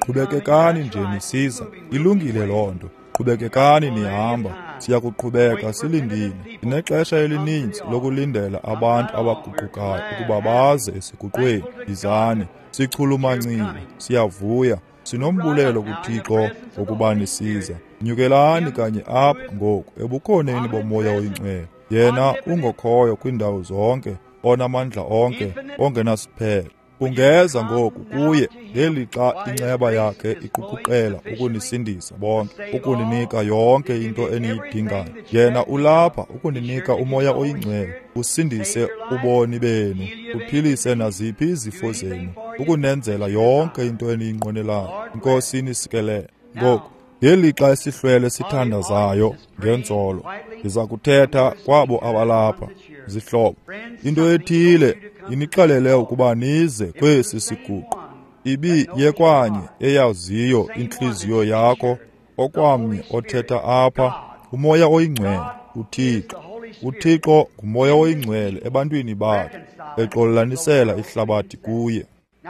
Qhubekekani nje nisiza, ilungile loo nto. Qhubekekani nihamba, siyakuqhubeka silindile. Sinexesha elininzi lokulindela abantu abaguqukayo ukuba baze esiguqweni. Yizani, sichulumancile, siyavuya, sinombulelo kuThixo ngokuba nisiza. Nyukelani kanye apha ngoku ebukhoneni boMoya oyiNgcwele. Yena ungokhoyo kwiindawo zonke, onamandla onke, ongenasiphelo. Ungeza ngoku kuye ngelixa inceba yakhe iqukuqela ukunisindisa bonke, ukuninika yonke into eniyidingayo. Yena ulapha ukuninika uMoya oyiNgcwele, usindise uboni benu, uphilise naziphi izifo zenu, ukunenzela yonke into eniyinqwenelayo. Inkosi inisikelele. Ngoku ngelixa esihlwele sithandazayo ngenzolo, ndiza kuthetha kwabo abalapha. Zihlobo, into ethile inixelele ukuba nize kwesi siguqo. Ibi yekwanye eyaziyo intliziyo yakho, okwamnye othetha apha, uMoya oyiNgcwele, uThixo. UThixo nguMoya oyiNgcwele ebantwini bakhe, exolelanisela ihlabathi kuye.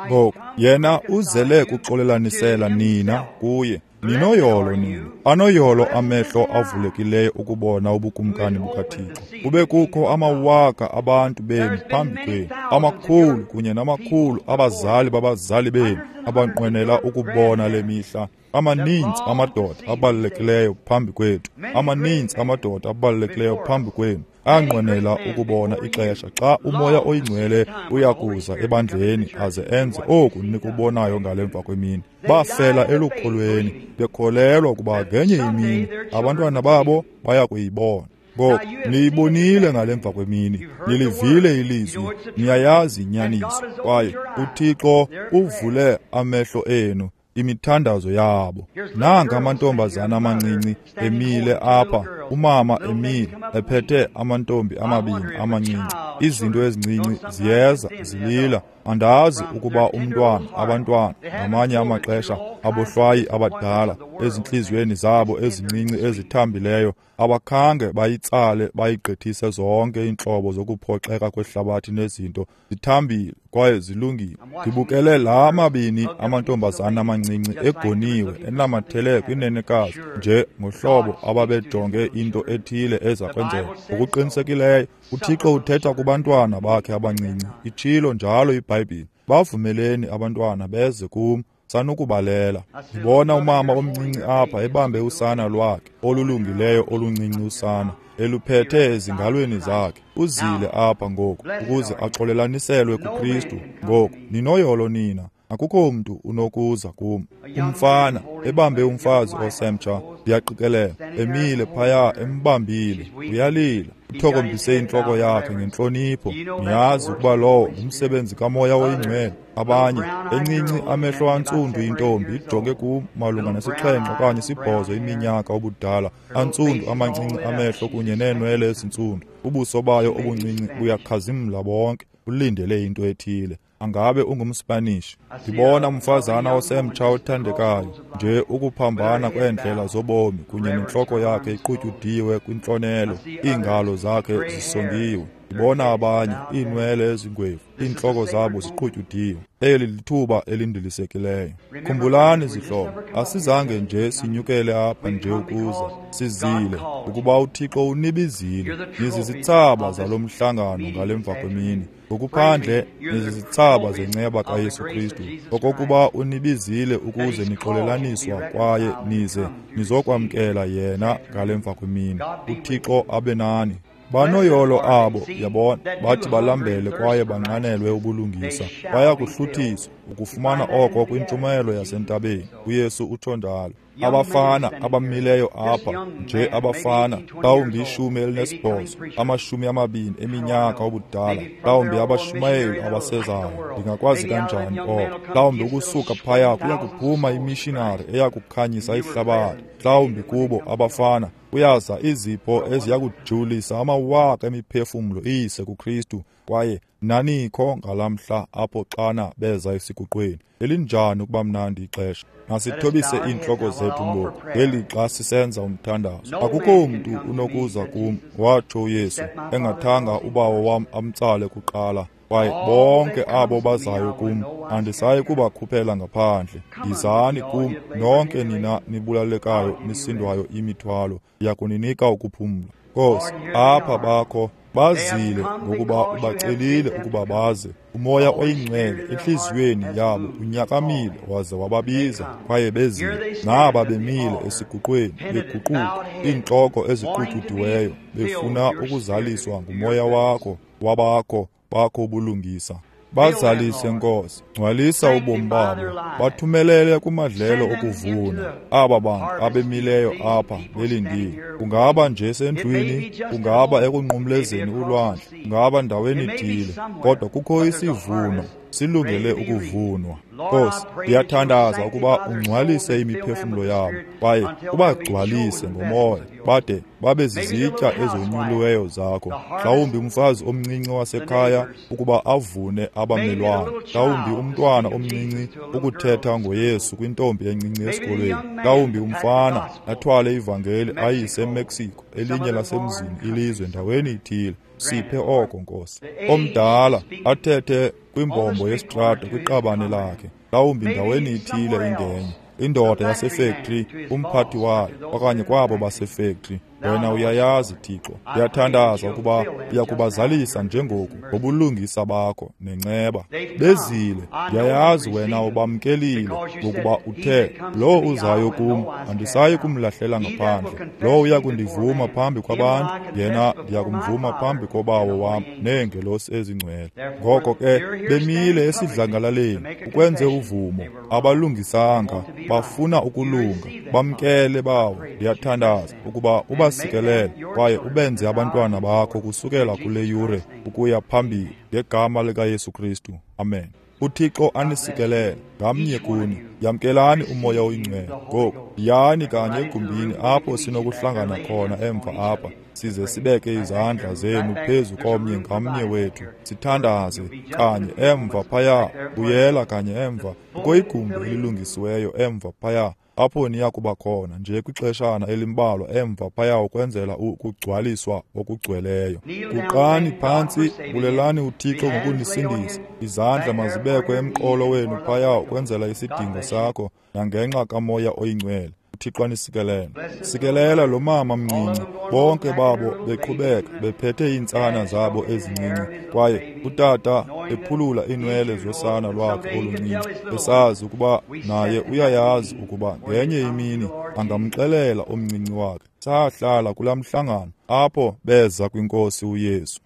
Ngoku yena uzele kuxolelanisela nina kuye. Ninoyolo nina, anoyolo amehlo avulekileyo ukubona ubukumkani bukaThixo. Kube kukho amawaka abantu benu phambi kwenu, amakhulu kunye namakhulu abazali babazali benu abanqwenela ukubona le mihla. Amaninzi amadoda abalulekileyo phambi kwethu, amaninzi amadoda abalulekileyo phambi kwenu, anqwenela ukubona ixesha xa uMoya oyiNgcwele uyakuza ebandleni aze enze oku nikubonayo ngale mva kwemini. Bafela elukholweni, bekholelwa ukuba ngenye imini abantwana babo baya kuyibona. Ngoku niyibonile ngale mva kwemini, nilivile ilizwi, niyayazi inyaniso, kwaye uThixo uvule amehlo enu, imithandazo yabo. Nanga amantombazana amancinci emile apha, umama emile ephethe amantombi amabini amancinci. Izinto ezincinci ziyeza zilila. Andazi ukuba umntwana, abantwana ngamanye amaxesha abohlwayi abadala ezintliziyweni zabo ezincinci ezithambileyo abakhange bayitsale bayigqithise zonke iintlobo zokuphoxeka kwehlabathi nezinto. Zithambile kwaye zilungile. Ndibukele la mabini amantombazana amancinci egoniwe enamathele kwinenekazi nje ngohlobo ababejonge into ethile eza kwenzeka. Ngokuqinisekileyo uThixo uthetha kubantwana bakhe abancinci. Itshilo njalo iBhayibhile, bavumeleni abantwana beze kum, sanukubalela. Ndibona umama omncinci apha ebambe usana lwakhe olulungileyo oluncinci usana, eluphethe ezingalweni zakhe. Uzile apha ngoku ukuze axolelaniselwe kuKristu. Ngoku ninoyolo nina, akukho mntu unokuza kum. Umfana ebambe umfazi osemtsha, ndiyaqikelela, emile phaya embambile, uyalila, uthokombise intloko yakhe ngentlonipho. Niyazi ukuba lowo ngumsebenzi kaMoya oyiNgcwele. Abanye encinci amehlo antsundu intombi ijonge kum malunga ne-7 okanye 8 iminyaka ubudala, antsundu amancinci amehlo kunye neenwele ezintsundu, ubuso bayo obuncinci buyakhazimla bonke, ulindele into ethile. Angabe ungumSpanish. Ndibona umfazana osemtsha othandekayo, nje ukuphambana kweendlela zobomi kunye nentloko yakhe iqutyudiwe kwintlonelo, iingalo zakhe zisongiwe. Ndibona abanye, iinwele ezingwevu, iintloko zabo ziqutyudiwe. Eli lithuba elindilisekileyo. Khumbulani zihlobo, asizange nje sinyukele apha nje ukuza, sizile ukuba uThixo unibizile. Nizizitsaba zalo mhlangano ngale mva kwemini. Ngokuphandle nizizitsaba zenceba kaYesu Kristu, okokuba unibizile ukuze nixolelaniswa kwaye nize nizokwamkela yena ngale mva kwemini. uThixo abe nani. Banoyolo abo, yabona, bathi balambele kwaye banxanelwe ubulungisa, baya kuhluthiswa ukufumana oko kwintshumayelo yasentabeni. uYesu utsho njalo. Abafana abamileyo apha, nje abafana, mhlawumbi 18, 20 eminyaka ubudala, mhlawumbi abashumayeli abasezayo, ndingakwazi kanjani oko? Mhlawumbi ukusuka phaya kuya kuphuma imishinari eya kukhanyisa ihlabathi. Mhlawumbi kubo abafana kuyaza izipho eziya kujulisa amawaka emiphefumlo iyise kuKristu, kwaye nanikho ngalamhla apho xana beza esiguqweni. Elinjani ukuba mnandi ixesha! Masithobise iintloko zethu ngoku ngelixa sisenza umthandazo. Akukho mntu unokuza kum, watsho uYesu, engathanga uBawo wam amtsale kuqala. Kwaye bonke abo bazayo kum andisayi kubakhuphela ngaphandle. Yizani kum nonke nina nibulalekayo nisindwayo imithwalo, ndiya kuninika ukuphumla. Nkosi, apha bakho bazile ngokuba ubacelile ukuba baze. Umoya oyingcwele entliziyweni yabo unyakamile waze wababiza, kwaye bezile. Naba bemile esiguqweni beguquka, iintloko eziqutyudiweyo, befuna ukuzaliswa ngumoya wakho wabakho bakho ubulungisa. Bazalise Nkosi, ngcwalisa ubomi babo, bathumelele kumadlelo okuvuna. Aba bantu abemileyo apha belindile, kungaba nje sendlwini, kungaba ekunqumlezeni ulwandle, kungaba ndaweni ithile, kodwa kukho isivuno silungele ukuvunwa. Nkosi, ndiyathandaza ukuba ungcwalise imiphefumlo yabo kwaye ubagcwalise ngomoya, bade babe zizitya ezonyuliweyo zakho. Mhlawumbi umfazi omncinci wasekhaya ukuba avune abamelwane, mhlawumbi umntwana omncinci ukuthetha ngoYesu kwintombi encinci esikolweni, mhlawumbi umfana athwale ivangeli ayise eMexico, elinye lasemzini ilizwe ndaweni ithile. Siphe oko Nkosi. Omdala athethe kwimbombo yesitrato kwiqabane lakhe, mhlawumbi ndaweni ithile ingenye indoda yasefektri, umphathi wayo, okanye kwabo basefektri. Wena uyayazi Thixo. Ndiyathandaza ukuba uya kubazalisa njengoku ngobulungisa bakho nenceba. Bezile, ndiyayazi wena ubamkelile, ngokuba uthe, lowo uzayo kum andisayi kumlahlela ngaphandle, lowo uya kundivuma phambi kwabantu, yena ndiya kumvuma phambi koBawo wam neengelosi ezingcwele. Ngoko ke bemile esidlangalaleni ukwenze uvumo, abalungisanga, bafuna ukulunga. Bamkele Bawo, ndiyathandaza ukuba ubasikelele kwaye ubenze abantwana bakho kusukela kule yure ukuya phambili, ngegama likaYesu Kristu. Amen. uThixo anisikelele ngamnye kuni. Yamkelani umoya oyingcwele. Ngoku yani kanye egumbini apho sinokuhlangana khona emva apha, size sibeke izandla zenu phezu komnye ngamnye wethu, sithandaze kanye emva phaya. Buyela kanye emva kukho igumbi elilungisiweyo emva phaya apho niya kuba khona nje kwixeshana elimbalwa emva phaya ukwenzela ukugcwaliswa okugcweleyo. Guqani phantsi, bulelani uThixo ngokunisindisa. Izandla mazibekwe emqolo wenu phaya ukwenzela isidingo sakho nangenxa kamoya oyingcwele. uThixo anisikelele. Sikelela lo mama mncinci, bonke babo beqhubeka bephethe iintsana zabo ezincinci, kwaye utata ephulula iinwele zosana lwakhe oluncinci, esazi ukuba naye uyayazi ukuba ngenye imini angamxelela omncinci wakhe. Sahlala kulaa mhlangano apho beza kwinkosi uYesu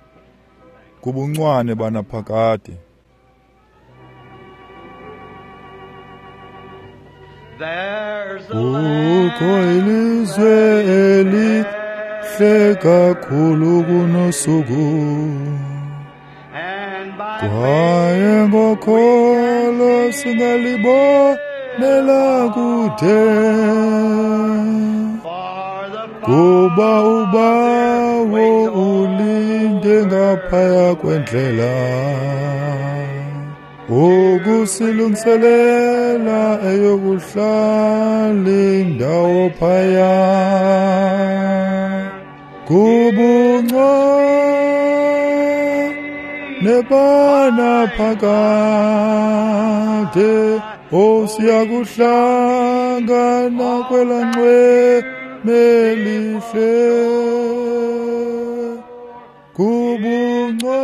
kubuncwane banaphakade. Kukho ilizwe elihle kakhulu kunosuku, kwaye ngokholo singalibonela kude, kuba uBawo ulinde ngaphaya kwendlela. Ukusilungiselela eyokuhlala indawo phaya kubunco nebana phakade osiyakuhlangana kwelanxweme elihle kubunco.